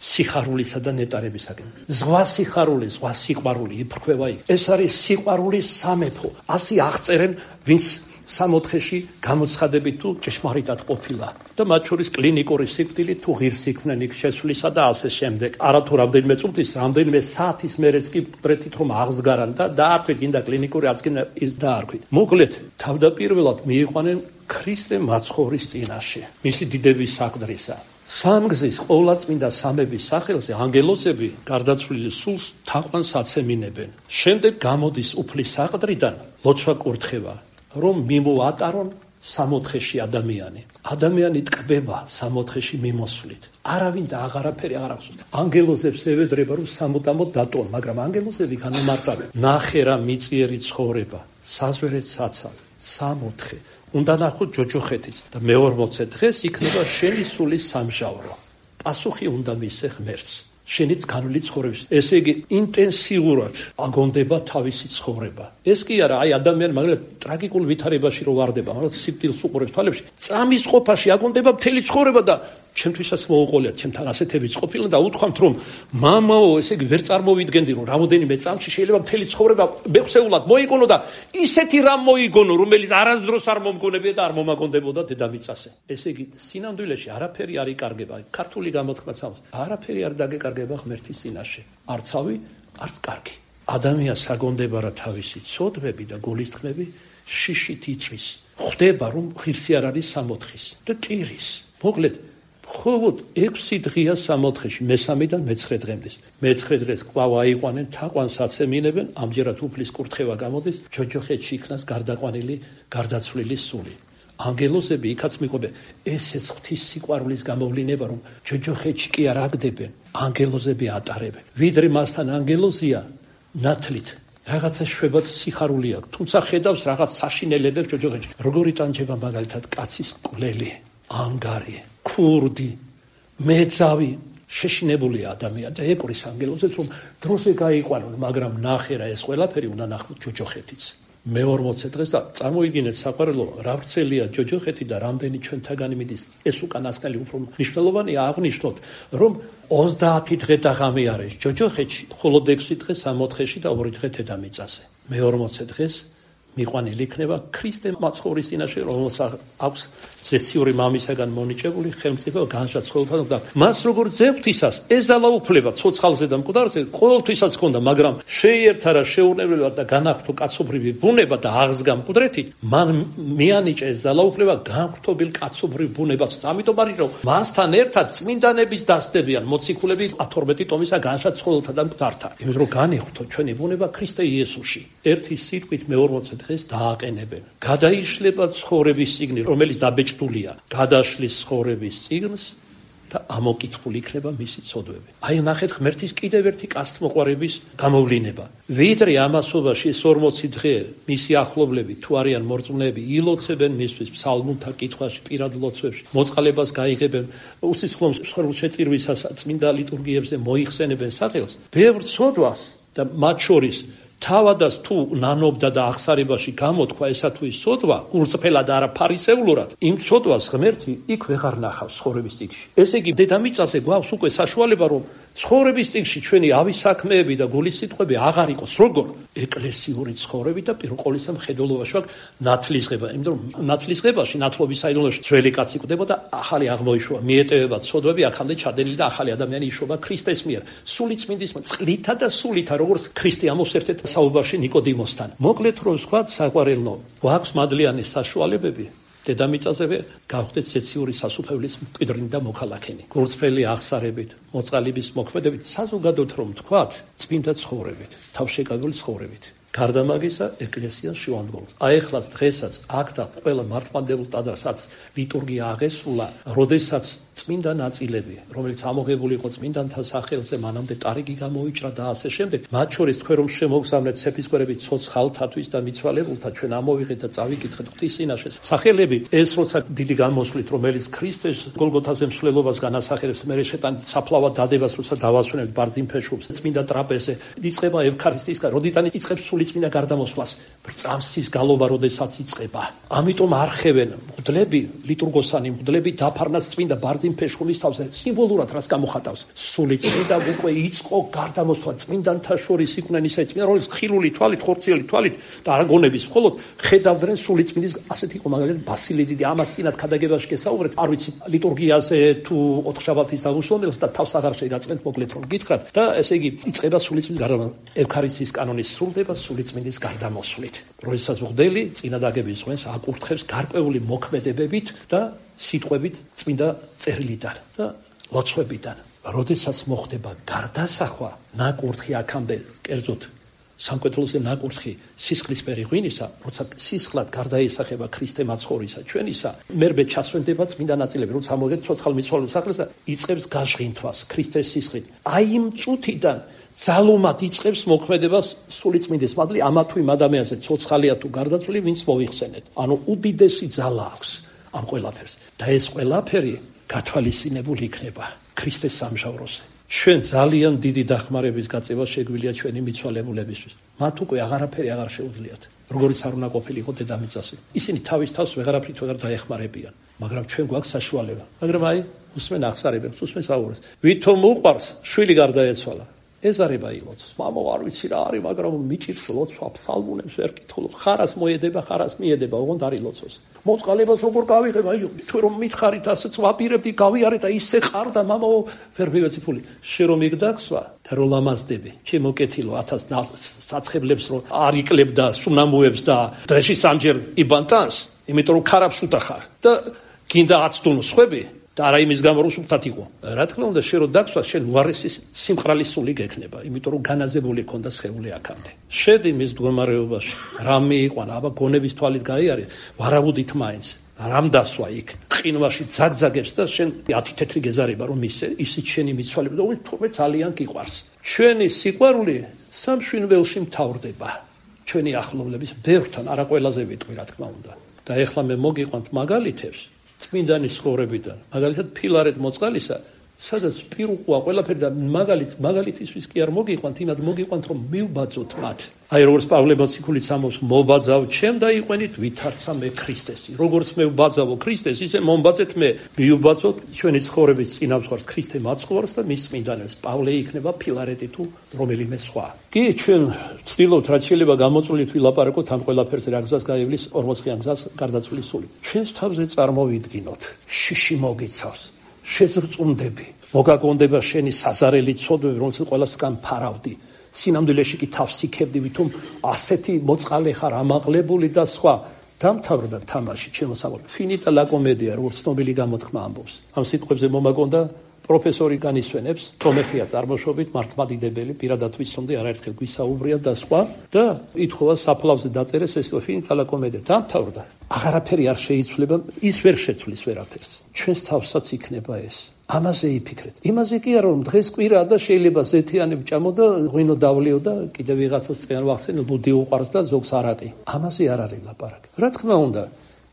სიხარულისა და ნეტარებისაგან. ზღვა სიხარული, ზღვა სიყვარული იფრქვევა იქ. ეს არის სიყვარულის სამეფო. ასე აღწერენ, ვინც სამოთხეში გამოცხადებით თუ ჭეშმარიტად ყოფილა და მათ შორის კლინიკური სიკვდილით თუ ღირს იქმნენ იქ შესვლისა და ასე შემდეგ. არათუ რამდენიმე წუთის, რამდენიმე საათის მერეც კი ბრეთით რომ აღსგარან და დაარქვით გინდა კლინიკური აღსგენა ის დაარქვით. მოკლედ, თავდაპირველად მიიყვანენ ქრისტე მაცხოვრის წინაშე, მისი დიდების საყდრისა. სამგზის ყოვლადწმინდა სამების სახელზე ანგელოზები გარდაცვლილი სულს თაყვანს აცემინებენ. შემდეგ გამოდის უფლის საყდრიდან ლოცვა კურთხევა, რომ მიმოატარონ სამოთხეში ადამიანი. ადამიანი ტკბება სამოთხეში მიმოსვლით. არავინ და აღარაფერი აღარ ახსოვს. ანგელოზებს ევედრება რომ სამუდამოდ დატოვონ, მაგრამ ანგელოზები განამარტავენ. ნახერა მიწიერი ცხოვრება, საზვერეთ საცავი, სამოთხე. უნდა ნახოთ ჯოჯოხეთის და მე-40 დღეს იქნება შენი სულის სამჟავრო. პასუხი უნდა მისცე ღმერთს. შენიც განვლი ცხოვრების. ესე იგი, ინტენსიურად აგონდება თავისი ცხოვრება. ეს კი არა, აი ადამიანი მაგალითად ტრაგიკულ ვითარებაში რო ვარდება, მაგრამ სიკვდილს უყურებს თვალებში, წამის ყოფაში აგონდება მთელი ცხოვრება და ჩემთვისაც მოუყოლიათ, ჩემთან ასეთებიც ყოფილა და უთქვამთ რომ მამაო, ესე იგი ვერ წარმოვიდგენდი რომ რამოდენიმე წამში შეიძლება მთელი ცხოვრება მეხსეულად მოიგონო და ისეთი რამ მოიგონო, რომელიც არასდროს არ მომგონებია და არ მომაგონდებოდა დედამიწაზე. ესე იგი, სინამდვილეში არაფერი არ იკარგება. ქართული გამოთქმაც ამბობს, არაფერი არ დაგეკარგება ღმერთის წინაშე. არც ავი, არც კარგი. ადამიანს აგონდება რა თავისი ცოდვები და გულისწყმები შიშით იწვის. ხვდება რომ ღირსი არ არის სამოთხის და ტირის. მოკლედ მხოლოდ 6 დღეა სამოთხეში, მესამედან მე-9 დღემდე. მე-9 დღეს კვლავ აიყვანენ, თაყვანს აცემინებენ, ამჯერად უფლის კურთხევა გამოდის, ჯოჯოხეთში იქნას გარდაყვანილი, გარდაცვლილი სული. ანგელოზები იქაც მიყვებენ, ესეც ღვთის სიყვარულის გამოვლინება, რომ ჯოჯოხეთში კი არ აგდებენ, ანგელოზები ატარებენ. ვიდრე მასთან ანგელოზია, ნათლით რაღაცა შვებად სიხარული აქვს, თუმცა ხედავს რაღაც საშინელებებს ჯოჯოხეთში. როგორი ტანჯება მაგალითად კაცის მკვლელი, ანგარი, ქურდი, მეძავი, შეშინებულია ადამიანი და ეკურის ანგელოზებს, რომ დროზე გაიყვანონ, მაგრამ ნახერა ეს ყველაფერი უნდა ნახოთ ჯოჯოხეთიც. მე-40 დღეს და წარმოიდგინეთ საყვარელო, რა ვრცელია ჯოჯოხეთი და რამდენი ჩვენთაგანი მიდის. ეს უკანასკნელი უფრო მნიშვნელოვანია აღნიშნოთ, რომ 30 დღე და ღამე არის ჯოჯოხეთში, მხოლოდ 6 დღე სამოთხეში და 2 დღე დედამიწაზე. მე-40 დღეს მიყვანილი იქნება ქრისტე მაცხოვრის წინაშე, რომელსაც აქვს ზეციური მამისაგან მონიჭებული ხელმწიფო განშაცხოველთან და მას როგორ ძევთისას ეზალაუფლება ცოცხალზე და მკვდარზე ყოველთვისაც ჰქონდა, მაგრამ შეიერთარა შეურნებლად და განახლო კაცობრივი ბუნება და აღსგა მკვდრეთით, მან მიანიჭა ეზალაუფლება განხრთობილ კაცობრივ ბუნებასაც. ამიტომ არის რომ მასთან ერთად წმინდანების დასდებიან მოციქულები 12 ტომისა განშაცხოველთა და მკვდართა. იმიტომ რომ განიხრთო ჩვენი ბუნება ქრისტე იესოში. ერთი სიტყვით მე-40 დღეს დააყენებენ. გადაიშლება ცხოვრების წიგნი, რომელიც დაბეჭდულია. გადაშლის ცხოვრების წიგნს და ამოკითხული იქნება მისი ცოდვები. აი ნახეთ ღმერთის კიდევ ერთი კაცთმოყვარების გამოვლინება. ვიდრე ამასობაში 40 დღე მისი ახლობლები თუ არიან მორწმუნეები ილოცებენ მისთვის ფსალმუნთა კითხვაში, პირად ლოცვებში, მოწყალებას გაიღებენ, უსისხლო შეწირვისას წმინდა ლიტურგიებზე მოიხსენებენ სახელს. ბევრ ცოდვას და მათ შორის თავადაც თუ ნანობდა და აღსარებაში გამოთქვა ესა თუ ის ცოდვა, გულწრფელად არა ფარისევლურად, იმ ცოდვას ღმერთი იქ ვეღარ ნახავს ცხოვრების წიგნში. ესე იგი, დედამიწაზე გვაქვს უკვე საშუალება, რომ ცხოვრების წიგნში ჩვენი ავის საქმეები და გულის სიტყვები აღარ იყოს, როგორ ეკლესიური ცხოვრები და პირველ ყოვლისა მხედველობაში ვაქვს ნათლისღება. იმიტომ რომ ნათლისღებაში, ნათლობის საიდუმლოში ძველი კაცი კვდება და ახალი აღმოიშვა, მიეტევება ცოდვები აქამდე ჩადენილი და ახალი ადამიანი იშობა ქრისტეს მიერ. სული წმინდის წყლითა და სულითა, როგორც ქრისტე ამბობს ერთ-ერთ საუბარში ნიკოდიმოსთან. მოკლედ რომ ვთქვათ, საყვარელო, გვაქვს მადლიანი საშუალებები დედამიწაზე გავხდეთ ზეციური სასუფეველის მკვიდრნი და მოქალაქენი. გულწრფელი აღსარებით, მოწყალების მოქმედებით, საზოგადოდ რომ ვთქვათ, წმინდა ცხოვრებით, თავშეკავებული ცხოვრებით. გარდა მაგისა, ეკლესიას შევამბობთ. აი ეხლაც დღესაც აქ და ყველა მართლმადიდებლ ტაძარსაც ლიტურგია აღესრულა, როდესაც წმინდა ნაწილები, რომელიც ამოღებული იყო წმინდანთა სახელზე, მანამდე ტარიგი გამოიჭრა და ასე შემდეგ. მათ შორის თქვენ რომ შემოგზავნეთ ეპისკოპოსები ცოცხალთათვის და მიცვალებულთა, ჩვენ ამოვიღეთ და წავიკითხეთ ღვთის წინაშე. სახელები ეს როცა დიდი გამოსვლით, რომელიც ქრისტეს გოლგოთაზე მსვლელობას განასახიერებს, მე შეტანით საფლავად დადებას, როცა დავასვენებთ ბარძიმფეშუბს, წმინდა ტრაპეზზე, იწყება ევქარისტიის, როდიდან იწყებს სულიწმინდა გარდამოსვლას, წამსის გალობა, როდესაც იწყება. ამიტომ არხევენ მღვდლები, ლიტურგოსანი მღვდლები დაფარნას წმინდა ბარძიმფეშულის თავზე, სიმბოლურად რას გამოხატავს? სულიწმინდა უკვე იწყო გარდამოსვლა წმინდანთა შორის იყვნენ ისე წმინდა, რომელიც ხილული თვალით, ხორციელი თვალით და არაგონების მხოლოდ ხედავდნენ სულიწმინდის, ასეთი იყო მაგალითად ბასილი დიდი, ამას წინათ ქადაგებაში გესაუბრეთ, არ ვიცი ლიტურგიაზე თუ ოთხშაბათის დაღუპულებას და თავს აღარ შეგაწყენთ, მოკლედ რომ გითხრათ და ესე იგი იწყება სულიწმინდის გარდამოსვლა, ევქარისტიის კანონის სრულდება სულიწმინდის გარდამოსვლით. როდესაც მღვდელი წინადაგების ღვენს აკურთხებს გარკვეული მოქმედებებით და სიტყვებით წმინდა წერილიდან და ლოცვებიდან. როდესაც მოხდება გარდასახვა, ნაკურთხი აქამდე, კერძოდ სამკვეთლოზე ნაკურთხი სისხლისფერი ღვინისა, როცა სისხლად გარდაესახება ქრისტე მაცხოვრისა ჩვენისა, მერბე ჩასვენდება წმინდა ნაწილები, როცა მოგეთ ცოცხალ მიცვალებულ სახელს და იწყებს გაჟღინთვას ქრისტეს სისხლით. აი იმ წუთიდან ძალუმად იწყებს მოქმედებას სულიწმინდის მადლი ამა თუ იმ ადამიანზე, ცოცხალია თუ გარდაცვლილი, ვინც მოიხსენეთ. ანუ უდიდესი ძალა აქვს ამ ყველაფერს და ეს ყველაფერი გათვალისწინებული იქნება ქრისტეს სამჟავროზე. ჩვენ ძალიან დიდი დახმარების გაწევა შეგვიძლია ჩვენი მიცვალებულებისთვის. მათ უკვე აღარაფერი აღარ შეუძლიათ. როგორც არ უნდა ყოფილიყო დედამიწაზე. ისინი თავის თავს ვეღარაფრით ვეღარ დაეხმარებიან, მაგრამ ჩვენ გვაქვს საშუალება. მაგრამ აი, უსმენ აღსარებებს, უსმენ საუბარს. ვითომ უყვარს, შვილი გარდაეცვალა. ეზარება ილოცოს. მამო, არ ვიცი რა არის, მაგრამ მიჭირს ლოცვა, ფსალმუნებს ვერ კითხულობ. ხარას მოედება, ხარას მიედება, ოღონდ არ ილოცოს. მოწყალებას როგორ გავიღებ, აი, თუ რომ მითხარით, ასეც ვაპირებდი, გავიარე და ისე ყარდა, მამო, ვერ მივეცი ფული. შე რომ იგდაქსვა და რო ლამაზდები, ჩემო კეთილო 1000 საცხებლებს რო არ იკლებდა სუნამუებს და დღეში სამჯერ იბანტანს, იმიტომ რომ ქარაფს უტახარ და გინდა აცდუნო სხვები. და არა იმის გამო რომ სულთად იყო. რა თქმა უნდა, შენ რო დაგსვა, შენ უარესის სიმყრალის სული გექნება, იმიტომ რომ განაზებული ქონდა სხეული აქამდე. შედი მის მდგომარეობაში, რამ მიიყვანა, აბა გონების თვალით გაიარე, ვარაუდით მაინც, რამ დასვა იქ, ყინვაში ძაგძაგებს და შენ 10 თეთრი გეზარება რომ ისიც შენი მიცვალება და თურმე ძალიან გიყვარს. ჩვენი სიყვარული სამშვენველში მთავრდება. ჩვენი ახლობლების ბევრთან, არა ყველაზე ვიტყვი, რა თქმა უნდა. და ეხლა მე მოგიყვანთ მაგალითებს წმინდანის ცხოვრებიდან, მაგალითად ფილარეთ მოწყალისა, სადაც პირუყვა ყველაფერი და მაგალითისთვის კი არ მოგიყვანთ, იმად მოგიყვანთ, რომ მივბაძოთ მათ. აი როგორც პავლე მოციქულიც ამბობს, მობაძავ ჩემ და იყვენით ვითარცა მე ქრისტესი. როგორც მე ვბაძავო ქრისტეს, ისე მომბაძეთ მე, მივბაძოთ ჩვენი ცხოვრების წინამძღვარს ქრისტე მაცხოვრს და მის წმინდანებს. პავლე იქნება ფილარეტი თუ რომელიმე სხვა. კი, ჩვენ ვცდილობთ რაც შეიძლება გამოწვევით ვილაპარაკოთ ამ ყველაფერზე, რა გზას გაივლის 40-იან გზას გარდაცვლილის სული. ჩვენს თავზე წარმოვიდგინოთ, შიში მოგიცავს. შეზრწუნდები, მოგაგონდება შენი საზარელი ცოდვები, რომელსაც ყველასგან ფარავდი. სინამდვილეში კი თავს იქებდი, ვითომ ასეთი მოწყალე ხარ, ამაღლებული და სხვა. დამთავრდა თამაში, ჩემო საყვარელო. ფინიტა ლა კომედია, როგორც ცნობილი გამოთქმა ამბობს. ამ სიტყვებზე მომაგონდა პროფესორი განისვენებს, პრომეხია წარმოშობით, მართლმადიდებელი, პირადად ვიცნობდი, არაერთხელ გვისაუბრია და სხვა და ითხოვა საფლავზე დაწერეს ეს ფინიტა ლა კომედია. დამთავრდა. აღარაფერი არ შეიცვლება, ის ვერ შეცვლის ვერაფერს. ჩვენს თავსაც იქნება ეს. ამაზე იფიქრეთ. იმაზე კი არა რომ დღეს კვირაა და შეიძლება ზეთიანი ვჭამო და ღვინო დავლიო და კიდე ვიღაცას წიან ვახსენო, ბუდი უყარს და ზოგს არაყი. ამაზე არ არის ლაპარაკი. რა თქმა უნდა,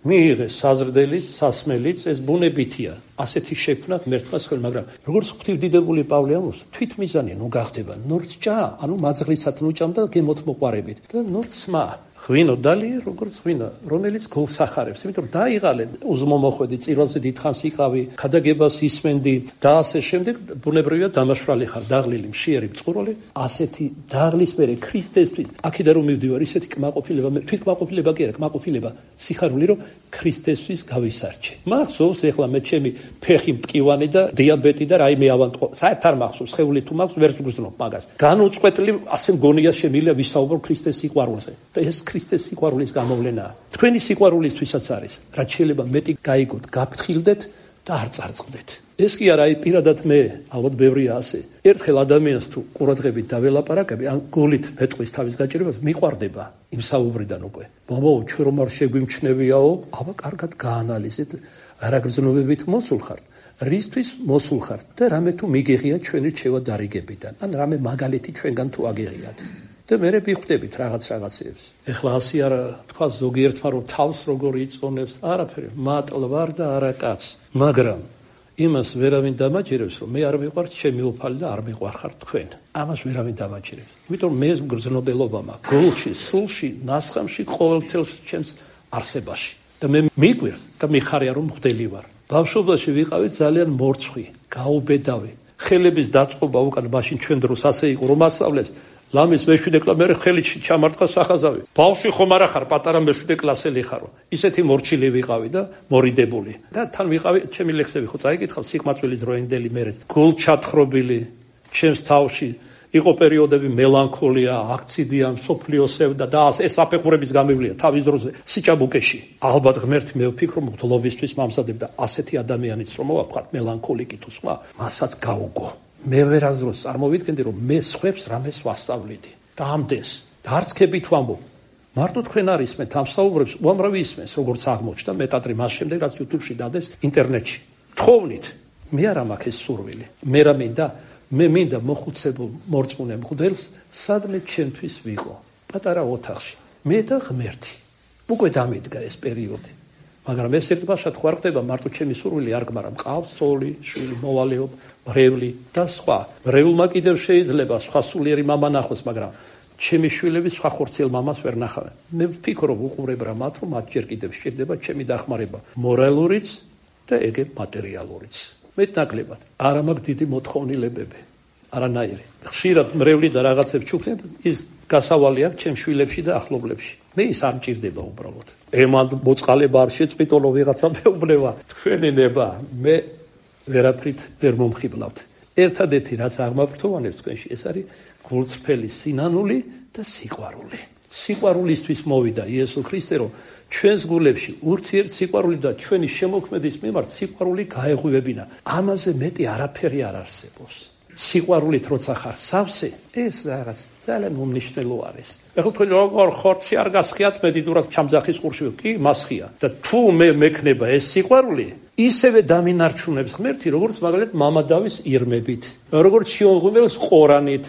მიიღეს საზრდელიც, სასმელიც, ეს ბუნებითია. ასეთი შექმნა ღმერთმა ხელ, მაგრამ როგორც ღვთივდიდებული პავლე ამბობს, თვითმიზანი ნუ გახდება, ნორც ჭა, ანუ მაძღლისად ნუ ჭამ და გემოთ მოყარებით და ნორც სმა. ღვინო დალი, როგორც ღვინო, რომელიც გულს ახარებს, იმიტომ რომ დაიღალე უზმომოხვედი, წირვალზე დიდხანს იყავი, ქადაგებას ისმენდი და ასე შემდეგ, ბუნებრივია დამაშვრალი ხარ, დაღლილი, მშიერი, მწყურვალი, ასეთი დაღლის მერე ქრისტესთვის, აქედან რომ მივდივარ, ისეთი კმაყოფილება, თვითკმაყოფილება კი არა, კმაყოფილება, სიხარული, რომ ქრისტესთვის გავისარჩე. მახსოვს ეხლა მე ჩემი ფეხი მტკივანი და დიაბეტი და რაიმე ავანტყო. საერთოდ არ მახსოვს, ხეული თუ მაქვს, ვერ ვგრძნობ მაგას. განუწყვეტლივ ასე მგონია შემიძლია ვისაუბრო ქრისტეს სიყვარულზე. და ეს ქრისტეს სიყვარულის გამოვლენაა. თქვენი სიყვარულისთვისაც არის, რაც შეიძლება მეტი გაიგოთ, გაფრთხილდეთ და არ წარწყდეთ. ეს კი არა, აი პირადად მე, ალბათ ბევრია ასე. ერთხელ ადამიანს თუ ყურადღებით დაველაპარაკები, ან გულით მეტყვის თავის გაჭირებას, მიყვარდება იმ საუბრიდან უკვე. მამო, ჩვენ რომ არ შეგვიმჩნევიაო, აბა კარგად გაანალიზეთ, რა გრძნობებით მოსულ ხართ. რისთვის მოსულ ხარ და რამე თუ მიგიღია ჩვენი რჩევა დარიგებიდან, ან რამე მაგალითი ჩვენგან თუ აგიღიათ. და მე ვიხვდებით რაღაცებს. ეხლა ასე არა თქვა ზოგიერთმა რომ თავს როგორ იწონებს, არაფერი, მატლვარ და არა კაც. მაგრამ იმას ვერავინ დამაჯერებს, რომ მე არ მიყვართ ჩემი უფალი და არ მიყვარხარ თქვენ. ამას ვერავინ დამაჯერებს. იმიტომ მე გრძნობელობა მაქვს გულში, სულში, ნასხამში, ყოველთელ ჩემს არსებაში. და მე მიგვირს და მიხარია რომ მღვდელი ვარ. ბავშვობაში ვიყავი ძალიან მორცხვი, გაუბედავი. ხელების დაწყობა უკან მაშინ ჩვენ დროს ასე იყო, რომ ასწავლეს ლამის მეშვიდე კლასი, მე ხელით ჩამარტყა სახაზავი. ბავშვი ხომ არა ხარ, პატარა მეშვიდე კლასელი ხარო. ისეთი მორჩილი ვიყავი და მორიდებული. და თან ვიყავი, ჩემი ლექსები ხო წაიკითხავ, სიკმაწვილის დროინდელი მერე. გულჩათხრობილი, ჩემს თავში იყო პერიოდები მელანქოლია, აქციდია, მსოფლიოსევდა და ეს საფეხურების გამივლია თავის დროზე სიჭაბუკეში. ალბათ ღმერთი მე ვფიქრობ, მღვდლობისთვის მომზადებდა ასეთი ადამიანიც რომ მოვაფხათ მელანქოლიკი თუ სხვა, მასაც გაუგო. მე ვერასდროს წარმოვიდგენდი რომ მე სხვებს რამეს ვასწავლიდი და ამდენს და არც ქებით ვამბობ მარტო თქვენ არ ისმენთ ამ საუბრებს უამრავი ისმენს როგორც აღმოჩნდა მეტადრე მას შემდეგ რაც YouTube-ში დადეს ინტერნეტში თხოვნით მე არ მაქვს ეს სურვილი მე მინდა მოხუცებულ მორწმუნე მღვდელს სადმე ჩემთვის ვიყო პატარა ოთახში მე და ღმერთი უკვე დამიდგა ეს პერიოდი მაგრამ ეს ერთბაშად ხო არ ხდება მარტო ჩემი სურვილი არ გმარა მყავს სოლი შვილი მოვალეობ მრევლი და სხვა მრევლმა კიდევ შეიძლება სხვა სულიერი მამა ნახოს მაგრამ ჩემი შვილები სხვა ხორციელ მამას ვერ ნახავენ მე ვფიქრობ უყურებ რა მათ რომ მათ ჯერ კიდევ შეიძლება ჩემი დახმარება მორალურიც და ეგ მატერიალურიც მეტნაკლებად არა მაქვს დიდი მოთხოვნილებები არანაირი ხშირად მრევლი და რაღაცებს ჩუქნებ ის გასავალი აქვს ჩემ შვილებში და ახლობლებში მე ის არ მჭირდება უბრალოდ ემან მოწყალება არ შეწყვიტოლო ვიღაცა მეუბნება თქვენი ნება მე ვერაფრით ვერ მომხიბლავთ ერთადერთი რაც აღმაფრთოვანებს თქვენში ეს არის გულწრფელი სინანული და სიყვარული სიყვარულისთვის მოვიდა იესო ქრისტე რომ ჩვენს გულებში ურთიერთ სიყვარული და ჩვენი შემოქმედის მიმართ სიყვარული გაეღვივებინა ამაზე მეტი არაფერი არ არსებობს სიყვარულით როცა ხარ სავსე ეს რაღაც ძალიან უმნიშვნელო არის ეხლა თქვენ როგორ ხორცი არ გასხიათ მედიდურად ჩამძახის ყურში კი მასხია და თუ მე მექნება ეს სიყვარული ისევე დამინარჩუნებს ღმერთი როგორც მაგალითად მამა დავის ირმებით როგორც შიომღვიმელს ყორანით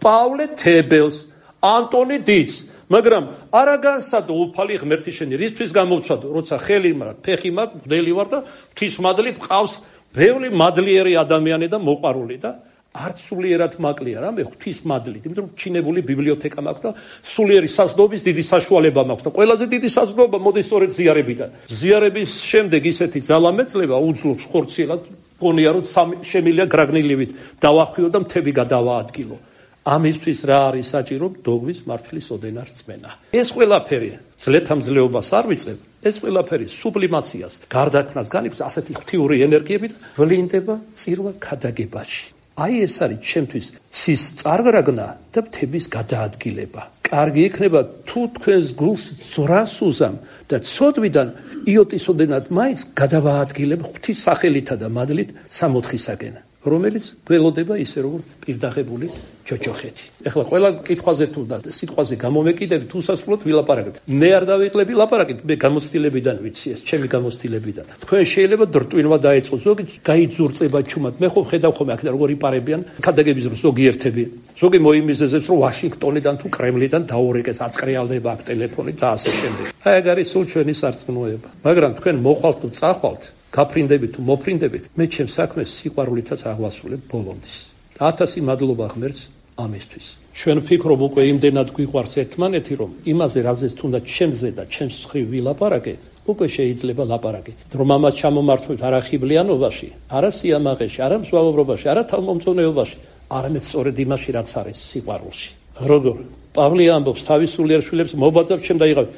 პავლე თებელს ანტონი დიც მაგრამ არა განსადო უფალი ღმერთი შენი რისთვის გამოვცადო როცა ხელი მაქვს ფეხი მაქვს მგდელი ვარ და ღვთის მადლით ყავს ბევრი მადლიერი ადამიანი და მოყვარული და არც სულიერად მაკლია რა მე ღვთის მადლით იმიტომ რომ ჩინებული ბიბლიოთეკა მაქვს და სულიერი საზრდოობის დიდი საშუალება მაქვს და ყველაზე დიდი საზრდოობა მოდის სწორედ ზიარებიდან ზიარების შემდეგ ისეთი ძალა მეძლება უძლოს ხორციელად გონია რომ შემილია გრაგნილივით დავახვიო და მთები გადავაადგილო ამისთვის რა არის საჭირო დოგმის მართლის ოდენა რწმენა ეს ყველაფერი ძლეთამძლეობას არ ვიწებ ეს ყველაფერი სუბლიმაციას გარდაქმნას განიცდის ასეთი ღვთიური ენერგიებით ვლინდება წირვა ქადაგებაში აი ეს არის ჩემთვის ცის წარგრაგნა და მთების გადაადგილება კარგი იქნება თუ თქვენს გულს ზრას უზამ და ცოდვიდან იოტის ოდენად მაინც გადავაადგილებ ღვთის სახელითა და მადლით სამოთხისაკენ რომელიც გველოდება ისე როგორც პირდაღებული ჯოჯოხეთი. ეხლა ყველა კითხვაზე თუ და სიტყვაზე გამომეკიდებით უსასრულოდ ვილაპარაკებთ. მე არ დავიკლები ლაპარაკით, მე გამოცდილებიდან ვიცი ეს, ჩემი გამოცდილებიდან. თქვენ შეიძლება დრტვინვა დაეწყოს, ზოგი გაიძურწება ჩუმად. მე ხო ხედავ ხოლმე აქ როგორ იპარებიან ქადაგების დროს ზოგიერთები. ზოგი მოიმიზეზებს რომ ვაშინგტონიდან თუ კრემლიდან დაურეკეს, აწყრიალდება აქ ტელეფონით და ასე შემდეგ. აი ეგ არის სულ ჩვენი სარწმუნოება. მაგრამ თქვენ მოხვალთ თუ წახვალთ გაფრინდებით თუ მოფრინდებით, მე ჩემს საქმეს სიყვარულითაც აღვასრულებ ბოლომდის. 1000 მადლობა ღმერთს ამისთვის. ჩვენ ვფიქრობ უკვე იმდენად გვიყვარს ერთმანეთი, რომ იმაზე რაზეც თუნდაც ჩემზე და ჩემს მხრივ ვილაპარაკე, უკვე შეიძლება ლაპარაკი. რომ ამას ჩამომართვით არა ხიბლიანობაში, არა სიამაყეში, არა მსვავობრობაში, არა თავმომწონეობაში, არამედ სწორედ იმაში, რაც არის სიყვარულში. როგორ პავლე ამბობს თავის სულიერ შვილებს მობაძავ ჩემ დაიყავით.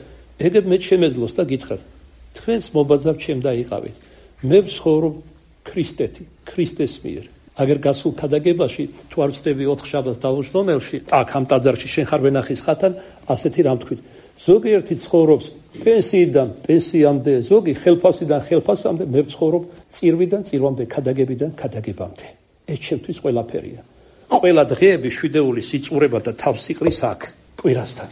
ეგ მე შემეძლოს და გითხრათ, თქვენს მობაძავ ჩემ დაიყავით. მე ვცხოვრობ ქრისტეთი, ქრისტეს მიერ. აგერ გასულ ქადაგებაში თუ არ ვწდები 4 შაბათს დაუშდომელში, აქ ამ ტაძარში შენ ხარ ვენახის ხათან, ასეთი რამ თქვით. ზოგიერთი ცხოვრობს პენსიიდან პენსიამდე, ზოგი ხელფასიდან ხელფასამდე, მე ვცხოვრობ წირვიდან წირვამდე, ქადაგებიდან ქადაგებამდე. ეს ჩემთვის ყველაფერია. ყველა დღეები შვიდეული სიწურება და თავსიყრის აქ, კვირასთან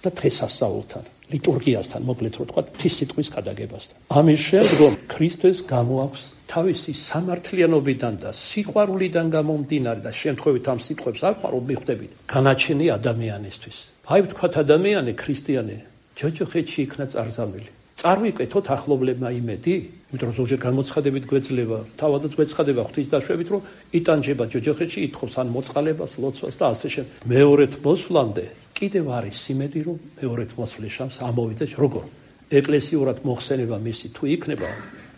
და დღესასწაულთან. ლიტურგიასთან, მოკლედ რო თქვა, ღვთის სიტყვის ქადაგებასთან. ამის შემდგომ ქრისტეს გამოაქვს თავისი სამართლიანობიდან და სიყვარულიდან გამომდინარე და შემთხვევით ამ სიტყვებს არ ვარ მიხვდებით განაჩენი ადამიანისთვის. აი ვთქვათ ადამიანი ქრისტიანი ჯოჯოხეთში იქნა წარზამილი. Წარვიკეთოთ ახლობლებმა იმედი, იმიტომ რომ ზოგჯერ გამოცხადებით გვეძლება, თავადაც გვეცხადება ღვთისდაშვებით, რომ იტანჯება ჯოჯოხეთში, ითხოვს ან მოწყალებას, ლოცვას და ასე შემდეგ. მეორედ მოსვლამდე კიდევ არის იმედი, რომ მეორედ მოსვლის შანსი ამოვიდეს. როგორ? ეკლესიურად მოხსენება მისი თუ იქნება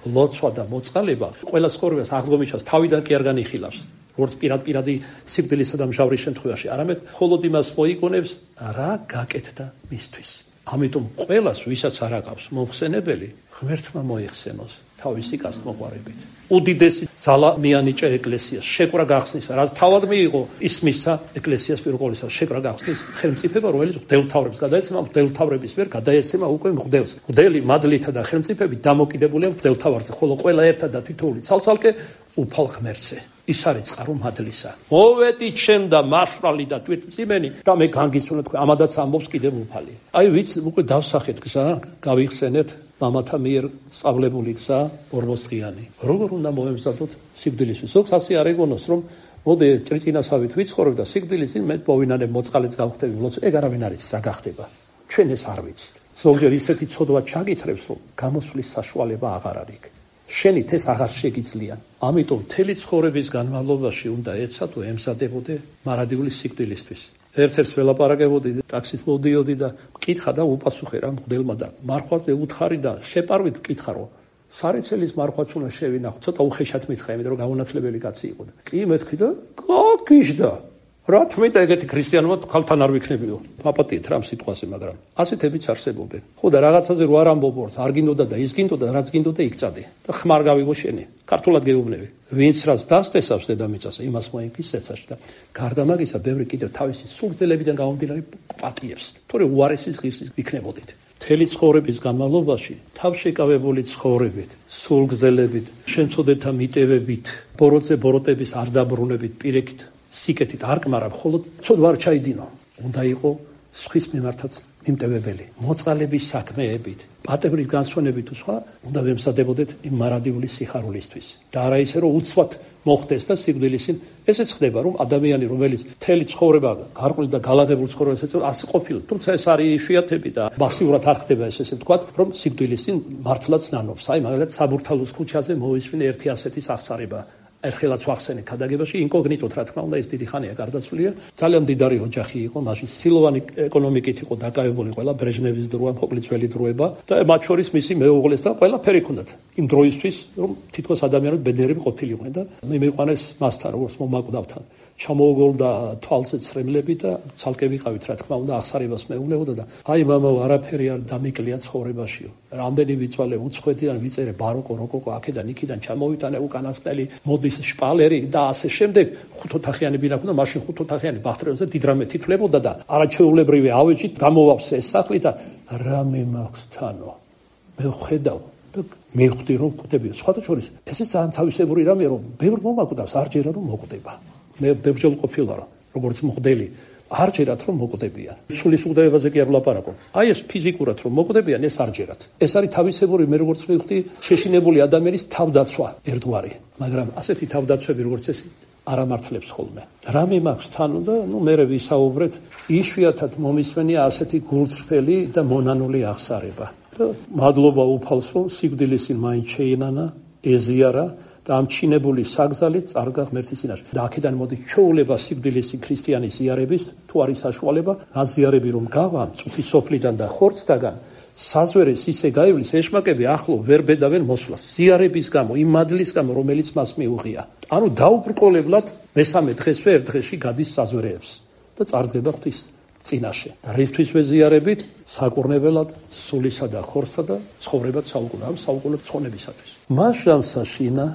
ლოცვა და მოწყალება, ყველა ცხოვრებას აღდგომისას თავიდან კი არ განიხილავს. როგორც პირადი სიკვდილისა და მჟავრის შემთხვევაში, არამედ მხოლოდ იმას მოიგონებს, რა გაკეთდა მისთვის. ამიტომ ყველას, ვისაც არ აყავს მომხსენებელი, ღმერთმა მოიხსენოს თავისი კაცმოყვარებით. უდიდესი ძალა მიანიჭა ეკლესიას, შეკვრა გახსნის, რაც თავად მიიღო, ის მისცა ეკლესიას პირველ ყოვლისა შეკვრა გახსნის ხელმწიფება, რომელიც მღვდელმთავრებს გადაეცემა, მღვდელმთავრების ვერ გადაეცემა უკვე მღვდელს. მღვდელი მადლითა და ხელმწიფები დამოკიდებულია მღვდელმთავარზე, ხოლო ყველა ერთად და თითოეული ცალ-ცალკე უფალ ღმერთზე. ის არის წყარო მადლისა. მოვედი ჩემ და მაშვრალი და თვითმწიმენი და მე განგისულა თქვენ ამადაც ამბობს კიდევ უფალი. აი ვიცი უკვე დავსახეთ გზა, გავიხსენეთ მამათა მიერ სწავლებული გზა ორმოსღიანი. როგორ უნდა მოემზადოთ სიკვდილისთვის? ზოგს ასე არ ეგონოს რომ მოდი ჭრიჭინასავით ვიცხოვრებ და სიკვდილის წინ მე მოვინანებ მოწყალეც გავხდები ლოცვა. ეგ არავინ არ იცის რა გახდება. ჩვენ ეს არ ვიცით. ზოგჯერ ისეთი ცოდვა ჩაგითხრებს რომ გამოსვლის საშუალება აღარ არის. შენით ეს აღარ შეგიძლიან. ამიტომ მთელი ცხოვრების განმავლობაში უნდა ეცად თუ ემზადებოდე მარადიული სიკვდილისთვის. ერთ-ერთს ველაპარაკებოდი, ტაქსით მოვდიოდი და მკითხა და უპასუხე რა მღვდელმა და მარხვაზე უთხარი და შეპარვით მკითხა რომ სარეცელის მარხვაც უნდა შევინახო. ცოტა უხეშად მითხრა, იმიტომ რომ გაუნათლებელი კაცი იყო. კი მეთქი და გაგიჟდა. რა თქმით ეგეთი ქრისტიანობა ქალთან არ ვიქნებიო. აპატიეთ რა სიტყვაზე, მაგრამ ასეთებიც არსებობენ. ხო და რაღაცაზე რო არ ამბობორს, არ გინდოდა და ის გინდოდა, რაც გინდოდა იქ წადე. და ხმარ გავიგო შენი. ქართულად გეუბნები. ვინც რაც დასტესავს დედამიწაზე, იმას მოიგის ეცაში და გარდა მაგისა, ბევრი კიდევ თავისი სულგძელებიდან გამომდინარე პატიებს. თორე უარესის ღირსის ვიქნებოდით. მთელი ცხოვრების განმავლობაში თავშეკავებული ცხოვრებით, სულგძელებით, შემცოდეთა მიტევებით, ბოროტების არ დაბრუნებით, პირიქით სიკეთით არ კმარა, მხოლოდ ცოდვა არ ჩაიდინო. უნდა იყო სხვის მიმართაც მიმტევებელი, მოწყალების საქმეებით, პატევრის განსვენებით თუ სხვა, უნდა ვემზადებოდეთ იმ მარადიული სიხარულისთვის. და არა ისე რომ უცბად მოხდეს და სიკვდილისინ ესეც ხდება, რომ ადამიანი, რომელიც მთელი ცხოვრება გარყვნილ და გალაღებულ ცხოვრებას ეწევა, ასე ყოფილა. თუმცა ეს არის იშვიათები და მასიურად არ ხდება ესე ვთქვათ, რომ სიკვდილისին მართლაც ნანობს. აი, მაგალითად, საბურთალოს ქუჩაზე მოვისმინე ერთი ასეთი სახსარება. ერთხელაც ვახსენე ქადაგებაში ინკოგნიტოდ რა თქმა უნდა ეს დიდი ხანია გარდაცვლილია. ძალიან მდიდარი ოჯახი იყო, მაშინ ცილოვანი ეკონომიკით იყო დაკავებული ყველა ბრეჟნევის დროა, მოკლედ ძველი დროება და მათ შორის მისი მეუღლეს და ყველაფერი ჰქონდათ. იმ დროისთვის, რომ თითქოს ადამიანები ბედნიერები ყოფილიყვნენ და მე მიყვანეს მასთან როგორც მომაკვდავთან. ჩამოუგოლდა თვალზე ცრემლები და ცალკე ვიყავით რა თქმა უნდა აღსარებას მეუბნებოდა და აი მამა არაფერი არ დამიკლია ცხოვრებაშიო. რამდენი ვიწვალე უცხოეთიდან ვიწერე ბაროკო, როკოკო, აქედან იქიდან ჩამოვიტანე უკანასკნელი მოდის შპალერი და ასე შემდეგ. ხუთოთახიანი ბინა ჰქონდა, მაშინ ხუთოთახიანი ბახტრეზე დიდ რამე თითლებოდა და არაჩვეულებრივი ავეჯით გამოვავსე ეს სახლი და რამე მაქვს თანო. მე ვხედავ და მივხვდი რომ კვდებია. სხვათა შორის ესე ძალიან თავისებური რამეა რომ ბევრ მომაკვდავს არ ჯერა რომ მოკვდება. მე ბევრჯერ ყოფილა როგორც მღვდელი არ ჯერათ რომ მოკვდებიან. სულის უგდებაზე კი არ ვლაპარაკობ. აი ეს ფიზიკურად რომ მოკვდებიან ეს არ ჯერათ. ეს არის თავისებური მე როგორც მივხვდი შეშინებული ადამიანის თავდაცვა ერთგვარი. მაგრამ ასეთი თავდაცვები როგორც ეს არ ამართლებს ხოლმე. რამე მაქვს თანო და მე ვისაუბრეთ იშვიათად მომისმენია ასეთი გულწრფელი და მონანული აღსარება. და მადლობა უფალს რომ სიკვდილისინ მაინც შეინანა, ეზიარა და ამ ჩინებული საგზალით წარგა ღმერთის წინაშე. და აქედან მოდი ჩვეულება სიკვდილისი ქრისტიანის ზიარების, თუ არის საშუალება, აზიარები რომ გავა წუთის სოფლიდან და ხორცთაგან, საზვერეს ისე გაივლის, ეშმაკები ახლო ვერ ბედავენ მოსვლას. ზიარების გამო, იმ მადლის გამო, რომელიც მას მიუღია. ანუ დაუბრკოლებლად მესამე დღესვე ერთ დღეში გადის საზვერეებს და წარდგება ღვთის წინაშე. და რისთვის ვეზიარებით? საკურნებელად, სულისა და ხორცსა და ცხოვრებად საუკუნე, ამ საუკუნე ცხონებისათვის. მასშამსაშინა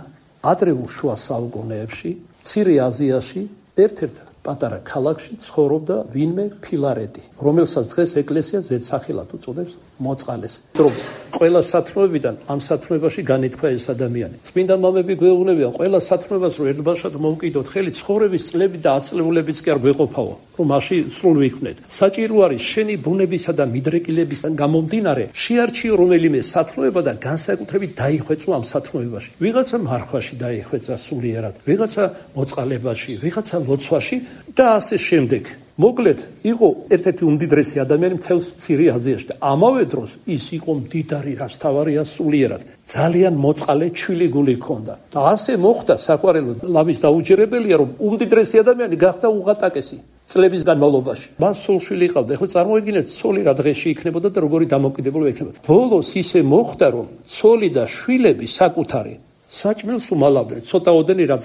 ადრეულ შუა საუკუნეებში, მცირე აზიაში ერთ-ერთ პატარა ქალაქში ცხოვრობდა ვინმე ფილარეტი, რომელსაც დღეს ეკლესია ზედსახელად უწოდებს მოწყალეს. რომ ყველა სათნოებიდან ამ სათნოებაში განითქვა ეს ადამიანი. წმინდა მამები გვეუბნებიან ყველა სათნოებას რომ ერთბაშად მოვკიდოთ ხელი, ცხოვრების წლები და აწლეულებიც კი არ გვეყოფაო, რომ მაშინ სრულ ვიქნეთ. საჭირო არის შენი ბუნებისა და მიდრეკილებისგან გამომდინარე შეარჩიო რომელიმე სათნოება და განსაკუთრებით დაიხვეწო ამ სათნოებაში. ვიღაცა მარხვაში დაიხვეწა სულიერად, ვიღაცა მოწყალებაში, ვიღაცა ლოცვაში და ასე შემდეგ. მოკლედ, იყო ერთ-ერთი უმდიდრესი ადამიანი მთელ მცირე აზიაში და ამავე დროს ის იყო მდიდარი, რაც თავარია სულიერად. ძალიან მოწყალე ჩვილი გული ჰქონდა. და ასე მოხდა საყვარელო ლამის დაუჯერებელია, რომ უმდიდრესი ადამიანი გახდა უღატაკესი წლების განმავლობაში. მას სულშვილი ჰყავდა. ეხლა წარმოიდგინეთ, ცოლი რა დღეში იქნებოდა და როგორი დამოკიდებულება იქნებოდა. ბოლოს ისე მოხდა, რომ ცოლი და შვილები საკუთარი საჭმელს უმალავდნენ, ცოტაოდენი რაც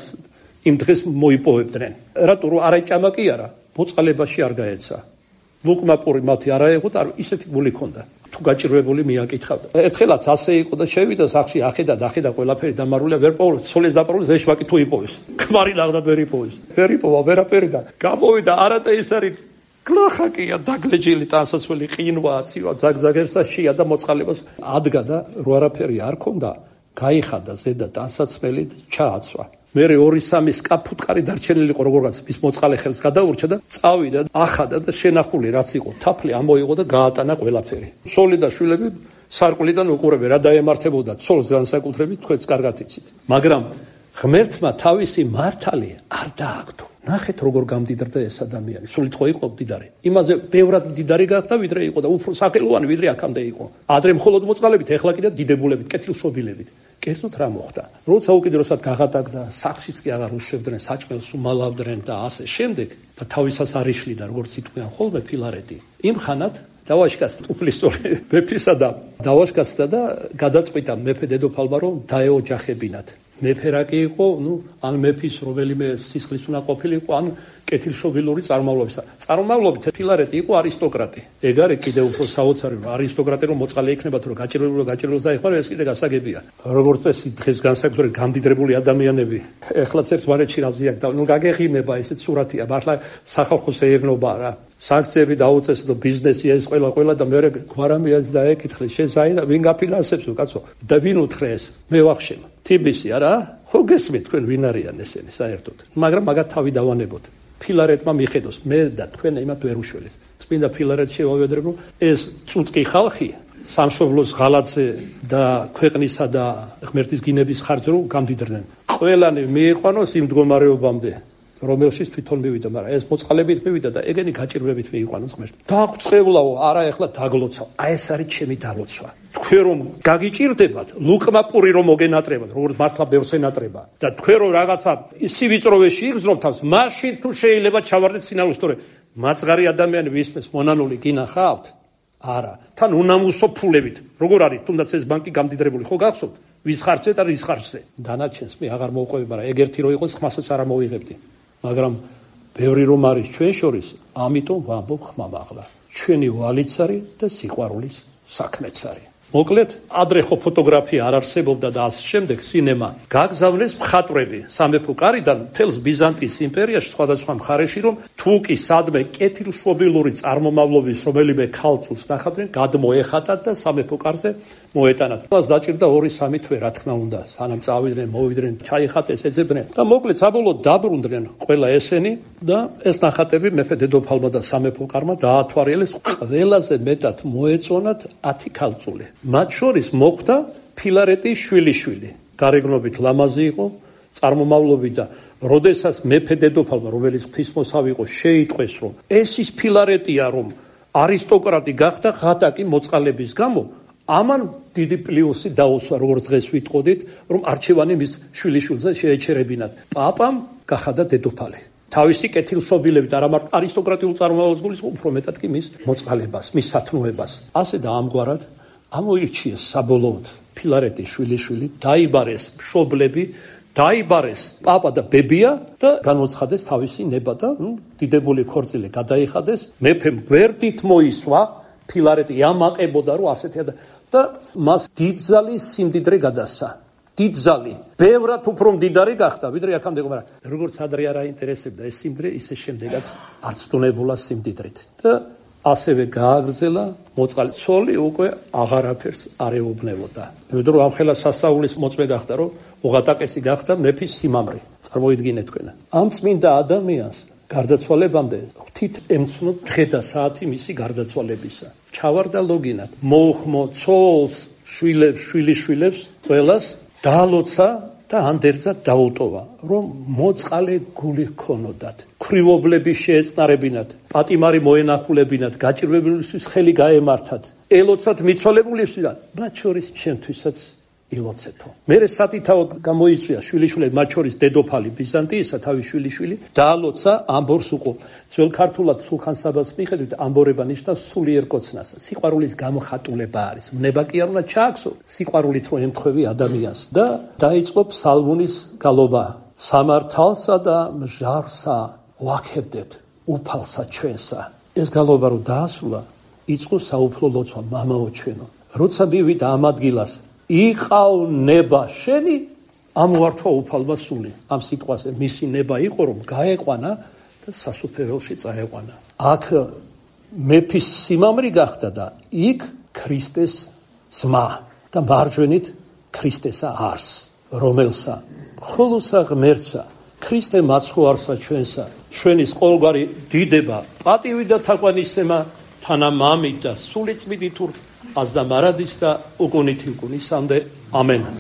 იმ დღეს მოიპოვებდნენ. რატო რომ არა ჭამაკი არა მოწყალებაში არ გაეცა. ლუკმაპური მათი არა იყო და ისეთი გული ჰქონდა. თუ გაჭირვებული მიაკითხავდა. ერთხელაც ასე იყო და შევიდა სახში, ახედა ყველაფერი დამარულია, ვერ პოულობს, ცოლის დაპყრობილს ეშმაკი თუ იპოვის. ქმარი ნახდა ვერ იპოვის. ვერ იპოვა ვერაფერი და გამოვიდა არადა ეს არის გლახაკია დაგლეჯილი ტანსაცმელი ყინვა აცივა ზაგზაგებსა შია და მოწყალებას ადგა და რო არაფერი არ ქონდა, გაიხადა ზედა ტანსაცმელი და ჩააცვა. მერე 2-3 სკაფუტკარი დარჩენილი იყო როგორღაც ის მოწყალე ხელს გადაურჩა და წავიდა ახადა და შენახული რაც იყო თაფლი ამოიღო და გაატანა ყველაფერი. სოლი და შვილები სარკვლიდან უყურებენ რა დაემართებოდა ცოლს განსაკუთრებით თქვენც კარგად იცით. მაგრამ ღმერთმა თავისი მართალი არ დააგდო. ნახეთ როგორ გამდიდრდა ეს ადამიანი. სულით ხო იყო მდიდარი. იმაზე ბევრად მდიდარი გახდა ვიდრე იყო და უფრო სახელოვანი ვიდრე აქამდე იყო. ადრე მხოლოდ მოწყალებით, ეხლა კიდე დიდებულებით, კეთილშობილებით. კერძოდ რა მოხდა? როცა უკიდურესად გაღატაკდა, საქსიც კი აღარ უშვებდნენ, საჭმელს უმალავდნენ და ასე შემდეგ და თავისას არ იშლიდა, როგორც იტყვიან ხოლმე ფილარეტი. იმ ხანად დავაშკას უფლისწული მეფისა და დავაშკასდა და გადაწყვიტა მეფე დედოფალმა რომ დაეოჯახებინათ. მეფე რა კი იყო, ან მეფის რომელიმე სისხლის უნდა ყოფილიყო, ან კეთილშობილური წარმავლობის. წარმავლობით ფილარეტი იყო არისტოკრატი. ეგ არის კიდევ უფრო საოცარი, რომ არისტოკრატი რომ მოწყალე იქნებათ, რომ გაჭირვებულს დაეხმარა, ეს კიდე გასაგებია. როგორც წესი დღეს განსაკუთრებით გამდიდრებული ადამიანები, ეხლაც ერთმანეთში რაზიანთ და გაგეღიმება ესეთ სურათია, მართლა სახალხო სეირნობა რა. სანქციები დაუწეს და ბიზნესი ეს ყველა და მეორე გვარამიას დაეკითხეს შესაიდა ვინ გაფინანსებს უკაცო და ვინ უთხრეს მე ვახშեմ თიბისი არა ხო გესმით თქვენ ვინ არიან ესენი საერთოდ მაგრამ მაგათ თავი დავანებოთ ფილარეტმა მიხედოს მე და თქვენ იმათ ვერ უშველეთ წმინდა ფილარეტს შევავედრებ რომ ეს წუწკი ხალხი სამშობლოს ღალატზე და ქვეყნისა და ღმერთის გინების ხარჯზე რომ გამდიდრდნენ ყველანი მიიყვანოს იმ მდგომარეობამდე რომელშიც თვითონ მივიდა, მაგრამ ეს მოწყალებით მივიდა და ეგენი გაჭირვებით მიიყვანოს ღმერთს. დაგწევლაო, არა ეხლა დაგლოცავ. აი ეს არის ჩემი დალოცვა. თქვენ რომ გაგიჭირდებათ, ლუკმაპური რომ მოგენატრებათ, როგორც მართლა ბევრს ენატრება და თქვენ რომ რაღაცა სივიწროვეში იგრძნობთ თავს, მაშინ თუ შეიძლება ჩავარდეთ სინალოს, თორე მაწყარი ადამიანი ვისმეს მონანული გინახავთ? არა. თან უნამუსო ფულებით. როგორ არის, თუნდაც ეს ბანკი გამდიდრებული, ხო გახსოვთ? ვის ხარჯზე და რის ხარჯზე? დანარჩენს მე აღარ მოვყვები, მაგრამ ეგ ერთი რო იყოს, ხმასაც არ მოვიღებდი. მაგრამ ბევრი რომ არის ჩვენ შორის, ამიტომ ვამბობ ხმამაღლა. ჩვენი ვალიც არის და სიყვარულის საქმეც არის. მოკლედ, ადრე ხო ფოტოგრაფია არ არსებობდა და ასე შემდეგ, სინემა გაგზავნეს მხატვრები სამეფო კარიდან მთელს ბიზანტიის იმპერიაში სხვადასხვა მხარეში, რომ თუ კი სადმე კეთილშობილური წარმომავლობის რომელიმე ქალწულს ნახავდნენ, გადმოეხატათ და სამეფო კარზე მოეტანათ. მას დაჭირდა 2-3 თვე, რა თქმა უნდა, სანამ წავიდნენ, მოვიდნენ, ჩაიხატეს, ეძებდნენ და მოკლედ საბოლოოდ დაბრუნდნენ ყველა ესენი და ეს ნახატები მეფე დედოფალმა და სამეფო კარმა დაათვალიერეს, ყველაზე მეტად მოეწონათ 10 ქალწული. მათ შორის მოხვდა ფილარეტის შვილიშვილი. გარეგნობით ლამაზი იყო, წარმომავლობით და როდესაც მეფე დედოფალმა, რომელიც ღვთისმოსავი იყო, შეიტყვეს, რომ ეს ის ფილარეტია, რომ არისტოკრატი გახდა ღატაკი მოწყალების გამო, ამან დიდი პლუსი დაუსვა, როგორც დღეს ვიტყოდით, რომ არჩევანი მის შვილიშვილზე შეეჩერებინათ. პაპამ გახადა დედოფალი. თავისი კეთილშობილებით არა მარტო არისტოკრატიულ წარმომავლობას გულისხმობს, უფრო მეტად კი მის მოწყალებას, მის სათნოებას. ასე და ამგვარად ამოირჩიეს საბოლოოდ ფილარეტის შვილიშვილი, დაიბარეს მშობლები, დაიბარეს პაპა და ბებია და განოცხადეს თავისი ნება და დიდებული ქორწილი გადაიხადეს. მეფემ გვერდით მოისვა, ფილარეტი ამაყებოდა რომ ასეთია და მას დიდძალი სიმდიდრე გადასცა. დიდძალი, ბევრად უფრო მდიდარი გახდა, ვიდრე აქამდე, მაგრამ როგორც ადრე არ აინტერესებდა ეს სიმდიდრე, ისე შემდეგაც არც დუნებულა სიმდიდრით. და ასევე გააგრძელა მოწყალე ცოლი უკვე აღარაფერს არ ეუბნებოდა. იმიტომ რომ ამხელა სასაულის მოწმე გახდა, რომ ოღატაკესი გახდა მეფის სიმამრი. წარმოიდგინეთ თქვენ. ამ წმინდა ადამიანს გარდაცვალებამდე ღვთით ემცნო დღე და საათი მისი გარდაცვალებისა. ჩავარდა ლოგინად, მოუხმო ცოლს, შვილებს, შვილიშვილებს, ყველას დაალოცა და ანდერძად დაუტოვა, რომ მოწყალე გული ჰქონოდათ, ქრივობლები შეეწნარებინათ, პატიმარი მოენახულებინათ, გაჭირვებულისთვის ხელი გაემართათ, ელოცათ მიცვალებულისთვის და მათ შორის შემთხვისაც ილოცეთო. მერე სათითაოდ გამოიწვია შვილიშვილები, მათ შორის დედოფალი ბიზანტიისა, თავის შვილიშვილი, დაალოცა ამბორს უყო. ძველ ქართულად სულხან-საბას მიხედვით ამბორება ნიშნავს სულიერ კოცნას. სიყვარულის გამოხატულება არის. მნება კი არ უნდა ჩააქვსო სიყვარულით რომ ემთხვევი ადამიანს და დაიწყო ფსალმუნის გალობა. სამართალსა და მჟარსა ვაქებდეთ უფალსა ჩვენსა. ეს გალობა რომ დაასრულა, იწყო საუფლო ლოცვა, მამაო ჩვენო. როცა მივიდა ამ ადგილას იყავ ნება შენი, ამოართვა უფალმა სული. ამ სიტყვაზე მისი ნება იყო, რომ გაეყვანა და სასუფეველში წაეყვანა. აქ მეფის სიმამრი გახდა და იქ ქრისტეს ძმა და მარჯვენით ქრისტესა არს, რომელსა ხოლოსა ღმერთსა ქრისტე მაცხოვარსა ჩვენსა, ჩვენის ყოველგვარი დიდება, პატივი და თაყვანისცემა თანამამით და სულიწმიდით აზდა მარადის და უკუნითი უკუნისამდე. ამენ.